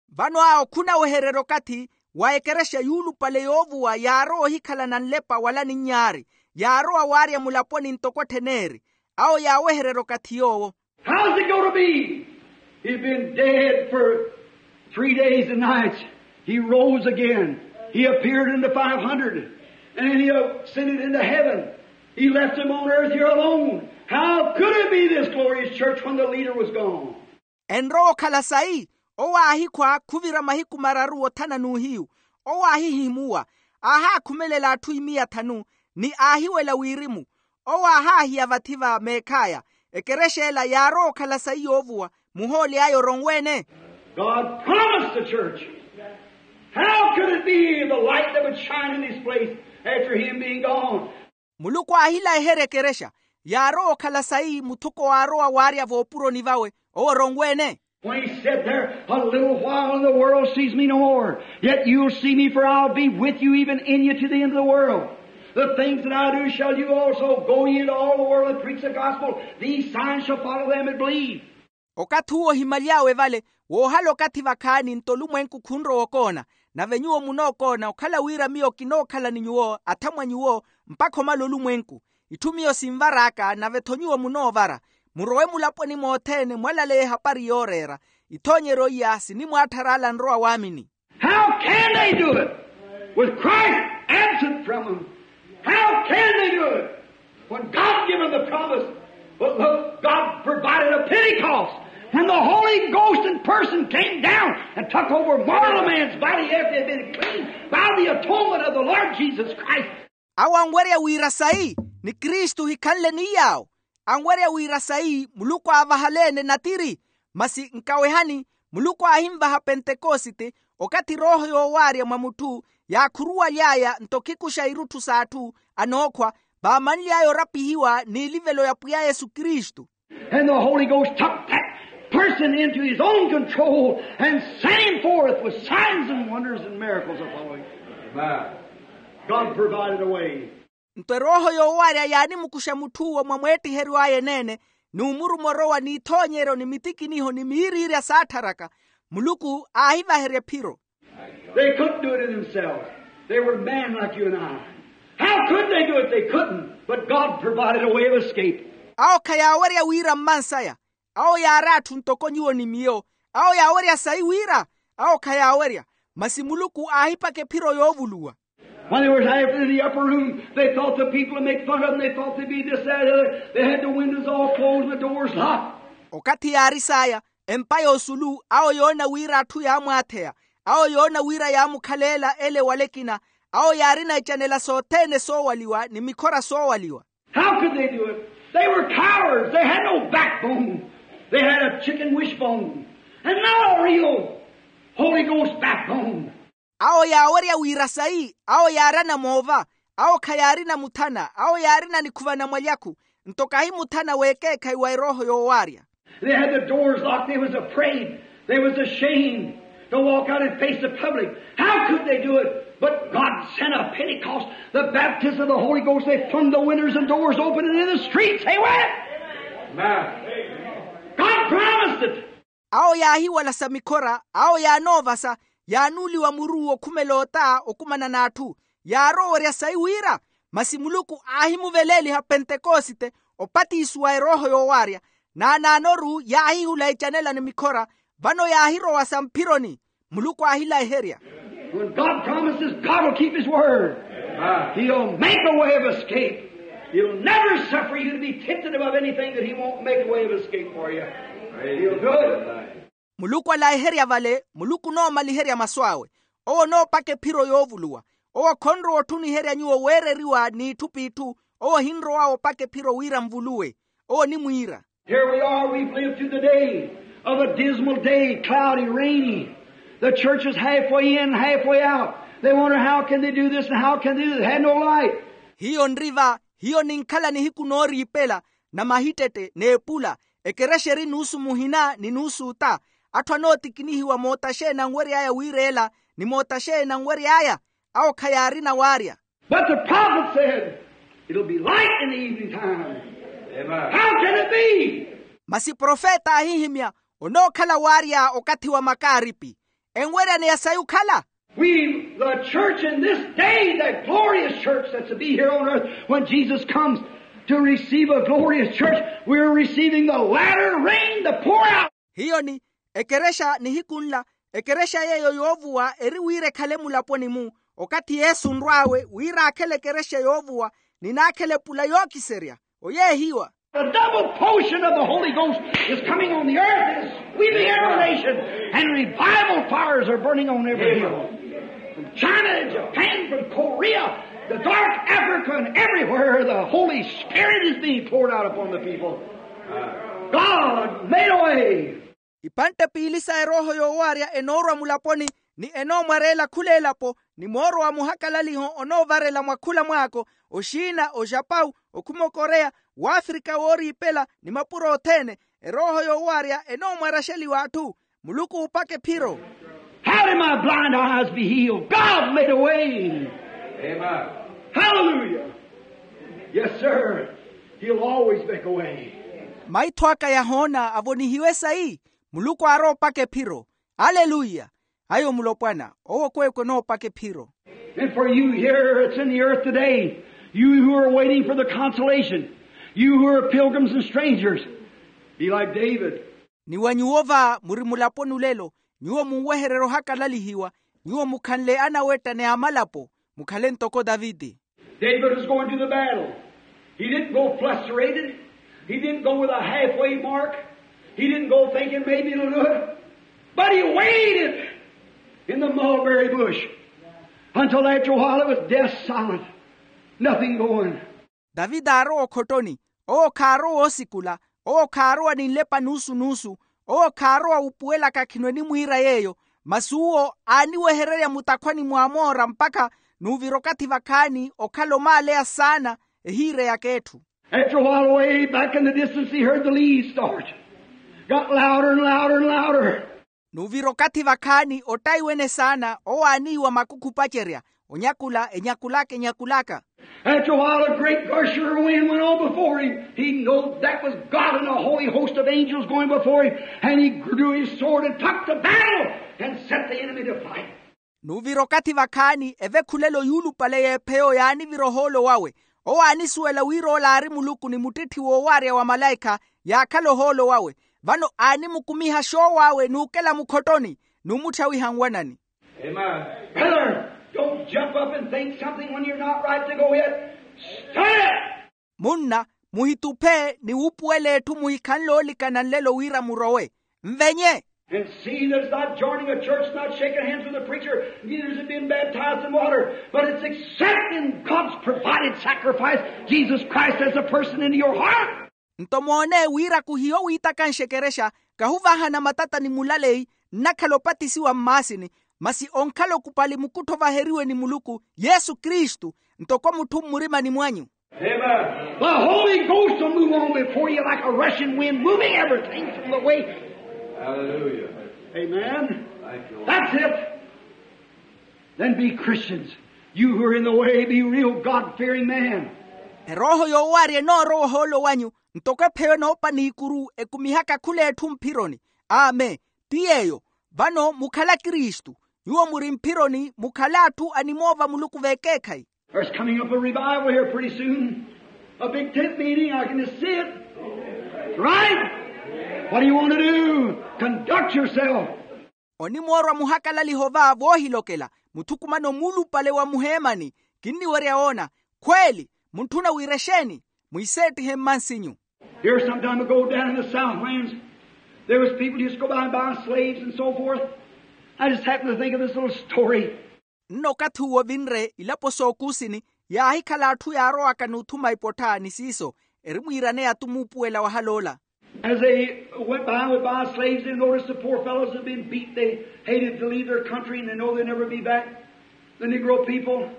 Vano awo khunawehererya okathi wa ekerexa yuulupale yoovuwa yaarowa ohikhalana nlepa wala ninyaari, yaarowa waarya mulaponi ntoko etthen'eri. Awo yaawehererya okathi yoowo. How's it going to be? He's been dead for three days and nights. He rose again. He appeared unto five hundred. And then he ascended into heaven. He left them on earth here alone. How could it be this glorious church when the leader was gone? Enrowa okhala sayi? Owo aahikhwa khuvira mahiku mararu othana n'uhiyu. Owo aahihimuwa, aahaakhumelela atthu imiya thanu, ni aahiwela wirimu. Owo aahaahiya vathi va meekh'aya. Ekerexa ela yaarowa okhala sayi yoovuwa, muhooli aya oronwe-ene. God promised the church. How could it be the light that would shine in this place after him being gone? Muluku aahilaiherya ekerexa, yaarowa okhala sayi muthuko waarowa waarya voopuroni vawe, owo oronwe-ene. When he said there, a little while and the world sees me no more, yet you'll see me, for I'll be with you, even in you, to the end of the world. The things that I do shall you also. Go ye into all the world and preach the gospel. These signs shall follow them that believe. Okathi uwo ohimaly'awe vale, woohala okathi vakhaani nto olumwenku khunrowa okoona, nave nyuwo munookoona okhala wira miyo kinookhala ni nyuwo athamwa nyuwo, mpakha omala olumwenku. Itthu miyo sinvar'aka nave-tho nyuwo munoovara. Murowe mulaponi mothene mwalaleya ehapari yooreera. Ithoonyeryo iya sinimwaatthara ala anrowa waamini. How can they do it with Christ absent from them? How can they do it when God given the promise? But look, God provided a Pentecost when the Holy Ghost in person came down and took over mortal man's body after it had been cleansed by the atonement of the Lord Jesus Christ. Awo anwerya wira sayi ni kristu ohikhanle ni yaawo. Anwerya wira sayi muluku aavahaleene natiri. Masi nkawehani, muluku aahinvaha pentekosite okathi erooho yoowaarya mwa mutthu yaakhuruwaly'aya nto khikuxa irutthu s'atthu anookhwa vaamanly'aya orapihiwa n'ilivelo ya pwiya yesu kristu. And the Holy Ghost took that person into his own control and sent him forth with signs and wonders and miracles to follow him. God provided a way. Nto erooho yoowaarya yaanimukuxa mutth'uwo mwa mweettiheryo aya eneene, n'umuruma orowa n'ithoonyeryo ni mitikiniho ni miiriirya saattharaka. Muluku aahivaherya ephiro. They couldn't do it in themselves. They were men like you and I. How could they do it? They couldn't. But God provided a way of escape. Awo khayaawerya wira mmansaya. Awo yaari atthu ntoko nyuwo ni miyo. Awo yaawerya sayi wira. Awo khayaawerya. Masi muluku aahipaka ephiro yoovuluwa. When they were after the upper room, they thought the people would make fun of them. They thought they'd be this, that, the other. They had the windows all closed and the doors locked. Okathi yaaris'aya, empa y'osulu awo yoona wira atthu yaamwaatheya. Awo yoona wira yaamukhaleela ele wala ekina. Awo yaarina ecanela sothene soowaliwa ni mikhora soowaliwa. How could they do it? They were cowards. They had no backbone. They had a chicken wishbone and not a real Holy Ghost backbone. Awo yaawerya wira sayi. Awo yaarana moova. Awo khayaarina muthana. Awo yaarina nikhuva na mwalyakhu. Nto kahi muthana w'ekeekhayi wa erooho yoowaarya. They had the doors locked. They was afraid. They was ashamed to walk out and face the public. How could they do it? But God sent a Pentecost, the baptism of the Holy Ghost. They flung the windows and doors open, and in the streets they went. Amen. God promised it. Awo yaahiwalasa mikhora. Awo yaanoovasa. Yaanuuliwa muru okhumela ota okumana n'atthu. Yaarowerya sayi wira. Masi muluku aahimuveleeliha pentekosite, opatisiwa erooho yoowaarya. Naanaanoru yaahihula ecanela ni mikhora. Vano yaahirowasa mphironi. Muluku aahilayiherya. When God promises, God will keep his word. He'll make a way of escape. He'll never suffer you to be tempted above anything that he won't make a way of escape for you. He'll do it. Muluku alayiherya vale. Muluku onoomaliherya masu awe. Owo onoopaka ephiro yoovuluwa. Owo khonrowa otthuniherya nyuwo weereriwa n'itthu p'itthu. Owo ohinrow'awe opaka ephiro wira nvuluwe. Owo onimwiira. Here we are, we've lived through the day of a dismal day, cloudy, rainy. The church is halfway in, halfway out. They wonder how can they do this and how can they do that. They had no light. Hiyo nri va. Hiyo ninkhala nihiku nooriipela, na mahittette n'epula. Ekerexa eri nuusu muhina ni nuusu ota. Atthu anootikinihiwa moota xeeni anwery'aya wiireela, ni moota xeeni anwery'aya. Awo khayaarina waarya. But the prophet said, it'll be light in the evening time. How can it be? Masi profeta aahihimya, onookhala waarya okathi wa makaaripi. Enweryaneya sayi okhala. We, the church in this day, that glorious church that's to be here on earth when Jesus comes to receive a glorious church, we're receiving the latter rain, the pour out. Hiyo ni ekerexa nihiku nla, ekerexa yeeyo yoovuwa eri wira ekhale mulaponi-mu. Okathi yesu onrw'awe wira aakhele ekerexa yoovuwa, ni naakhele epula yookiserya. Oyeehiwa. The double portion of the Holy Ghost is coming on the earth and is sweeping every nation, and revival fires are burning on every hill. From China and Japan, from Korea, the dark Africa, and everywhere the Holy Spirit is being poured out upon the people. God made a way. Ipantte piili sa erooho yoowaarya enoorwa mulaponi, ni enoomwareela khula elapo, ni mooro wa muhakalaliho onoovarela mwa khula mwaako, oxiina, oxapau, okhuma okoreya, w'afrika wooriipela, ni mapuro othene. Erooho yoowarya enoomwaraxeliwa atthu. Muluku oopaka ephiro. How did my blind eyes be healed? God made a way. Amen. Hallelujah. Yes, sir. He'll always make a way. Maitho aka yahoona avonihiwe sayi. Muluku aaroopaka ephiro. Aleluya. Ayo mulopwana owo kweekwe onoopaka ephiro. And for you here that's in the earth today, you who are waiting for the consolation, you who are pilgrims and strangers, be like David. Ni wa nyuwo va muri mulaponi olelo, nyuwo munwehererya ohakalalihiwa, nyuwo mukhanle anawetta ni amalapo, mukhale ntoko taviti. David was going to the battle. He didn't go frustrated. He didn't go with a halfway mark. He didn't go thinking maybe it'll do it. But he waited in the mulberry bush until after a while it was death silent. Nothing going. Taviti aarowa okhottoni. Owo khaarowa osikula. Owo khaarowa ni nlepa nuusu-nuusu. Owo khaarowa wupuwelaka khino enimwiira yeeyo. Masi uwo aaniwehererya mutakhwani mwa moora mpakha nuuvira okathi vakhaani okhala omaaleya saana. Ehiireyaka etthu. After a while away back in the distance he heard the leaves start, got louder and louder and louder. Nuuvira okathi vakhaani ottaiwene saana owo aaniiwa makukhu opacerya. Onyakula enyakulaka enyakulaka. After a while a great gusher of wind went on before him. He knowed that was God and a holy host of angels going before him. And he drew his sword and took the battle and set the enemy to flight. Nuuvira okathi vakhaani evekhulela oyuulupale y'epheyo yaanivira ohoolo wawe. Owo aanisuwela wira ola aari muluku ni muttitthi woowarya wa malaikha yaakhala ohoolo wawe. Vano aanimukumiha xoow'awe n'ukela mukhottoni n'umutthyawiha nwanani. Amen. Brother, don't jump up and think something when you're not right to go yet. Stand. Munna, muhituphe ni wuupuwela etthu muhikhanle oolikana nlelo wira murowe. Nvenye. And see that it's not joining a church, not shaking hands with a preacher, neither is it being baptized in water, but it's accepting God's provided sacrifice, Jesus Christ as a person into your heart. Nto moone wira khuhiyo wiitakanxekerexa, kahuvahana matata ni mulaleyi, nnakhala opatisiwa mmaasini, masi onkhala okupali mukuttho ovaheriwe ni muluku yesu kristu, ntoko mutthu mmurimani mwanyu. Amen. The Holy Ghost will move on before you like a rushing wind, moving everything from the way. Hallelujah. Amen. Thank you, Lord. That's it. Then be Christians. You who are in the way, be real God-fearing man. Erooho yoowarya enoorowa ohoolo wanyu, ntoko epheyo enoopa n'ikuru ekumihaka khula etthu mphironi. Amen. Ti yeeyo. Vano mukhala kristu. Nyuwo muri mphironi mukhala atthu animoova muluku v'ekeekhayi. There's coming up a revival here pretty soon. A big tent meeting, I can just see it. Right? What do you want to do? Conduct yourself. Onimoorwa muhakalaliho va voohilokela, muthukumano muulupale wa muheemani. Kinniwerya woona. Khweeli. Muntthuna wira exeeni? Mwiiseettihe mmansinyu. Here some time ago down in the Southlands, there was people used to go by and buy slaves and so forth. I just happened to think of this little story. Nno okathi uwo vinre ilapo s'okuusini, yaahikhala atthu yaarowaka n'uthuma ipottha ni siiso. Erimwiiraneya-tu muupuwela wahal'ola. As they went by and would buy slaves, they noticed the poor fellows had been beat. They hated to leave their country and they know they'd never be back. The Negro people,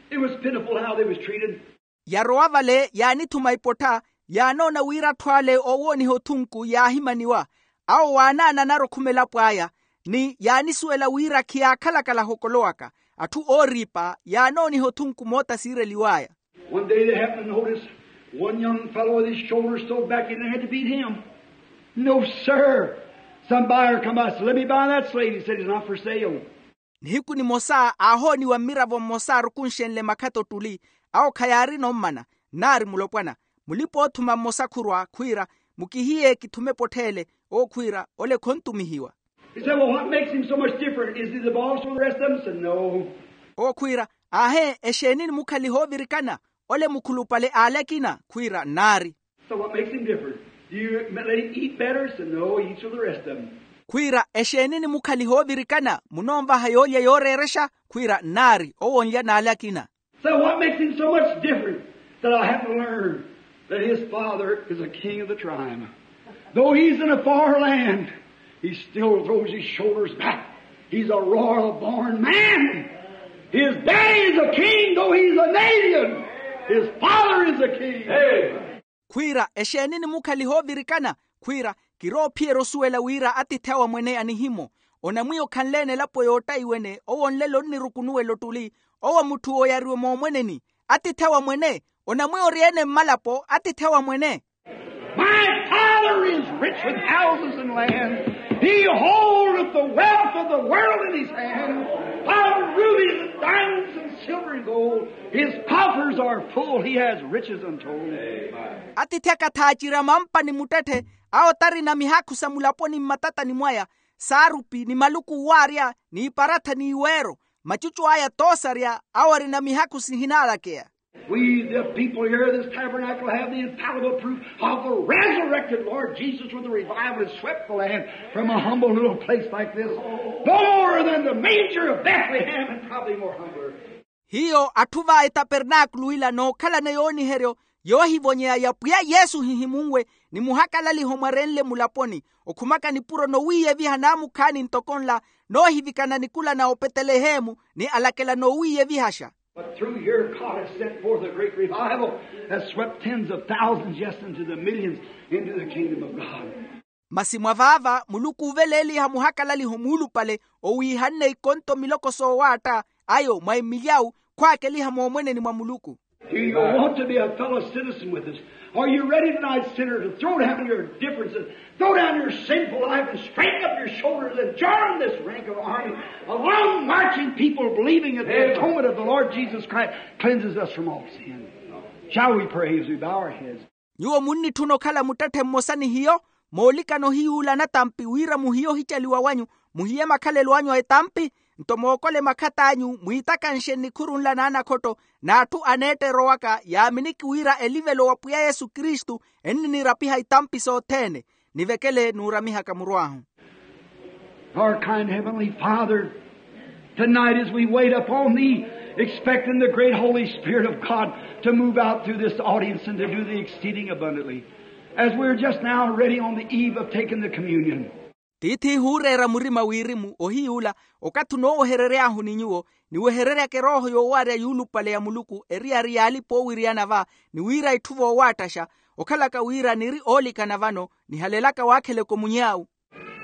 it was pitiful how they was treated. Yarowa vale yaanithuma ipottha, yaanoona wira atthu ale oowooniha othunku yaahimaniwa. Awo waanaananara okhuma elapo aya, ni yaanisuwela wira khiyaakhalakala aho okolowaka. Atthu ooriipa yaanooniha othunku moota siireliw'aya. One day they happened to notice one young fellow with his shoulders sewed back in and had to beat him. No sir. Some buyer come by and said, let me buy that slave. He said, he's not for sale. Nihiku nimosa aahooniwa mmiravo mmosa arukunxenle makhata ottuli. Awo khayaarina ommana. Nnaari mulopwana, mulipa-oothuma mmosa khurwa khwiira, mukihiye kithume epottha ele. Owo khwiira, ole khontumihiwa. He said, well, what makes him so much different? Is he the boss over the rest of them? Said, no. Owo khwiira, aahe, exeeni nimukhaliha ovirikana? Ole mukhulupale ale akina? Khwiira, nnaari. So what makes him different? Do you let him eat better? Said, no, he eats with the rest of them. Khwiira, exeeni nimukhaliha ovirikana? Munoonvaha yoolya yooreerexa? Khwiira, nnaari, owo onlya n'ale akina. So what makes him so much different? That I have to learn that his father is a king of the tribe. Though he's in a far land, he still throws his shoulders back. He's a royal born man. His daddy is a king, though he's a native. His father is a king. Amen. Khwiira, exeeni nimukhaliha ovirikana? Khwiira, Kiroophiyerya osuwela wira atiithi awe amwene anihimo. Onamwiya okhanleene elapo yoottaiwene owo nlelo onnirukunuwela ottuli. Owo mutthu oyariwe moomweneni. Atiithi awe amwene. Onamwiya oryeene mmalapo atiithi awe amwene. My Father is rich with houses and lands. He holdeth the wealth of the world in his hand. Of rubies and diamonds and silver and gold. His coffers are full. He has riches untold. Atiithi aka thaacirya mampa ni muttetthe. Awo tarina mihakhu sa mulaponi mmatatani mwaya, saarupi ni maluku owaarya, n'iparatha n'iweero. Macucu aya toosarya awo arina mihakhu sihinaalakeya. We, the people here of this tabernacle, have the infallible proof of the resurrected Lord Jesus with the revival has swept the land from a humble little place like this. No more than the manger of Bethlehem and probably more humbler. Hiyo atthu va etapernaakulu ila nookhalana yooniheryo yoohivonyeya ya pwiya yesu hihimunwe, ni muhakalaliho mwarenle mulaponi, okhumaka nipuro nowiiyeviha naamukhaani ntoko nla, noohivikana nikula na opetelehemu ni alakela noowiiyevihaxa. But through here God has sent forth a great revival, has swept tens of thousands, yes, into the millions into the kingdom of God. Masi mwa vaava muluku ooveleeliha muhakalaliho muulupale owiihanne ikonto miloko soowaatta ayo mwa emilyawu, khwaakeliha moomweneni mwa muluku. Do you want to be a fellow citizen with us? Are you ready tonight, sinner, to throw down your differences, throw down your sinful life, and straighten up your shoulders and join this rank of army of long marching people believing that the atonement of the Lord Jesus Christ cleanses us from all sin? Shall we pray as we bow our heads? Nyuwo munnitthuna okhala muttetthe mmosa ni hiyo, moolikana ohiyuula anatampi wira muhiye ohicaliwa wanyu, muhiye makhalelo anyu a etampi. Nto mookole makhatt'anyu mwiitakanxe nnikhuru nla n'anakhotto, n'atthu aneetterowaka yaaminiki wira elivelo wa pwiya yesu kristu enniniirapiha itampi sothene. Nivekele nuuramihaka muru ahu. Our kind Heavenly Father, tonight as we wait upon Thee, expecting the great Holy Spirit of God to move out through this audience and to do the exceeding abundantly, as we're just now ready on the eve of taking the communion. Tiithi huureera murima wirimu ohiyuula, okathi onooweherery'ahu ni nyuwo, niwehereryaka erooho yoowaarya yuulupale ya muluku eriyari y'alipa oowiriyana va, ni wira itthu voowaattaxa, okhalaka wira niri oolikana vano nihalelaka waakheleke omuny'awu.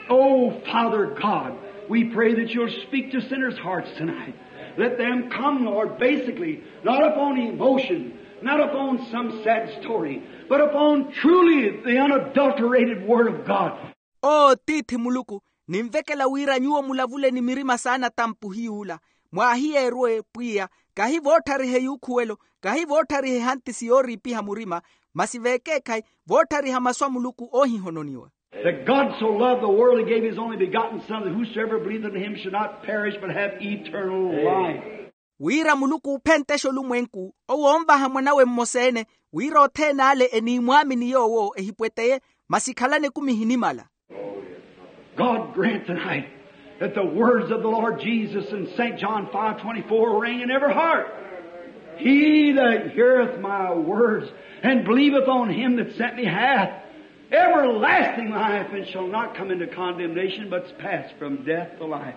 Oh, Father God, we pray that you'll speak to sinners' hearts tonight. Let them come, Lord, basically, not upon emotion, not upon some sad story, but upon truly the unadulterated Word of God. Oo tiithi muluku, ninvekela wira nyuwo mulavule ni mirima s'anatampi ohiyuula, mwaahiyeerwe pwiya, kahi voottariha eyuukhuwelo, kahi voottariha ehantisi yooriipiha murima, masi veekeekhayi, voottariha masu a muluku oohihononiwa. That God so loved the world, he gave his only begotten Son, that whosoever believeth in him should not perish but have eternal life. Wira muluku oophenttexa olumwenku, owo onvaha mwan'awe mmosa-ene, wira othene ale eniimwaamini yoowo ehipweteye, masi ekhalane ekumi ehinimala. God grant tonight that the words of the Lord Jesus in Saint John five twenty-four ring in every heart. He that heareth my words and believeth on him that sent me hath everlasting life and shall not come into condemnation, but is passed from death to life.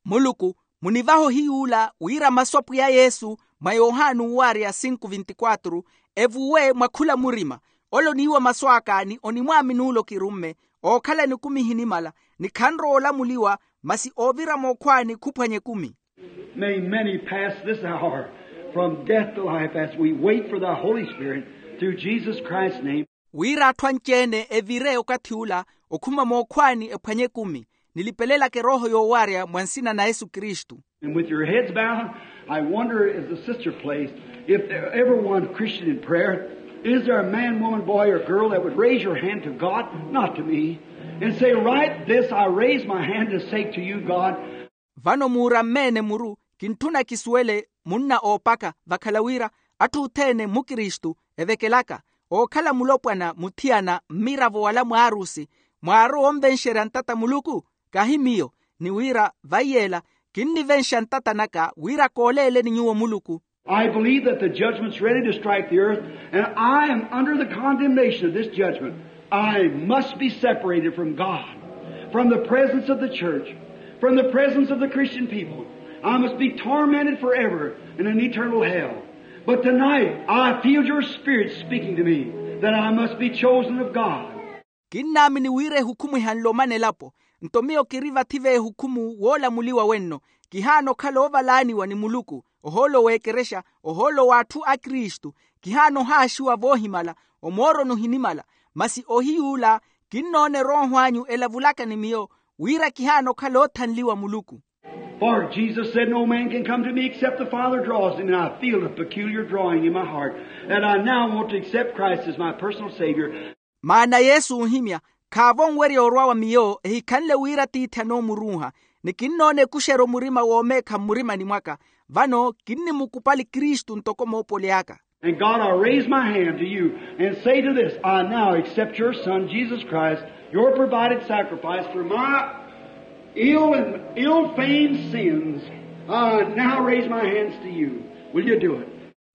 Muluku, munivahe ohiyuula wira masu a pwiya yesu mwa yohani owaarya sinku vintikwatru, evuwe mwa khula murima. Ole oniiwa masu aka ni onimwaamini ole okirumme, ookhalani ekumi ehinimala, ni khanrowa olamuliwa, masi oovira mookhwaani khuphwanya ekumi. May many pass this hour from death to life as we wait for thy Holy Spirit through Jesus Christ's name. Wira atthu anci-ene evire okathi ula okhuma mookhwaani ephwanya ekumi, nilipelelaka erooho yoowaarya mwa nsina na yesu kristu. And with your heads bowed, I wonder, as the sister plays, if there ever one Christian in prayer, is there a man, woman, boy, or girl that would raise your hand to God, not to me, and say, "Right this, I raise my hand to say to you, God." Vano muurammeene muru, kintthuna kisuwele munna oopaka, vakhala wira atthu othene mmukristu evekelaka, ookhala mulopwana, muthiyana, mmiravo wala mwaarusi, mwaarowa onvenxerya ntata muluku, kahi miyo, ni wira vaiyeela, kinnivenxa ntata naka wira kooleeleni nyuwo muluku. I believe that the judgment's ready to strike the earth, and I am under the condemnation of this judgment. I must be separated from God, from the presence of the church, from the presence of the Christian people. I must be tormented forever in an eternal hell. But tonight, I feel your spirit speaking to me that I must be chosen of God. Kinnaamini wira ehukhumwihanle omana elapo. Nto miyo kiri vathi v'ehukhummu woolamuliwa wenno. Kihaana okhala oovalaaniwa ni muluku, ohoolo w'ekerexa, ohoolo w'atthu a kristu. Kihaana ohaaxiwa voohimala, omooroni ohinimala. Masi ohiy'ula, kinnoona erooho anyu elavulaka ni miyo, wira kihaana okhala oothanliwa muluku. For Jesus said, no man can come to me except the Father draws him, and I feel a peculiar drawing in my heart, and I now want to accept Christ as my personal Savior. Maana yesu oohimya, khaavo onwerya orwa wa miyo ehikhanle wira tiithi anoomuruuha. Ni kinnoona ekuxeryo murima woomeekha mmurimani mwaka. Vano kinnimukupali kristu ntoko moopoli aka. And God, I raise my hand to you and say to this, I now accept your Son, Jesus Christ, your provided sacrifice for my ill and ill-famed sins. I now raise my hands to you. Will you do it?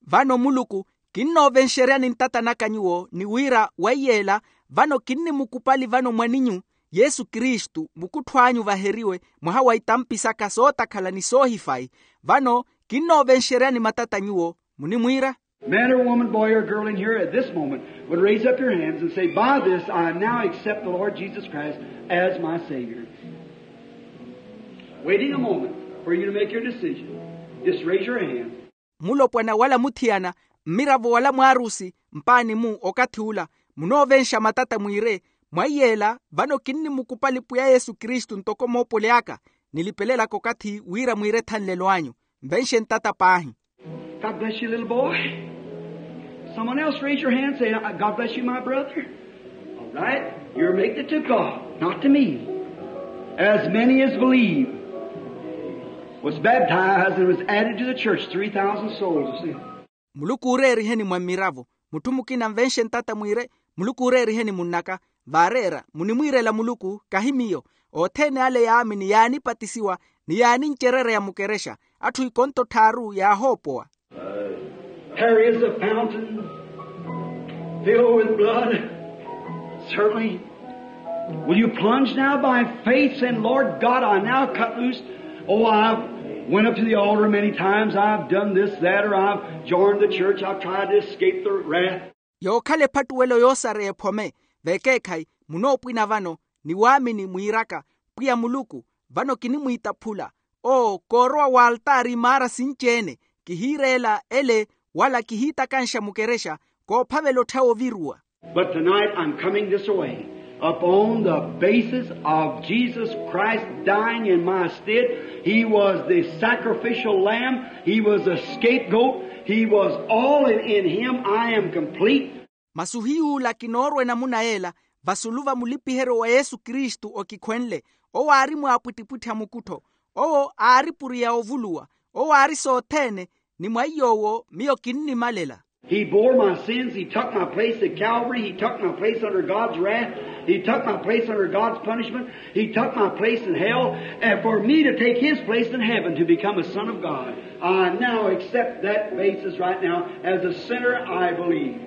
Vano muluku, kinnoovenxeryani ntata naka nyuwo ni wira weiyeela, vano kinnimukupali vano mwaninyu, yesu kristu mukuttho anyu vaheriwe, mwaha wa itampi saka sootakhala ni soohifayi. Vano kinnoovenxeryani matata nyuwo, munimwiira? Man or woman, boy or girl in here at this moment would raise up your hands and say, by this I now accept the Lord Jesus Christ as my Savior. Waiting a moment for you to make your decision. Just raise your hand. Mulopwana wala muthiyana, mmiravo wala mwaarusi, mpaani-mu okathi ula, munoovenxa matata mwiire, mwaiyeela vano kinnimukupali pwiya yesu kristu ntoko moopoli aka. Nilipelelaka okathi wira mwiire ethanlelo anyu. Nvenxe ntata paahi. God bless you, little boy. Someone else raise your hand, say, God bless you, my brother. All right. You're making it to God, not to me. As many as believe, was baptized and was added to the church, three thousand souls. Muluku ooreeriheni mwa mmiravo. Mutthu mukina nvenxe ntata mwiire, muluku ooreeriheni munnaka. Vaareera munimwiirela muluku kahi miyo. Othene ale yaamini yaanipatisiwa, ni yaanincerereya mukerexa. Atthu ikonto tthaaru yaahoopowa. Here is a fountain filled with blood. Certainly. Will you plunge now by faith, saying, Lord God, I now cut loose. Oh, I've went up to the altar many times. I've done this, that, or I've joined the church. I've tried to escape the wrath. Yookhala ephattuwelo yoosareya ephome. Vekeekhayi, munoopwina vano ni waamini mwiiraka, pwiya muluku, vano kinimwiitaphula. Oo koorowa w'altaari imaara sinci-ene, kihiireela ele, wala kihiitakanxa mukerexa, koophavela ottha oviruwa. But tonight I'm coming this way upon the basis of Jesus Christ dying in my stead. He was the sacrificial lamb. He was a scapegoat. He was all, and in him I am complete. Masi ohiy'ula kinoorwa enamuna yeela, vasulu va mulipiheryo wa yesu kristu okikhwenle. Owo aari mwaapwittipwitthi a mukuttho. Owo aari puriya ovuluwa. Owo aari sothene. Ni mwa iy'owo miyo kinnimalela. He bore my sins. He took my place at Calvary. He took my place under God's wrath. He took my place under God's punishment. He took my place in hell. And for me to take his place in heaven, to become a son of God. I now accept that basis right now. As a sinner, I believe.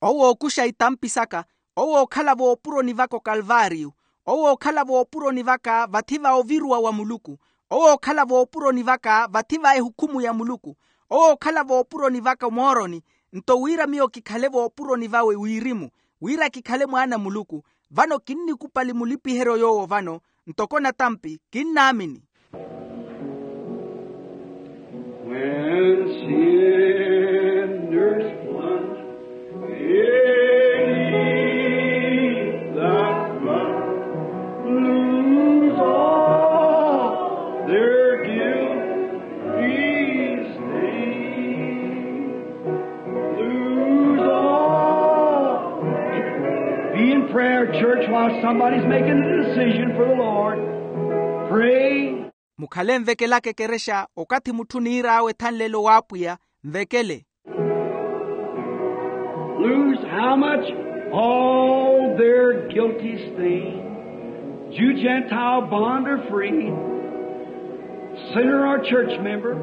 Owo ookuxa itampi saka. Owo ookhala voopuroni vaka okalvaariyu. Owo ookhala voopuroni vaka vathi va oviruwa wa muluku. Owo ookhala voopuroni vaka vathi va ehukhumu ya muluku. Owo ookhala voopuroni vaka omooroni. Nto wira miyo kikhale voopuroni vawe wirimu, wira kikhale mwaana a muluku. Vano kinnikupali mulipiheryo yoowo vano, ntoko natampi kinnaamini. When sinners plunge beneath that flood, lose all their guilty stain. Lose all. Be in prayer, church, while somebody's making a decision for the Lord. Pray. Mukhale nvekelaka ekerexa okathi mutthu oniir'awe ethanlelo w'apwiya. Nvekele. Lose how much? All their guilty stain. Jew, Gentile, bond or free, sinner or church member,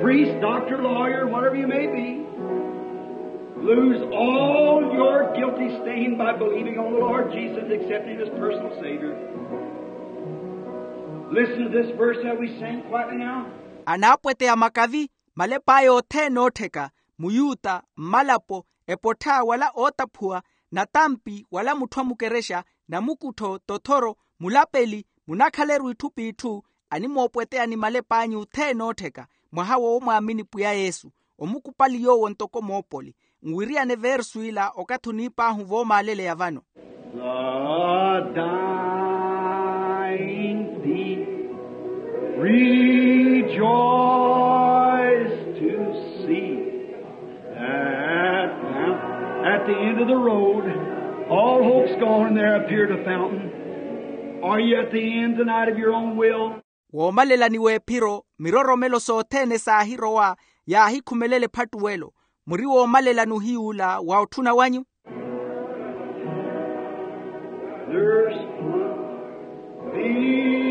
priest, doctor, lawyer, whatever you may be. Lose all your guilty stain by believing on the Lord Jesus and accepting him as personal Savior. Listen to this verse that we sing quietly now. Anaapweteya makavi, malep'aya othene oottheka, muyuta, mmalapo, epottha wala ootaphuwa, natampi wala mutthu amukerexa, namukuttho, tothoro, mulapeli, munakhaleru itthu p'itthu, animoopweteya ni malep'anyu othene oottheka, mwaha woomwaamini pwiya yesu, omukupali yoowo ntoko moopoli. Nwiriyane versu ila okathi oniip'ahu voomaaleleya vano. The dying thief rejoice to see that at the end of the road, all hope's gone, and there appeared a fountain. Are you at the end tonight of your own will? Woomalelani w'ephiro, miroromelo sothene saahirowa, yaahikhumelela ephattuwelo. Muri woomalelani ohiyuula wa otthuna wanyu? There's peace.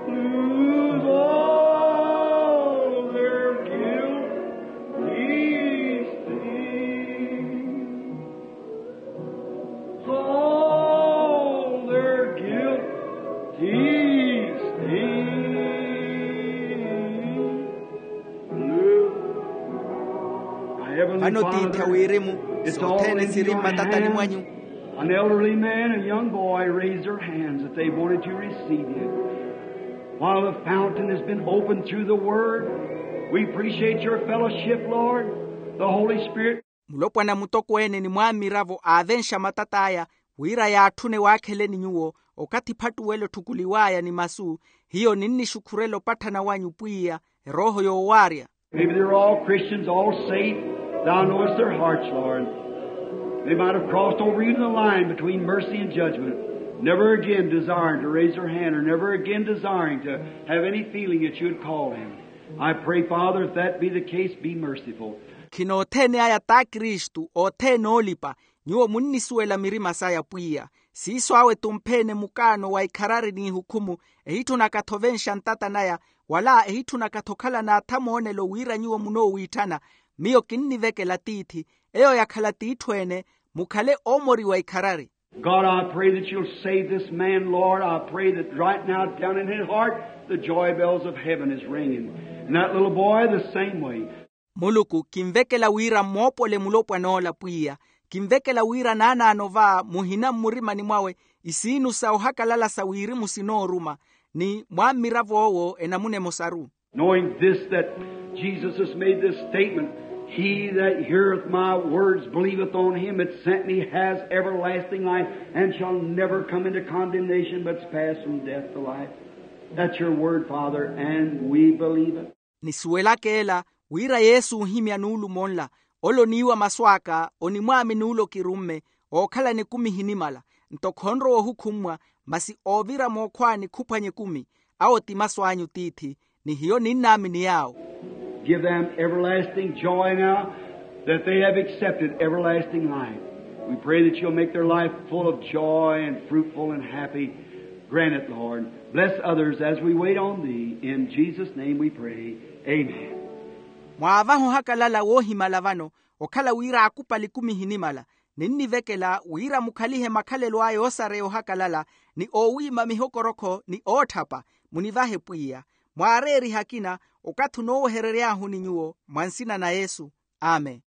Lose all their guilt, these things. All their guilt, these things. Vano tiithi a wirimu, sothene siri mmatatani mwanyu. An elderly man and young boy raised their hands that they wanted to receive you. While the fountain has been opened through the word, we appreciate your fellowship, Lord. The Holy Spirit. Mulopwana mutokweene ni mwaamiravo aavenxa matat'aya, wira yaatthune waakheleni nyuwo, okathi phattuwelo otthukuliw'aya ni masu, hiyo ninnixukhurela opatthana wanyu pwiya, erooho yoowaarya. Maybe they're all Christians, all saved. Thou knowest their hearts, Lord. They might have crossed over even the line between mercy and judgment, never again desiring to raise their hand or never again desiring to have any feeling that you would call them. I pray, Father, if that be the case, be merciful. Khina othene aya t'akristu othene oolipa, nyuwo munnisuwela mirima saya pwiya. Siiso awe tumphene mukaano wa ikharari n'ihukhumu, ehitthunaka-tho ovenxa ntata naya, wala ehitthunaka-tho okhala n'atha moonelo wira nyuwo munoowiitthana. Miyo kinnivekela tiithi, eyo yakhala t'itthu ene, mukhale oomoriwa ikharari. God, I pray that you'll save this man, Lord. I pray that right now, down in his heart, the joy bells of heaven is ringing. And that little boy, the same way. Muluku, kinvekela wira mmoopole mulopwan'ola pwiya. Kinvekela wira naanaano va muhina mmurimani mwawe, isiinu sa ohakalala sa wirimu sinooruma, ni mwammirav'owo enamuna emosaru. Knowing this, that Jesus has made this statement, "He that heareth my words, believeth on him that sent me, has everlasting life, and shall never come into condemnation, but is passed from death to life." That's your word, Father, and we believe it. Nisuwelaka ela, wira yesu oohimya nuulumo nla, ole oniiwa masu aka, onimwaamini ole okirumme, ookhalana ekumi ehinimala. Nto khonrowa ohukhummwa, masi oovira mookhwaani khuphwanya ekumi. Awo ti masu anyu tiithi, ni hiyo ninnaamini yaawo. Give them everlasting joy now that they have accepted everlasting life. We pray that you'll make their life full of joy and fruitful and happy. Grant it, Lord. Bless others as we wait on thee. In Jesus' name we pray. Amen. Mwaavaha ohakalala woohimala vano, okhala wira akupali ekumi ehinimala. Ninnivekela wira mukhalihe makhalelo aya oosareya ohakalala, ni oowiima mihokorokho ni ootthapa. Munivahe pwiya. Mwaareerihe akina, okathi onooweherery'ahu ni nyuwo, mwa nsina na yesu. Amen.